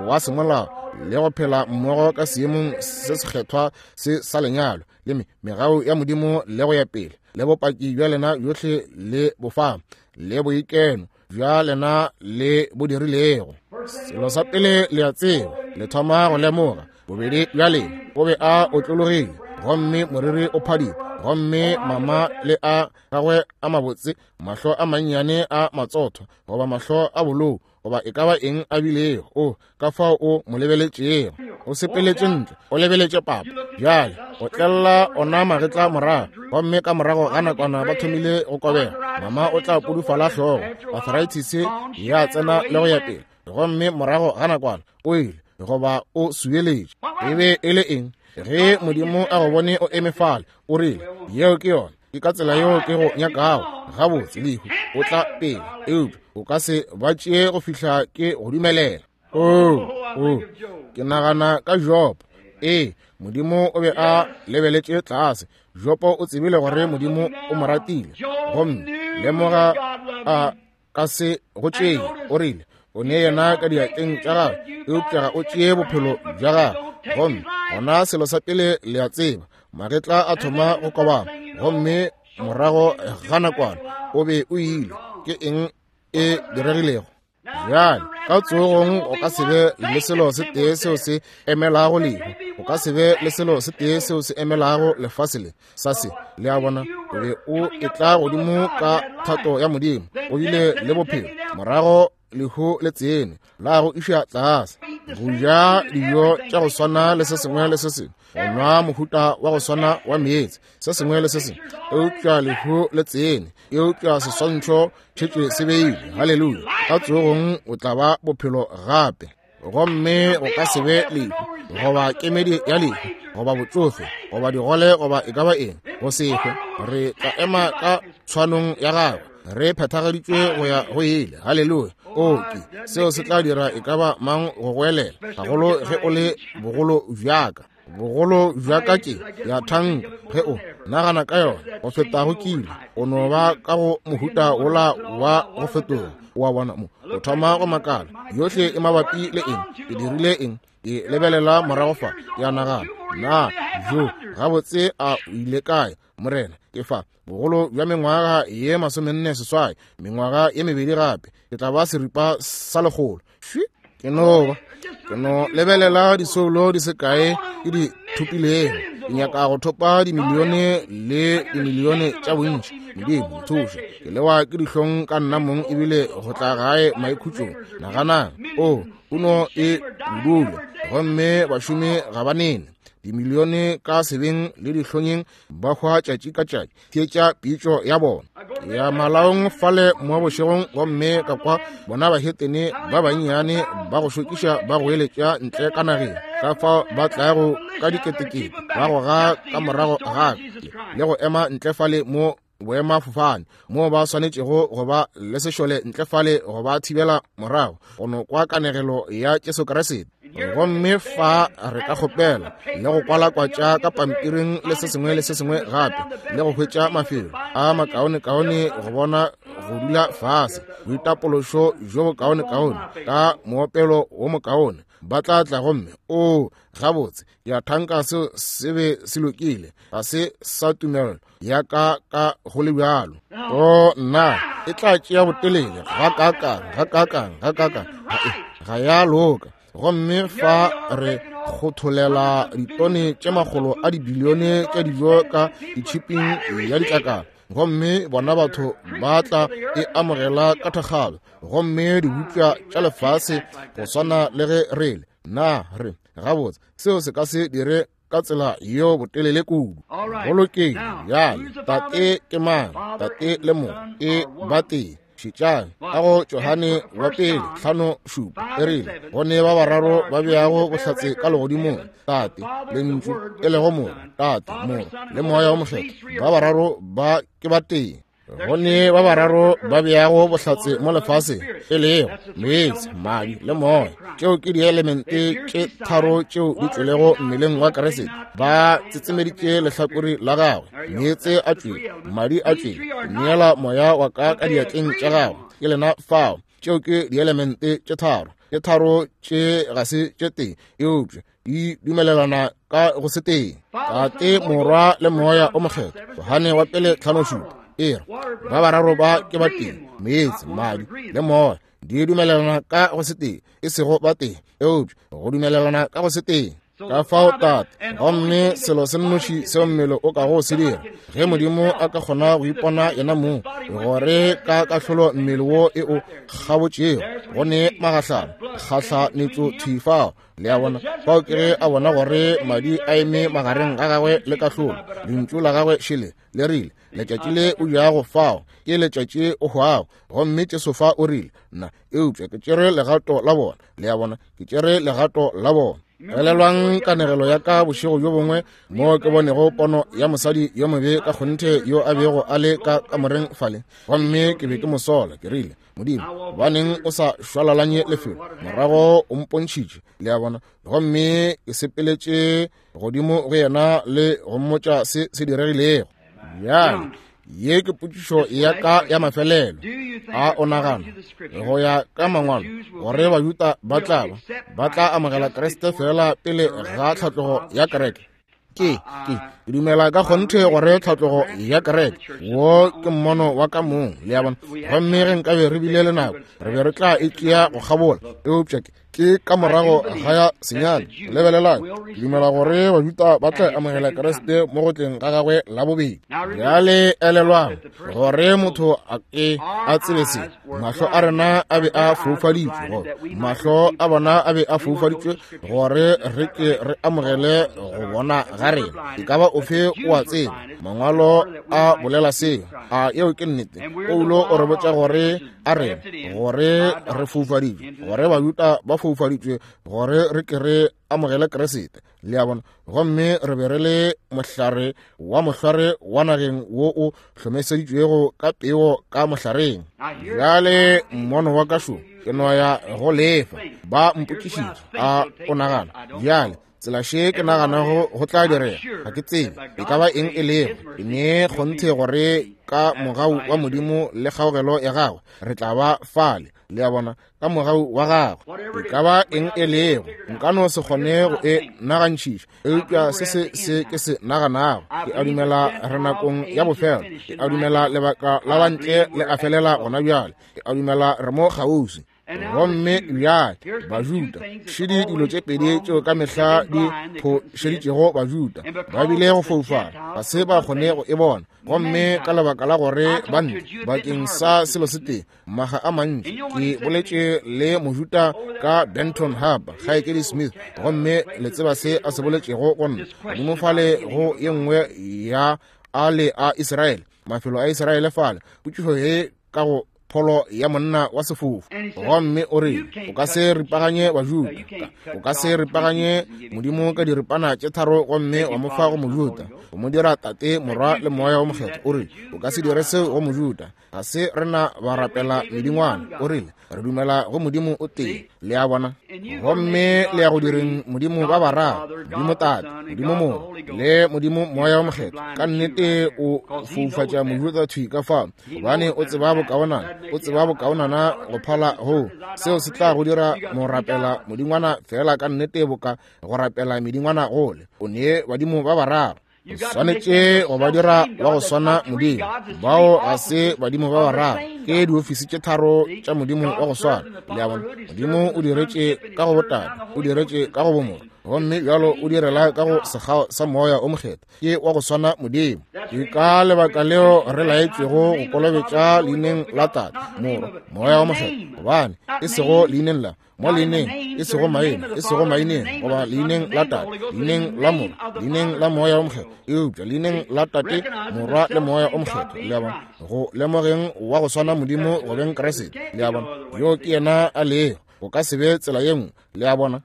Speaker 1: wa semolao le go phela mmogo ka seemong se sekgethwa se sa lenyalo le me megau ya Modimo le go ya pele le bopaki bja lena bjohle le bofa le boikeno bja lena le bo dirilego. Selo sa pele le a tseba, le thoma go lemoga bobedi bja lena o be a otlologile gomme moriri o phadile gomme mama le a gagwe a mabotse, mahlo a mannyane a matsotho goba mahlo a bolou goba e ka ba eng a bilego, o ka fao o mo lebeletšego. O sepeletše ntle, o lebeletše papa. Bjale o tlella ona magetla morago, gomme ka morago ga nakwana ba thomile go kobega. Mama o tla pudufala hlogo, arthritis ya tsena le go ya pele, gomme morago ga nakwana o ile goba o subeletše. E be e le eng? Ge Modimo a go bone o eme fale, o rile, yeo ke yona, ke ka tsela yeo ke go nyakago. Gabotse, lehu o tla pele, eupša o ka se ba tšee go fihla ke go dumelela. Oh, oh, ke nagana ka Jobo. Ee, Modimo o be a lebeletše tlase. Jobo o tsebile gore Modimo o mo ratile, gomme lemoga a ka se go tšee. O rile, o ne yena ka diatleng tša gagwe, eupša ga o tšee bophelo bja gagwe. Gomme gona selo sa pele le a tseba, magetla a thoma go kobama, gomme morago ga nakwana o be o ile. Ke eng e diregilego? Bjale ka tsogong o ka se be le selo se tee seo se emelago lehu, o ka se be le selo se tee seo se emelago lefase le sa se. Le a bona, o be o etla godimo ka thato ya Modimo, o bile le bophelo, morago lehu le tsene la go iša tlase. Go ja dijo tša go swana le se sengwe le se sengwe, go nwa mohuta wa go swana wa meetse, se sengwe le se sengwe, eupša lehu le tsene, eupša seswantšho tšhetše se beile. Haleluya! Ka tsogong o tla ba bophelo gape, gomme go ka se be lehu goba kemedi ya lehu goba botsofe goba digole goba e ka ba eng, go se hwe. Re tla ema ka tshwanong ya gagwe, re phethagaditšwe go ya go ile. Haleluya! O ke seo se tla dira e ka ba mang go goelela, gagolo ge o le bogolo bjaka. Bogolo bjaka ke ya thanka ge o nagana ka yona go feta go kile, o no ba ka go mohuta wola wa go fetoga. Wa bona mo o thoma go makala, yohle e mabapi le eng, ke dirile eng? Ke lebelela morago fa, ke a nagana, na jo gabotse a o ile kae, Morena? Ke fa bogolo bja mengwaga ye masomenne seswai, mengwaga ye mebedi gape, ke tla ba seripa sa lekgolo. Ke no ba ke no lebelela disoulo di se kae ke di thopilego. Ke nyaka go thopa dimilione le dimilione tša bontši. Modimo nthuše, ke lewa ke dihlong ka nna mong ebile go tla gae maikhutšong. Naganang, o puno e budule, gomme bašomi ga ba nene. Dimilione ka sebeng le dihlonyeng ba hwa tšatši ka tšatši. Theetša pitšo ya bona. Ke ya malaong fale mo bošegong, gomme ka kwa bona bahetene ba bannyane ba go šokiša ba goeletša ntle ka nageng, ka fao ba tlago ka diketekete ba goga ka morago ga le go ema ntle fale mo boemafofane moo ba swanetšego go ba le sešole ntle fale go ba thibela morago go no kwa kanegelo ya Jesu Kriste. Gomme fa re ka kgopela le go kwalakwatša ka pampiring le se sengwe le se sengwe gape, le go hwetša mafelo a makaonekaone go bona go dula fase, boitapološo bjo bokaonekaone ka moopelo wo mokaone, ba tla tla gomme o gabotse ke a thanka seo se be se lokile, ga se sa tumelo ya ka ka go le bjalo. O nna, e tla tšea botelele ga kakang ga kakang ga kakang, ga ya loka. Gomme fa re kgotholela ditone tše makgolo a dibilione tša dijo ka ditšhiping ya ditlakala, gomme bona batho ba tla e amogela ka thakgalo, gomme dibupša tša lefase go swana le ge re le na re gabotse, seo se ka se dire ka tsela yeo botelele kudu. Go lokile. Bjale Tate ke mang? Tate le Morwa e ba tee. Šetšang ka go Johane wa pele hlano šupa, e rile go ne ba bararo ba beago bohlatse ka legodimong, Tate, Lentšu e lego Morwa, Tate, Morwa le Moya wo Mokgethwa, ba bararo ba ke ba tee. Go ne ba bararo ba beago bohlatse mo lefaseng, e lego meetse, madi le moya. Tšeo ke dielemente tše tharo tšeo di tšwelego mmeleng wa Kriste. Ba tsetsemeditše lehlakore la gagwe. Meetse a tšwele, madi a tšwele, neela moya wa ka ka diatleng tša gagwe. Ke lena fao. Tšeo ke dielemente tše tharo. Tše tharo tše ga se tše tee, eupša di dumelelana ka go se tee. Tate, Morwa le Moya o Mokgethwa. Johane wa pele tlhano šupa e re ba bararo ba ke ba tee, meetse, madi le moya di dumelelana ka go se tee, e sego ba tee, eupša go dumelelana ka go se tee. Ka fao Tate, gomme selo se nnoši seo mmele o kago se dira, ge Modimo a ka kgona go ipona yena mong gore ka kahlolo mmele wo e o kgabotšego, go ne magahlano kgahlanetšo thwi fao. Le a bona, fao ke ge a bona gore madi a eme magareng ga gagwe le kahlolo. Lentšu la gagwe šele le rile, letšatši le o jago fao ke letšatši o hwago. Gomme Jesu fa o rile, nna eupša ke tšere legato la bona. Le a bona, ke tšere legato la bona. Elelwang kanegelo ya ka bošego bjo bongwe mo ke bonego pono ya mosadi yo mobe ka kgonthe yo a bego a le ka kamoreng fale, gomme ke be ke mo sola. Ke rile, Modimo, gobaneng o sa šwalalanye lefelo? Morago o mpontšhitše, le a bona, gomme ke sepeletše godimo go yena le go mmotša se se diregilego. Bjale ye ke potšišo ya ka ya mafelelo. A o nagana go ya ka mangwalo gore Bajuda ba tla ba ba tla amogela Kriste fela pele ga tlhatlogo ya kereke? Ke ke ke dumela ka kgonthe gore tlhatlogo ya kereke wo ke mmono wa ka mong, le a bona. Gomme ge nkabe re bile le nako, re be re tla e tšea go kgabola, eupša ke ke ka morago ga ya senyane. Lebelelang, ke dumela gore Bajuda ba tla amogela Kriste mo go tleng ga gagwe la bobedi. Bjale elelwang gore motho a ke a tsebe se, mahlo a rena a be a foufaditšwe, gore mahlo a bona a be a foufaditšwe gore re ke re amogele go bona ga rena. E ka ba ofe o a tseba, mangwalo a bolela seo. A yeo ke nnete. Paulo o re botša gore a rena gore re foufaditšwe, gore Bajuda ba foufaditšwe gore re ke re amogele Kriste, le a bona. Gomme re be re le mohlare wa mohlare wa nageng wo o hlomeseditšwego ka peo ka mohlareng. Bjale mmono wa ka šo ke no ya go lefa. Ba mpotšišitše, a o nagana bjale tsela še ke naganago go tla direga? Ga ke tsebe e ka ba eng e lego. Ke ne kgonthe gore ka mogau wa Modimo le kgaogelo ya gagwe re tla ba fale, le a bona, ka mogau wa gagwe. E ka ba eng e lego, nka no se kgone go e nagantšhiša, eupša se se se ke se naganago. Ke a dumela re nakong ya bofelo. Ke a dumela lebaka la bantle le a felela gona bjale. Ke a dumela re mo kgauswi. Gomme bjale Bajuda, šedi dilo tše pedi tšeo ka mehla di phošeditšego Bajuda. Ba bile go foufala, ga se ba kgone go e bona. Gomme ka lebaka la gore ba ntle bakeng sa selo se tee maga a mantši. Ke boletše le Mojuda ka Benton Harbor, Kgaetšedi Smith, gomme le tseba se a se boletšego go nna godimo fale go ye nngwe ya a le a Israele, mafelo a Israele fale. Potšišo ye ka go pholo ya monna wa sefofu, gomme o re o ka se ripaganye Bajuda, o ka se ripaganye Modimo ka diripana tše tharo gomme wa mo fa go Mojuda, o mo dira Tate, Morwa le Moya o Mokgethwa. O rile o ka se dire seo go Mojuda, ga se rena ba rapela medingwana. O rile re dumela go Modimo o tee, le a bona. Gomme le ya go direng Modimo ba bararo, Modimo Tate, Modimo Morwa le Modimo Moya o Mokgethwa. Ka nnete o foufatša Mojuda thwi ka fao, gobane o tseba bokaonana, o tseba bokaonana go phala go seo se tla go dira mo rapela modingwana fela ka nnete boka go rapela medingwana gole. O ne badimo ba bararo, o swanetše go ba dira wa go swana Modimo. Bao ga se badimo ba bararo, ke diofisi tše tharo tša Modimo wa go swana, le a bona. Modimo o diretše ka go botate, o diretše ka go bomorwa, gomme bjalo o direla ka go sekgao sa Moya o Mokgethwa. Ke wa go swana Modimo. Ke ka lebaka leo re laetšwego go kolobetša leineng la Tate, Morwa, Moya o Mokgethwa, gobane e sego leineng la mo leineng, e sego maina, e sego maineng, goba leineng la Tate, leineng la Morwa, leineng la Moya o Mokgethwa, eupša leineng la Tate, Morwa le Moya o Mokgethwa, le a bona, go lemogeng wa go swana Modimo go beng Kriste, le a bona, yo ke yena a lego. O ka se be tsela ye nngwe, le a bona.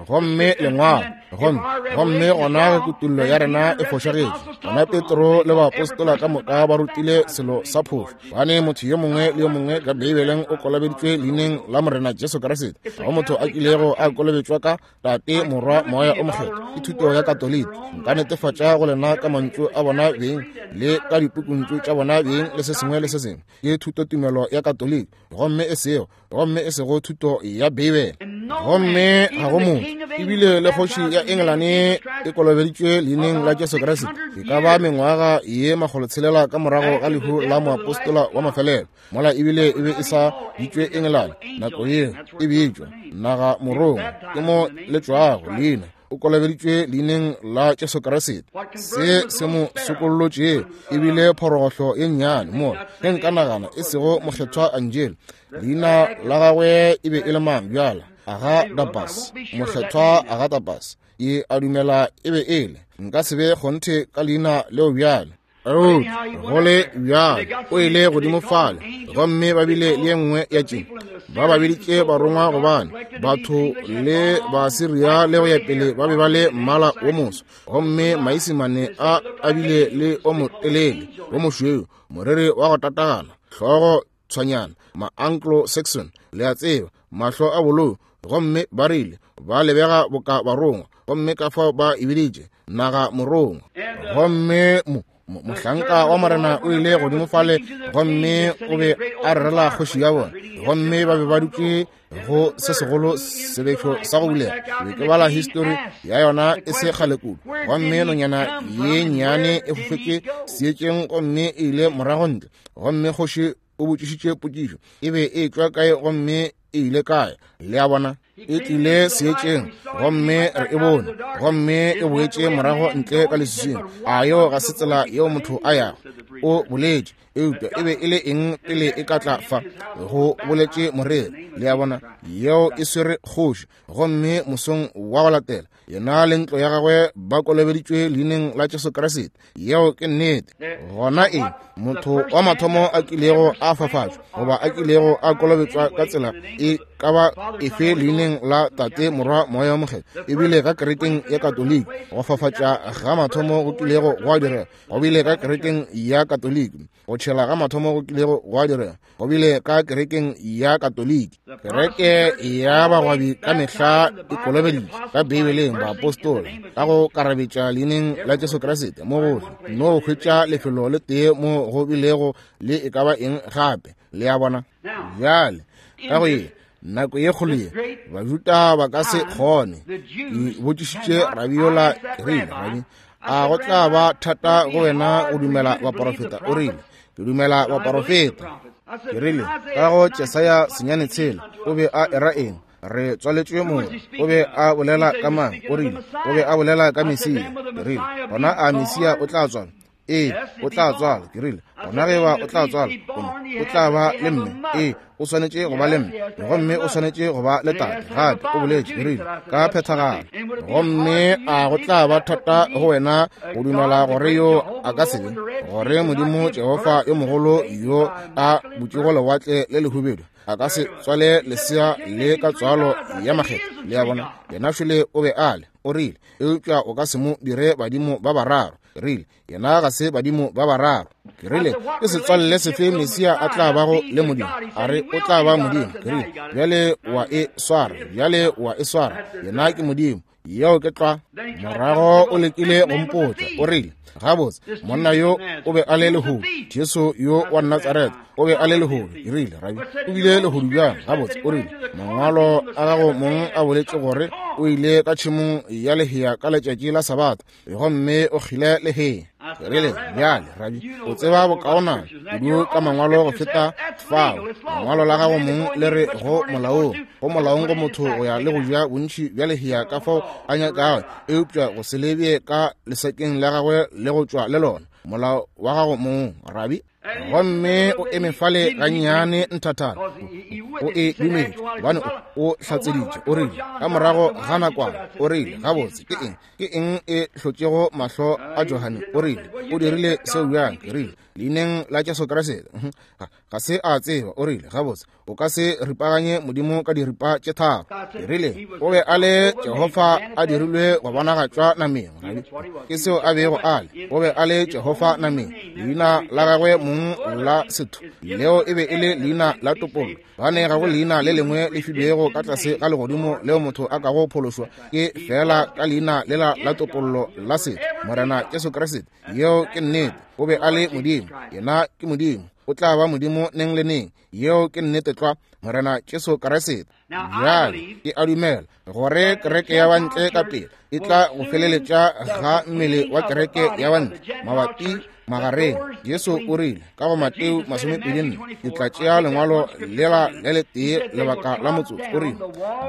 Speaker 1: Gomme lengwalo, gomme gomme gona kutullo ya rena e fošagetše. Gona Petro le baapostola ka moka ba rutile selo sa phošo. Gobane motho yo mongwe le yo mongwe ka Beibeleng o kolobeditšwe leineng la Morena Jesu Kriste. Ga go motho a kilego a kolobetšwa ka Tate, Morwa, Moya o Mokgethwa. Ke thuto ya Katoliki. Nka netefatša go lena ka mantšu a bona beng le ka dipukuntšu tša bona beng le se sengwe le se sengwe. Ke thutotumelo ya Katoliki, gomme e sego gomme e sego thuto ya Beibele. Gomme ga go motho, ebile le kgoši ya Engelane e kolobeditšwe leineng la Jesu Kriste. E ka ba mengwaga ye makgolotshelela ka morago ga lehu la moapostola wa mafelelo, mola ebile e be e sa bitšwe Engelane nako yeo, e bitšwa naga morongwa, ke mo le tšwago leina. O kolobeditšwe leineng la Jesu Kriste. Se se mo sokollotšego ebile phorogohlo ye nnyane mola, ge nka nagana e sego mokgethwa Angelo, leina la gagwe e be e le mang bjala? Agadapas, mokgethwa Agadapas. E a dumela e be e le. Nka se be kgonthe ka leina leo bjale. Eupša go le bjalo o ile godimo fale, gomme ba bile le ye nngwe ya tše. Ba ba biditše barongwa gobane batho le Basiria le go ya pele ba be ba le mmala wo moso, gomme Maisimane a a bile le o motelele wo mošweu, moriri wa go tatagana, hlogo tshwanyana, ma-Anglo-Saxon, le a tseba, mahlo a bolou, gomme ba rile ba lebega boka barongwa, gomme ka fao ba e biditše naga morongwa. Gomme mo mohlanka wa Morena o ile godimo fale, gomme o be a rerela kgoši ya bona, gomme ba be ba dutše go se segolo sebešo sa go bulega. Be ke bala histori ya yona e se kgale kudu, gomme nonyana ye nnyane e fofetše seetšeng gomme e ile morago ntle, gomme kgoši o botšišitše potšišo, e be e tšwa kae gomme e ile kae? Le a bona, e tlile seetšeng, gomme re e bone, gomme e boetše morago ntle ka leswiswing. A yeo ga se tsela yeo motho a yago? O boletše, eupša e be e le eng pele e ka tla fa? Go boletše moreri. Le a bona, yeo e swere kgoši. Gomme mosong wa go latela, yena le ntlo ya gagwe ba kolobeditšwe leineng la Jesu Kriste. Yeo ke nnete. Gona eng? Motho wa mathomo a kilego a fafatšwa goba a kilego a kolobetšwa ka tsela e ka ba efe leineng la Tate, Morwa, Moya o Mokgethwa, ebile ka kerekeng ya Katoliki. Go fafatša ga mathomo go kilego gwa direga go bile ka kerekeng ya Katoliki. Go tšhela ga mathomo go kilego gwa direga go bile ka kerekeng ya Katoliki. Kereke ya bagwabi ka mehla e kolobeditše ka Beibeleng baapostola ka go karabetša leineng la Jesu Kriste mo gohle. No hwetša lefelo le tee mo go bilego le e ka ba eng gape. Le a bona? Bjale ka go ye nako ye kgolo ye, Bajuda ba ka se kgone. Ke botšišitše rabi yola, ke rile, rabi, a go tla ba thata go wena go dumela baporofeta? O rile, ke dumela baporofeta. Ke rile, ka go Jesaya senyane tshela, o be a era eng? Re tswaletšwe moo. O be a bolela ka mang? O rile, o be a bolela ka Mesia. Ke rile, gona a Mesia o tla tswalwa? Ee, o tla tswalwa. Ke rile, gona ge ba o tla tswalwa, o tla ba le mme. Ee, o swanetše go ba le mme, gomme o swanetše go ba le tate gape. O boletše, ke rile, ka phethagalo. Gomme a go tla ba thata go wena go dumela gore yo a ka se be, gore Modimo Jehofa yo mogolo yo a butšego lewatle le lehubedu a ka se tswale lesea le ka tswalo ya makgetho? Le a bona, yena šole o be a le. O rile, eupša o ka se mo dire badimo ba bararo. Ke rile, yena ga se badimo ba bararo. Ke rile, ke setswalle sefe Mesia a tla bago le Modimo? A re, o tla ba Modimo. Ke rile, bjale wa e swara, bjale wa e swara, yena ke Modimo. Yeo ke tlwa. Morago o lekile go mpotša. O rile, gabotse, monna yo o be a le lehodu, Jesu yo wa Natsaretha o be a le lehodu. Ke rile, rabi, o bile lehodu bjang? Gabotse, o rile, mangwalo a gago mong a boletše gore o ile ka tšhemong ya lehea ka letšatši la Sabatha, gomme o kgile lehea. Ke rile, bjale, rabi, o tseba bokaonana kudu ka mangwalo go feta fao. Mangwalo la gago mong le re go molaong, go molaong go motho go ya le go ja bontši bja lehea ka fao a nyakago, eupša go se lebye ka lesakeng la gagwe le go tšwa le lona. Molao wa gago mong, rabi. Gomme o eme fale gannyane nthathana, o e dumetše, gobane o hlatseditše. O rile ka morago ga nakwana, o rile, gabotse, ke eng ke eng e hlotšego mahlo a Johane? O rile, o dirile seo bjang? Ke rile, Leineng la Jesu Kriste. Ga se a tseba, o rile, gabotse, o ka se ripaganye Modimo ka diripa tše tharo. Ke rile, o be a le Jehofa a dirilwe go bonagatšwa nameng. Ke seo a bego a le. O be a le Jehofa nameng. Leina la gagwe mong la setho leo e be e le leina la topollo. Bane ga go leina le lengwe le filwego ka tlase ga legodimo leo motho a kago phološwa, ke fela ka leina lela la topollo la setho, Morena Jesu Kriste. Yeo ke nnete. O be a le Modimo. Yena ke Modimo. O tla ba Modimo neng le neng. Yeo ke nnete tlwa, Morena Jesu Kriste. Bjale ke a dumela gore kereke ya bantle ka pele e tla go feleletša ga mmele wa kereke ya bantle mabapi magareng. Jesu o rile ka go Mateo masomepedi nne, ke tla tšea lengwalo lela le letee lebaka la motsotso. O rile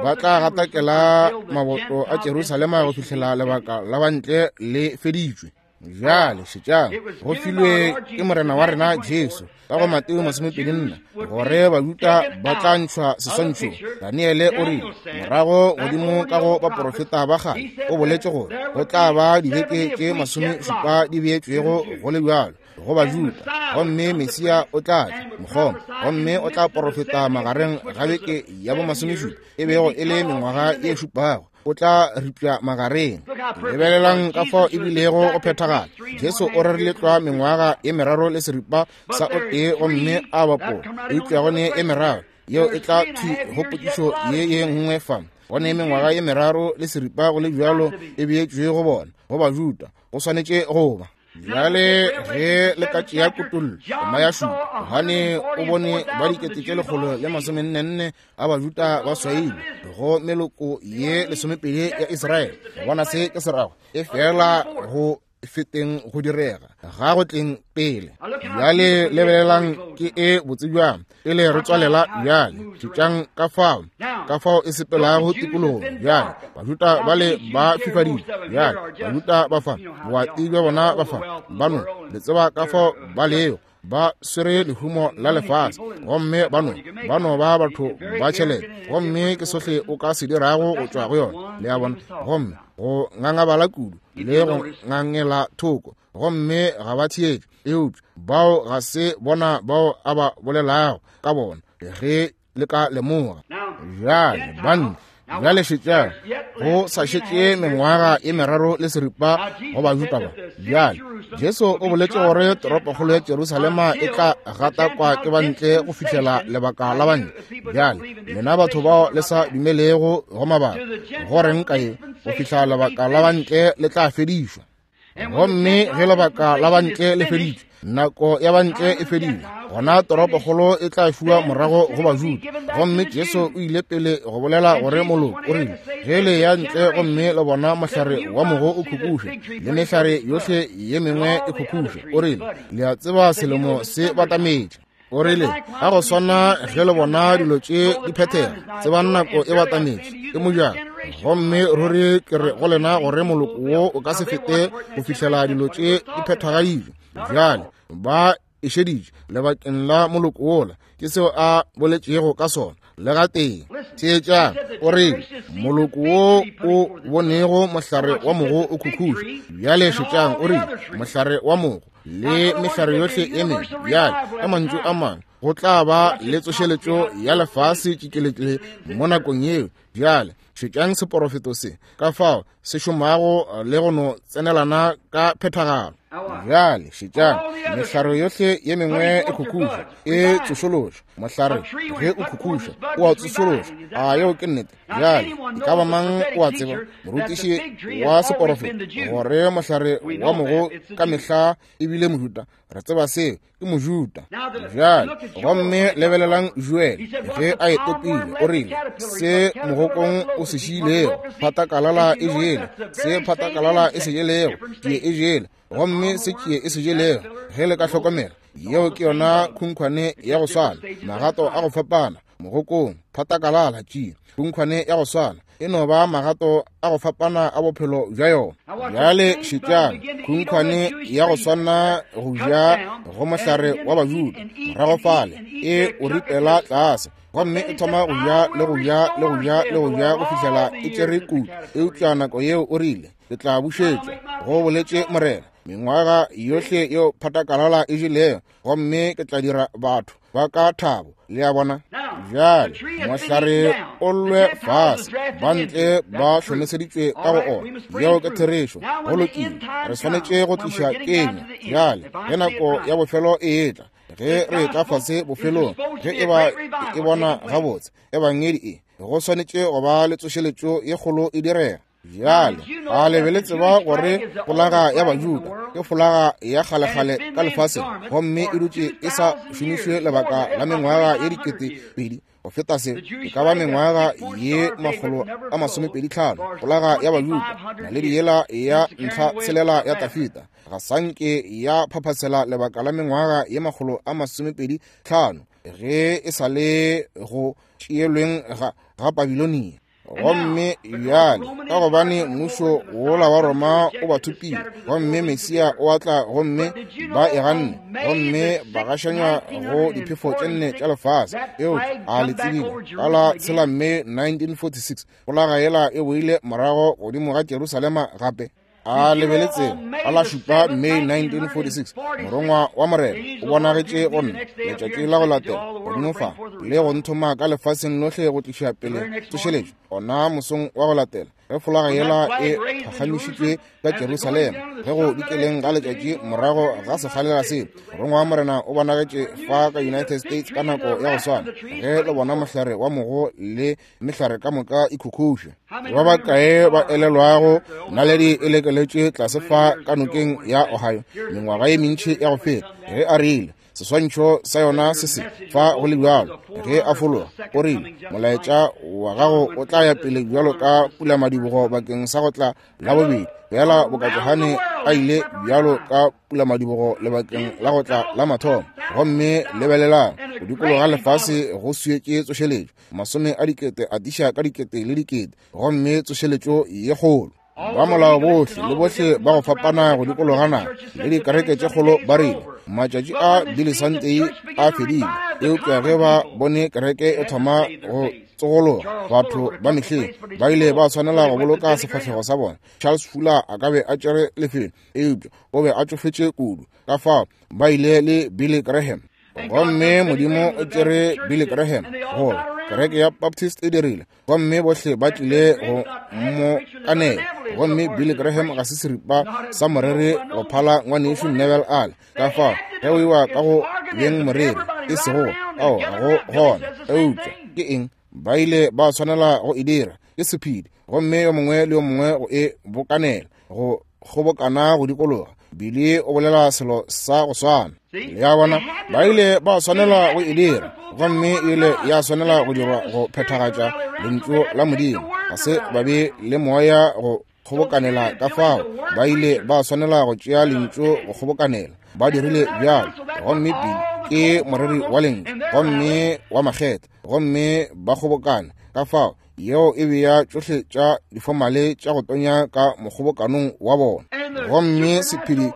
Speaker 1: ba tla gatakela maboto a Jerusalema go fihlela lebaka la bantle le feditšwe. Bjale šetšang, go filwe ke Morena wa rena Jesu ka go Mateo masomepedi nne gore Bajuda ba tla ntšhwa seswantšhong. Daniele o rile morago godimo ka go baporofeta ba kgale o boletše gore go tla ba dibeke tše masomešupa di beetšwego go le bjalo go Bajuda, gomme Mesia o tla tla mokgoma, gomme o tla porofeta magareng ga beke ya bomasomešupa e bego e le mengwaga ye šupago. O tla ripša magareng. Lebelelang ka fao e bilego go phethagala. Jesu o rerile tlwa mengwaga ye meraro le seripa sa o tee gomme a bapola, eupša go ne e meraro yeo e tla thwi go potšišo ye ye nngwe fa. Go ne mengwaga ye meraro le seripa go le bjalo e beetšwe go bona, go Bajuda, go swanetše go ba. Bjale ge le ka tšea kutollo tema ya šupa, Johane o bone ba dikete tše lekgolo le masomennenne a Bajuda ba swailwe go meloko ye lesomepedi ya Israele. Bona se ke se rago, e fela go feteng go direga ga go tleng pele. Bjale lebelelang ke e botse bjang pele re tswalela. Bjale šetšang ka fao ka fao e sepelago tikologong. Bjale Bajuda bale ba fifadile. Bjale Bajuda ba fa boati bja bona ba fa bano le tseba ka fao ba lego, ba swere lehumo la lefase, gomme bano bano ba batho ba tšhelete, gomme ke sohle o ka se dirago go tšwa go yona. Le a bona? Gomme go ngangabala kudu le go ngangela thoko, gomme ga ba theetše. Eupša bao ga se bona bao a ba bolelago ka bona, ge le ka lemoga. Bjale banna, bjale šetšang, go sa šetše mengwaga e meraro le seripa go Bajuda ba. Bjale Jesu o boletše gore toropokgolo ya Jerusalema e tla gatakwa ke bantle go fihlela lebaka la bantle. Bjale lena batho bao le sa dumelego go mabaka, go reng ka ye? Go fihla lebaka la bantle le tla fedišwa. Gomme ge lebaka la bantle le feditšwe, nako ya bantle e fedile, gona toropokgolo e tla fiwa morago go Bajuda. Gomme Jesu o ile pele go bolela gore moloko o rile, ge le ya ntle gomme le bona mohlare wa mogo o khukhuša le mehlare yohle ye mengwe e khukhuša, o rile le a tseba selemo se batametše. O rile ga go swana ge le bona dilo tše di phethega, tsebang nako e batametše, ke mojako. Gomme ruri ke re go lena gore moloko wo o ka se fete go fihlela dilo tše di phethagaditšwe. Bjale ba e šeditše lebakeng la moloko wola, ke seo a boletšego ka sona le gatee. Theetšang, o rile moloko wo o bonego mohlare wa mogo o khukhuša. Bjale šetšang, o rile mohlare wa mogo le mehlare yohle e mengwe. Bjale ka mantšu a mangwe, go tla ba le tsošeletšo ya lefase tšikeletle mo nakong yeo. Bjale šetšang seporofeto se ka fao se šomago le go no tsenelana ka phethagalo. Bjale šetšang, mehlare yohle ye mengwe e khukhuša, e tsošološa. Mohlare ge o khukhuša o a tsošološa. A yeo ke nnete? Bjale e ka ba mang o a tseba, morutiši wa seporofeto, gore mohlare wa mogo ka mehla e bile Mojuda? Re tseba seo, ke Mojuda. Bjale gomme lebelelang Joel ge a e topile, o rile se mogokong o se šiilego phatakalala e jele, se phatakalala e se jelego tšie e jele, gomme se tšie e se jelego. Ge le ka hlokomela, yeo ke yona khunkhwane ya go swana, magato a go fapana, mogokong, phatakalala, tšie, khunkhwane ya go swana, e no ba magato a go fapana a bophelo bja yona. Bjale šetšang, khunkhwane ya go swana go ja go mohlare wa Bajuda, morago fale e o ripela tlase, gomme e thoma go ja le go ja le go ja le go ja go fihlela e tšere kudu. Eupša nako yeo o rile, ke tla bušetšwa, go boletše Morena, Mengwaga yohle yeo phatakalala e jelego, gomme ke tla dira batho ba ka thabo. Le a bona? Bjale mohlare o llwe fase, ba ntle ba hlomeseditšwe ka go ona. Yeo ke therešo. Go lokile, re swanetše go tliša kenywa. Bjale ge nako ya bofelo e etla, ge re etla fase bofelong, ge e ba e bona gabotse ebangedi e, go swanetše go ba le tsošeletšo ye kgolo e direga. Bjale a le be le tseba gore folaga ya Bajuda ke folaga ya kgalekgale ka lefaseng, gomme e dutše e sa šomišwe lebaka la mengwaga ye dikete pedi go feta se, e ka ba mengwaga ye makgolo a masomepedi tlhano. Folaga ya Bajuda, naledi yela ya ntlha tshelela ya Tafita, ga sanke ya phaphatsela lebaka la mengwaga ye makgolo a masomepedi tlhano ge e sa le go tšeelweng ga, ga Babilonia. Gomme bjale ka gobane mmušo wola wa Roma o ba thopile, gomme Mesia o a tla, gomme ba e ganne, gomme ba gašanywa go diphefo tše nne tša lefase. Eupša a le tsebile ka la tshela May nineteen forty-six, folaga yela e boile morago godimo ga Jerusalema gape. A lebeletse ka la šupa May nineteen forty-six, morongwa wa Morena o bonagetše go nna letšatši la go latela godimo fa le go nthoma ka lefaseng lohle go tliša pele tsošeletšo. Ona mosong wa go latela ge folaga yela e phagamišitšwe ka Jerusalema, ge go dikeleng ga letšatši morago ga sekgalela se, morongwa wa Morena o bonagetše fa ka United States ka nako ya go swana ge le bona mohlare wa mogo le mehlare ka moka e khukhuša. Ba bakae ba elelwago naledi e lekeletše tlase fa ka nokeng ya Ohio mengwaga ye mentši ya go feta, ge a rile seswantšho sa yona se se fa go le bjalo, ge a fologa o rile molaetša wa gago o tla ya pele bjalo ka pulamadibogo bakeng sa go tla la bobedi, fela boka Johane a ile bjalo ka pulamadibogo lebakeng la go tla la mathomo. Gomme lebelelang go dikologa lefase go swietše tsošeletšo, masome a dikete a tiša ka dikete le dikete, gomme tsošeletšo ye kgolo. Ba molao bohle le bohle ba go fapana go dikologana le dikereke tše kgolo ba rile matšatši a Billy Sunday a fedile, eupša ge ba bone kereke e thoma go tsogologa, batho ba mehleng ba ile ba tshwanela go boloka sefahlego sa bona. Charles Fuller a ka be a tšere lefelo, eupša o be a tšofetše kudu, ka fao ba ile le Billy Graham. Gomme Modimo o tšere Billy Graham gore kereke ya Baptist e dirile, gomme bohle ba tlile go mo kanela. Gomme Billy Graham ga se seripa sa moreri go phala ngwanešu Neville Ale, ka fao ge o iwa ka go beng moreri e sego ao ga go gona. Eupša ke eng ba ile ba tshwanela go e dira? Ke sephedi, gomme yo mongwe le yo mongwe go e bokanela, go kgobokana go dikologa. Billy o bolela selo sa go swana. Le a bona, ba ile ba tshwanela go e dira, gomme ile ya tshwanela go dirwa go phethagatša lentšu la Modimo. Ga se ba be le moya go kgobokanela, ka fao ba ile ba tshwanela go tšea lentšu go kgobokanela. Ba dirile bjalo, gomme Billy ke moreri wa lentšu gomme wa makgetha, gomme ba kgobokana. Ka fao yeo e bea tšohle tša difomale tša go tonya ka mokgobokanong wa bona. Gomme sephedi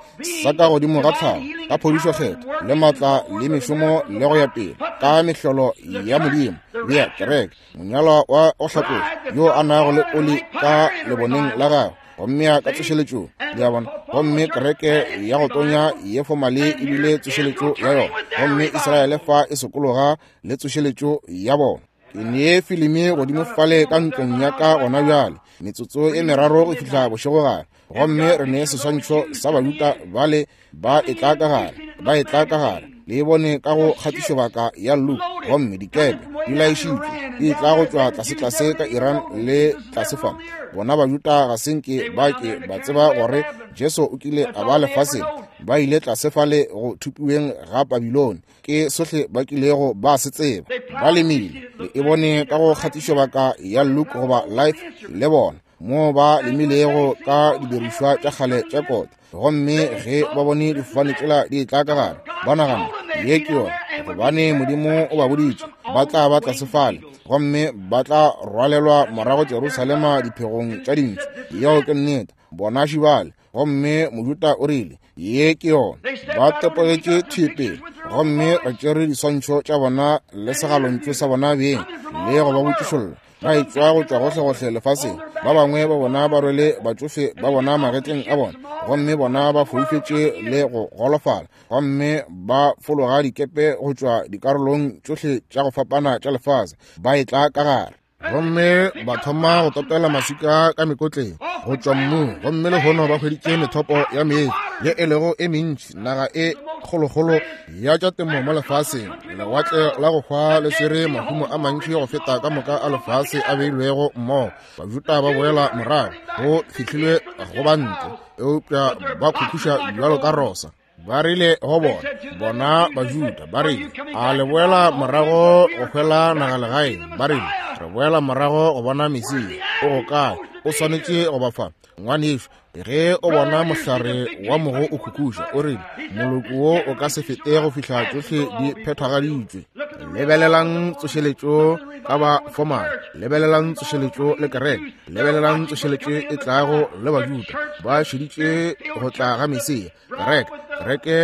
Speaker 1: sa ka godimo ga tlhago ka phodišo kgetho le maatla le mešomo le go ya pele ka mehlolo ya Modimo, bea kereke monyalwa wa go hlatloša yo a nago le oli ka leboneng la gagwe, gomme ya ka tsošeletšong. Le a bona? Gomme kereke ya go tonya ye fomale ebile tsošeletšo ya yona, gomme Israele fa e sokologa le tsošeletšo ya bona. Ke nee filimi godimo fale ka ntlong ya ka gona bjale, metsotso e meraro go fihla bošegogare, gomme re nee seswantšho sa Bajuda bale ba etla ka gare, ba etla ka gare. Le e bone ka go kgatišobaka ya Luke, gomme dikepe di laišitšwe di tla go tšwa tlasetlase ka Iran le tlase fa. Bona Bajuda ga se nke ba ke ba tseba gore Jesu o kile a ba lefaseng, ba ile tlase fale go thupiweng ga Babilone, ke sohle ba kilego ba se tseba. Ba lemile, le e bone ka go kgatišobaka ya Luke goba Life le bona moo ba lemilego ka didirišwa tša kgale tša kota. Gomme ge ba bone difofane tšela di etla ka gare, ba nagana ye ke yona, gobane Modimo o ba boditše ba tla ba tlase fale, gomme ba tla rwalelwa morago Jerusalema diphegong tša dintšu. Yeo ke nnete. Bona šibale. Gomme Mojuda o rile ye ke yona. Ba tepogetše thwi pele, gomme re tšere diswantšho tša bona le segalontšu sa bona beng le go ba botšišolla. Ba etšwa go tšwa gohlegohle lefaseng. Ba bangwe ba bona ba rwele batšofe ba bona magetleng a bona, gomme bona ba foufetše le go golofala, gomme ba fologa dikepe go tšwa dikarolong tšohle tša go fapana tša lefase, ba etla ka gare. Gomme ba thoma go topela maswika ka mekotleng go tšwa mmung, gomme lehono ba hweditše methopo ya meetse ye e lego e mentši, naga e kgolokgolo ya tša temo mo lefaseng. Lewatle la go hwa le swere mahumo a mantši go feta ka moka a lefase a beilwego mmogo. Bajuda ba boela morago, go fihlilwe go ba ntle, eupša ba khukhuša bjalo ka rosa. Ba rile go bona, bona Bajuda ba rile, a le boela morago go hwela naga legaeng? Ba rile, re boela morago go bona Mesia. O go kae? O swanetše go ba fa. Ngwanešu, ge o bona mohlare wa mogo o khukhuša, o rile, moloko wo o ka se fete go fihla tšohle di phethagaditšwe. Lebelelang tsošeletšo ka ba fomale, lebelelang tsošeletšo le kereke, lebelelang tsošeletšo e tlago le Bajuda. Ba šeditše go tla ga Mesia. Kereke, kereke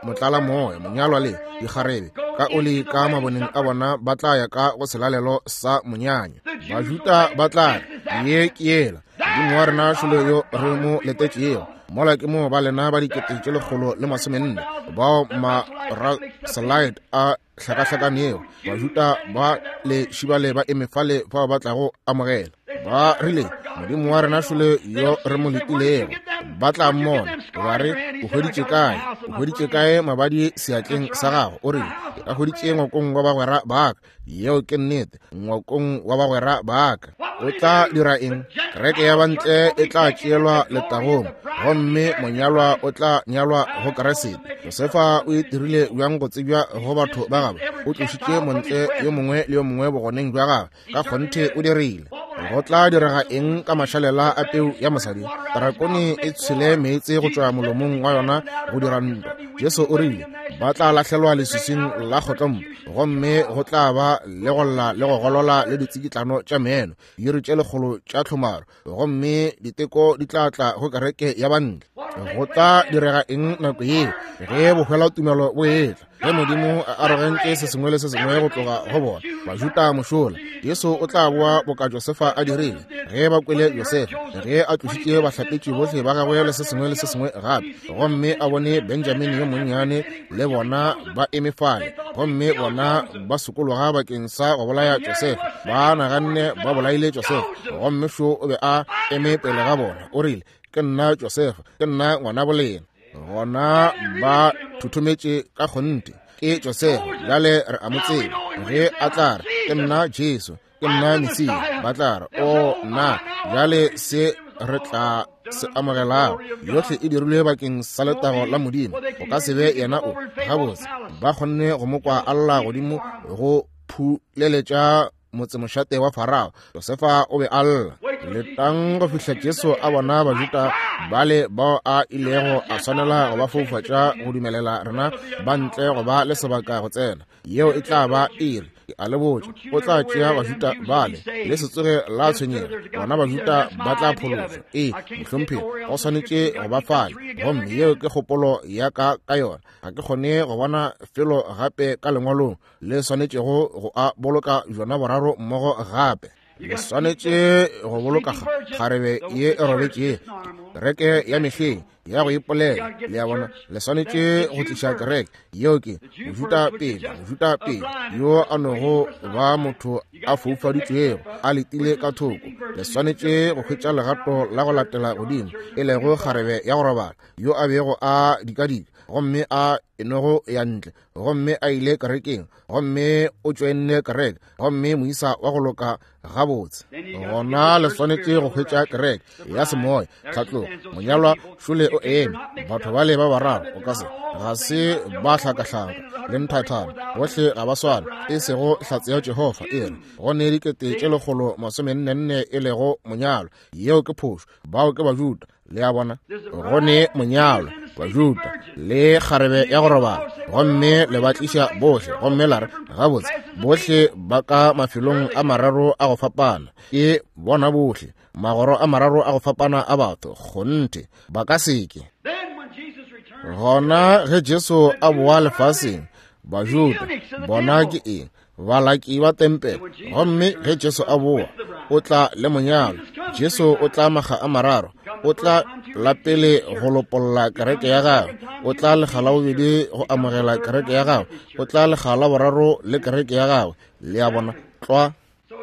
Speaker 1: motlala moya, monyalwa le dikgarebe ka oli ka maboneng a bona ba tla ya ka go selalelo sa monyanya. Bajuda ba tla re, ye ke yela Modimo wa rena šolo yo re mo letetšego. Mola ke mo ba lena ba dikete tše lekgolo le masomenne bao ma-Raselite a hlakahlakanego. Bajuda ba le šibale ba eme fale fao ba tlago amogela. Ba rile, Modimo wa rena šolo yo re mo letilego. Ba tla mmona, ba re, o hweditše kae? O hweditše kae mabadi seatleng sa gago? O rile, ke a hweditše ngwakong wa bagwera ba ka. Yeo ke nnete, ngwakong wa bagwera ba ka. O tla dira eng? Kereke ya bantle e tla tšeelwa letagong, gomme monyalwa o tla nyalwa go Kriste. Josefa o itirile bjang go tsebja go batho ba gagwe? O tlošitše montle yo mongwe le yo mongwe bogoneng bja gagwe. Ka kgonthe o dirile. Go tla direga eng ka mašalela a peu ya mosadi? Drakone e tshwele meetse go tšwa molomong wa yona go dira ntwa. Jesu o rile, ba tla lahlelwa leswiswing la kgotlompo, gomme go tla ba le go lla le go golola le ditsikitlano tša meno, diiri tše lekgolo tša tlhomaro, gomme diteko di tla tla go kereke ya bantle. Go tla direga eng nako yeo ge bohwela tumelo bo etla? Ge Modimo a arogantše se sengwe le se sengwe go tloga go bona Bajuda mošola, Jesu o tla boa boka Josefa a dirile. Ge ba kwele Josefa ge a tlošitše bahlapetši bohle ba gagwe le se sengwe le se sengwe gape, gomme a bone Benjamini yo monnyane le bona ba eme fale, gomme bona ba sokologa bakeng sa go bolaya Josefa. Ba naganne ba bolaile Josefa, gomme šo o be a eme pele ga bona. O rile, ke nna Josefa, ke nna ngwana bolena. Gona ba thuthumetše ka kgonthe. Ke Josefa, bjale re a mo tseba. Ge a tla re, ke nna Jesu, ke nna Mesia, ba tla re, o nna, bjale se re tla se amogelago. Yohle e dirilwe bakeng sa letago la Modimo. Go ka se be yena o. Gabotse, ba kgonne go mo kwa a lla godimo go phuleletša motsemošate wa Farao. Josefa o be a lla. Letang go fihla Jesu a bona Bajuda bale bao a ilego a swanela go ba foufatša go dumelela rena ba ntle go ba le sebaka go tsena. Yeo e tla ba iri. Ke a le botša, o tla tšea Bajuda bale, le se tsoge la tshwenyega. Bona Bajuda ba tla phološwa. Ee, mohlomphegi, go swanetše go ba fale, gomme yeo ke kgopolo ya ka ka yona. Ga ke kgone go bona felo gape ka lengwalong le swanetšego go a boloka bjona boraro mmogo gape. Le swanetše go boloka kgarebe ye e robetšego, kereke ya mehleng ya go ipolela. Le a bona, le swanetše go tliša kereke yeo ke Mojuda pele, Mojuda pele yo a nogo ba motho a foufaditšwego a letile ka thoko. Le swanetše go hwetša legato la go latela godimo, e lego kgarebe ya go robala yo a bego a dikadika, gomme a enogo ya ntle, gomme a ile kerekeng, gomme o tšoenne kereke, gomme moisa wa go loka gabotse. Gona le swanetše go hwetša kereke ya semoya, tlhatlogo, monyalwa šole o eme. Batho bale ba bararo o ka se ga se ba hlakahlaka le nthathana, bohle ga ba swane, e sego hlatse ya Jehofa e re go ne dikete tše lekgolo masomennenne e lego monyalwa. Yeo ke phošo, bao ke Bajuda. Le a bona, go ne monyalwa, Bajuda le kgarebe ya go robala, gomme le ba tliša bohle, gomme la re, gabotse, bohle ba ka mafelong a mararo a go fapana. Ke bona bohle magoro a mararo a go fapana a batho. Kgonthe ba ka seke. Gona ge Jesu a boa lefaseng, Bajuda bona ke eng? Balaki ba tempele. Gomme ge Jesu a boa, o tla le monyalo. Jesu o tla maga a mararo. O tla la pele go lopolla kereke ya gagwe, o tla lekga la bobedi go amogela kereke ya gagwe, o tla lekga la boraro le kereke ya gagwe. Le a bona tlwa.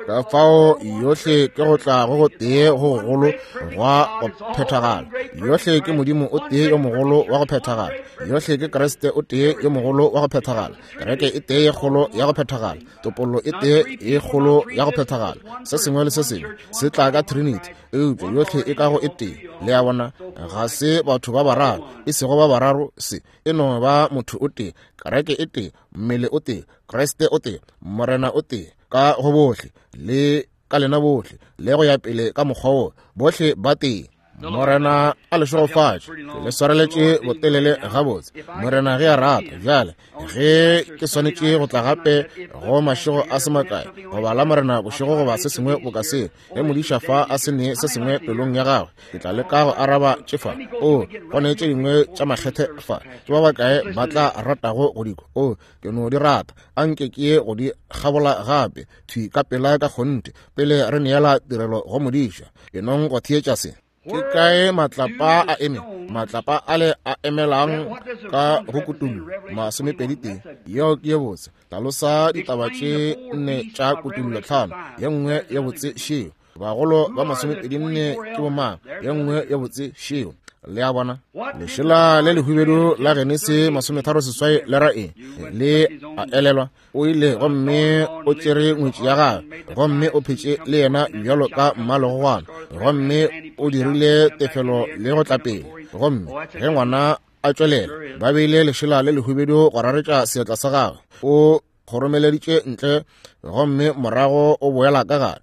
Speaker 1: Ka fao yohle ke go tla go go tee go gogolo gwa go phethagala. Yohle ke Modimo o tee yo mogolo wa go phethagala. Yohle ke Kriste o tee yo mogolo wa go phethagala. Kereke e tee ye kgolo ya go phethagala. Topollo e tee ye kgolo ya go phethagala. Se sengwe le se sengwe se tla ka Trinity, eupša yohle e ka go e tee. Le a bona, ga se batho ba bararo, e sego ba bararo, se e no ba motho o tee, kereke e tee, mmele o tee, Kriste o tee, Morena o tee, ka go bohle le ka lena bohle, le go ya pele ka mokgwa wo, bohle ba tee. Morena a le šegofatše. Ke le swareletše botelele gabotse. Morena ge a rata. Bjale ge ke swanetše go tla gape go mašego a se makae, goba la Morena bošego goba se sengwe boka seo, ge modiša fa a se ne se sengwe pelong ya gagwe, ke tla leka go araba tše fa. O go ne tše dingwe tša makgethe fa. Ke ba bakae ba tla ratago go di kwa? O ke no di rata. Anke ke ye go di kgabola gape thwi ka pela ka kgonthe pele re neela tirelo go modiša. Ke nong go theetša se. Ke kae matlapa a eme? Matlapa ale a emelang ka go kutullo masomepedi tee. Yeo ke ye botse. Hlalosa ditaba tše nne tša kutullo tlhano. Ye nngwe ye botse šeo. Bagolo ba masomepedi nne ke bomang? Ye nngwe ye botse šeo. Le a bona, lešela le lehubedu la Genesi masometharo seswai le ra eng? Le a elelwa, o ile gomme o tšere ngwetši ya gagwe, gomme o phetše le yena bjalo ka mmalegogwana, gomme o dirile tefelo le go tla pele. Gomme ge ngwana a tšwelela, ba beile lešela le lehubedu go raretša seatla sa gagwe, o kgoromeleditše ntle, gomme morago o boela ka gare,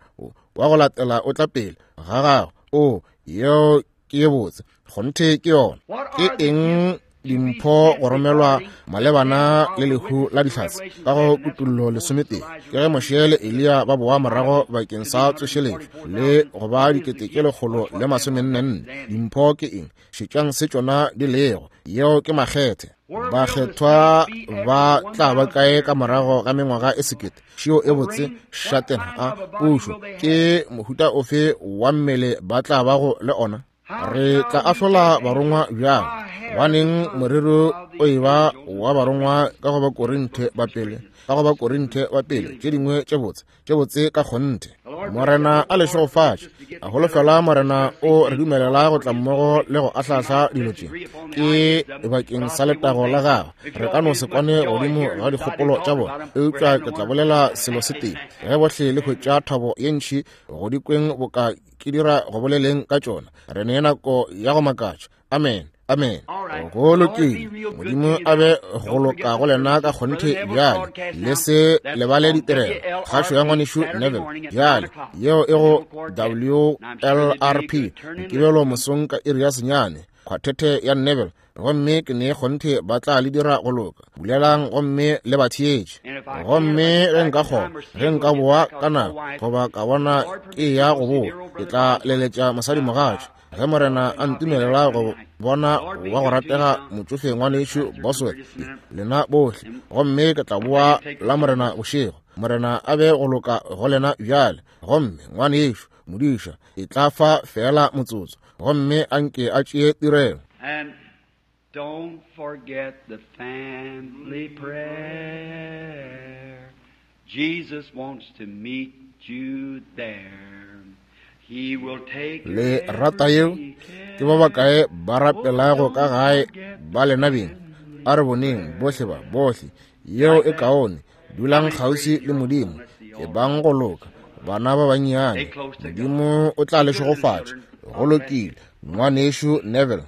Speaker 1: wa go latela o tla pele ga gagwe. O yeo ke ye botse. Kgonthe ke yona. Ke eng dimpho go romelwa malebana le lehu la dihlatse ka go kutullo lesometee? Ke ge Moshe le Eliya ba boa morago bakeng sa tsošeletšo le go ba dikete tše lekgolo le masomennenne. Dimpho ke eng? Šetšang se tšona di lego. Yeo ke makgethe. Bakgethwa ba tla ba kae ka morago ga mengwaga e sekete? Šeo e botse šatena a pušo. Ke mohuta ofe wa mmele ba tla bago le ona? Re tla ahlola barongwa bjang? Baneng morero o e ba wa barongwa ka go ba Korinthe ba pele, ka go ba Korinthe ba pele, tše dingwe tše botse, tše botse ka kgonthe. Morena a le šegofatše. A holofela Morena o re dumelela go tla mmogo le go ahlahla dilo tše. Ke bakeng sa letago la gagwe. Re ka no se kwane godimo ga dikgopolo tša bona, eupša ke tla bolela selo se tee. Ge bohle le hwetša thabo ye ntši go di kweng boka ke dira go boleleng ka tšona, re ne nako ya go makatša. Amen. Amen. Go lokile. Modimo a be go loka go lena ka kgonthe bjale. Le se lebale ditirelo. Kgašo ya ngwanešu Neville bjale, yeo e go W L R P, Mokibelo mosong ka iri ya senyane, kgwathete ya Neville. Gomme ke ne kgonthe ba tla le dira go loka. Bulelang gomme le ba theetše. Gomme ge nka kgona, ge nka boa ka nako, goba ka bona ke ya go boa, ke tla leletša mosadimogatša. Ge Morena a ntumelela go bona wa go ratega motšofe ngwanešu Boswell, lena bohle, gomme ke tla boa la Morena bošego. Morena a be go loka go lena bjale. Gomme ngwanešu modiša e tla fa fela motsotso, gomme a nke a tšee tirelo.
Speaker 3: Don't forget the family prayer. Jesus wants to meet you there. He will take
Speaker 1: Le rata yeo? Ke ba bakae ba rapelago ka gae ba lena beng? A re boneng bohle ba bohle. Yeo e kaone. Dulang kgauswi le Modimo. E bang go loka. Bana ba bannyane, Modimo o tla le šegofatša. Go lokile. Ngwanešu Neville.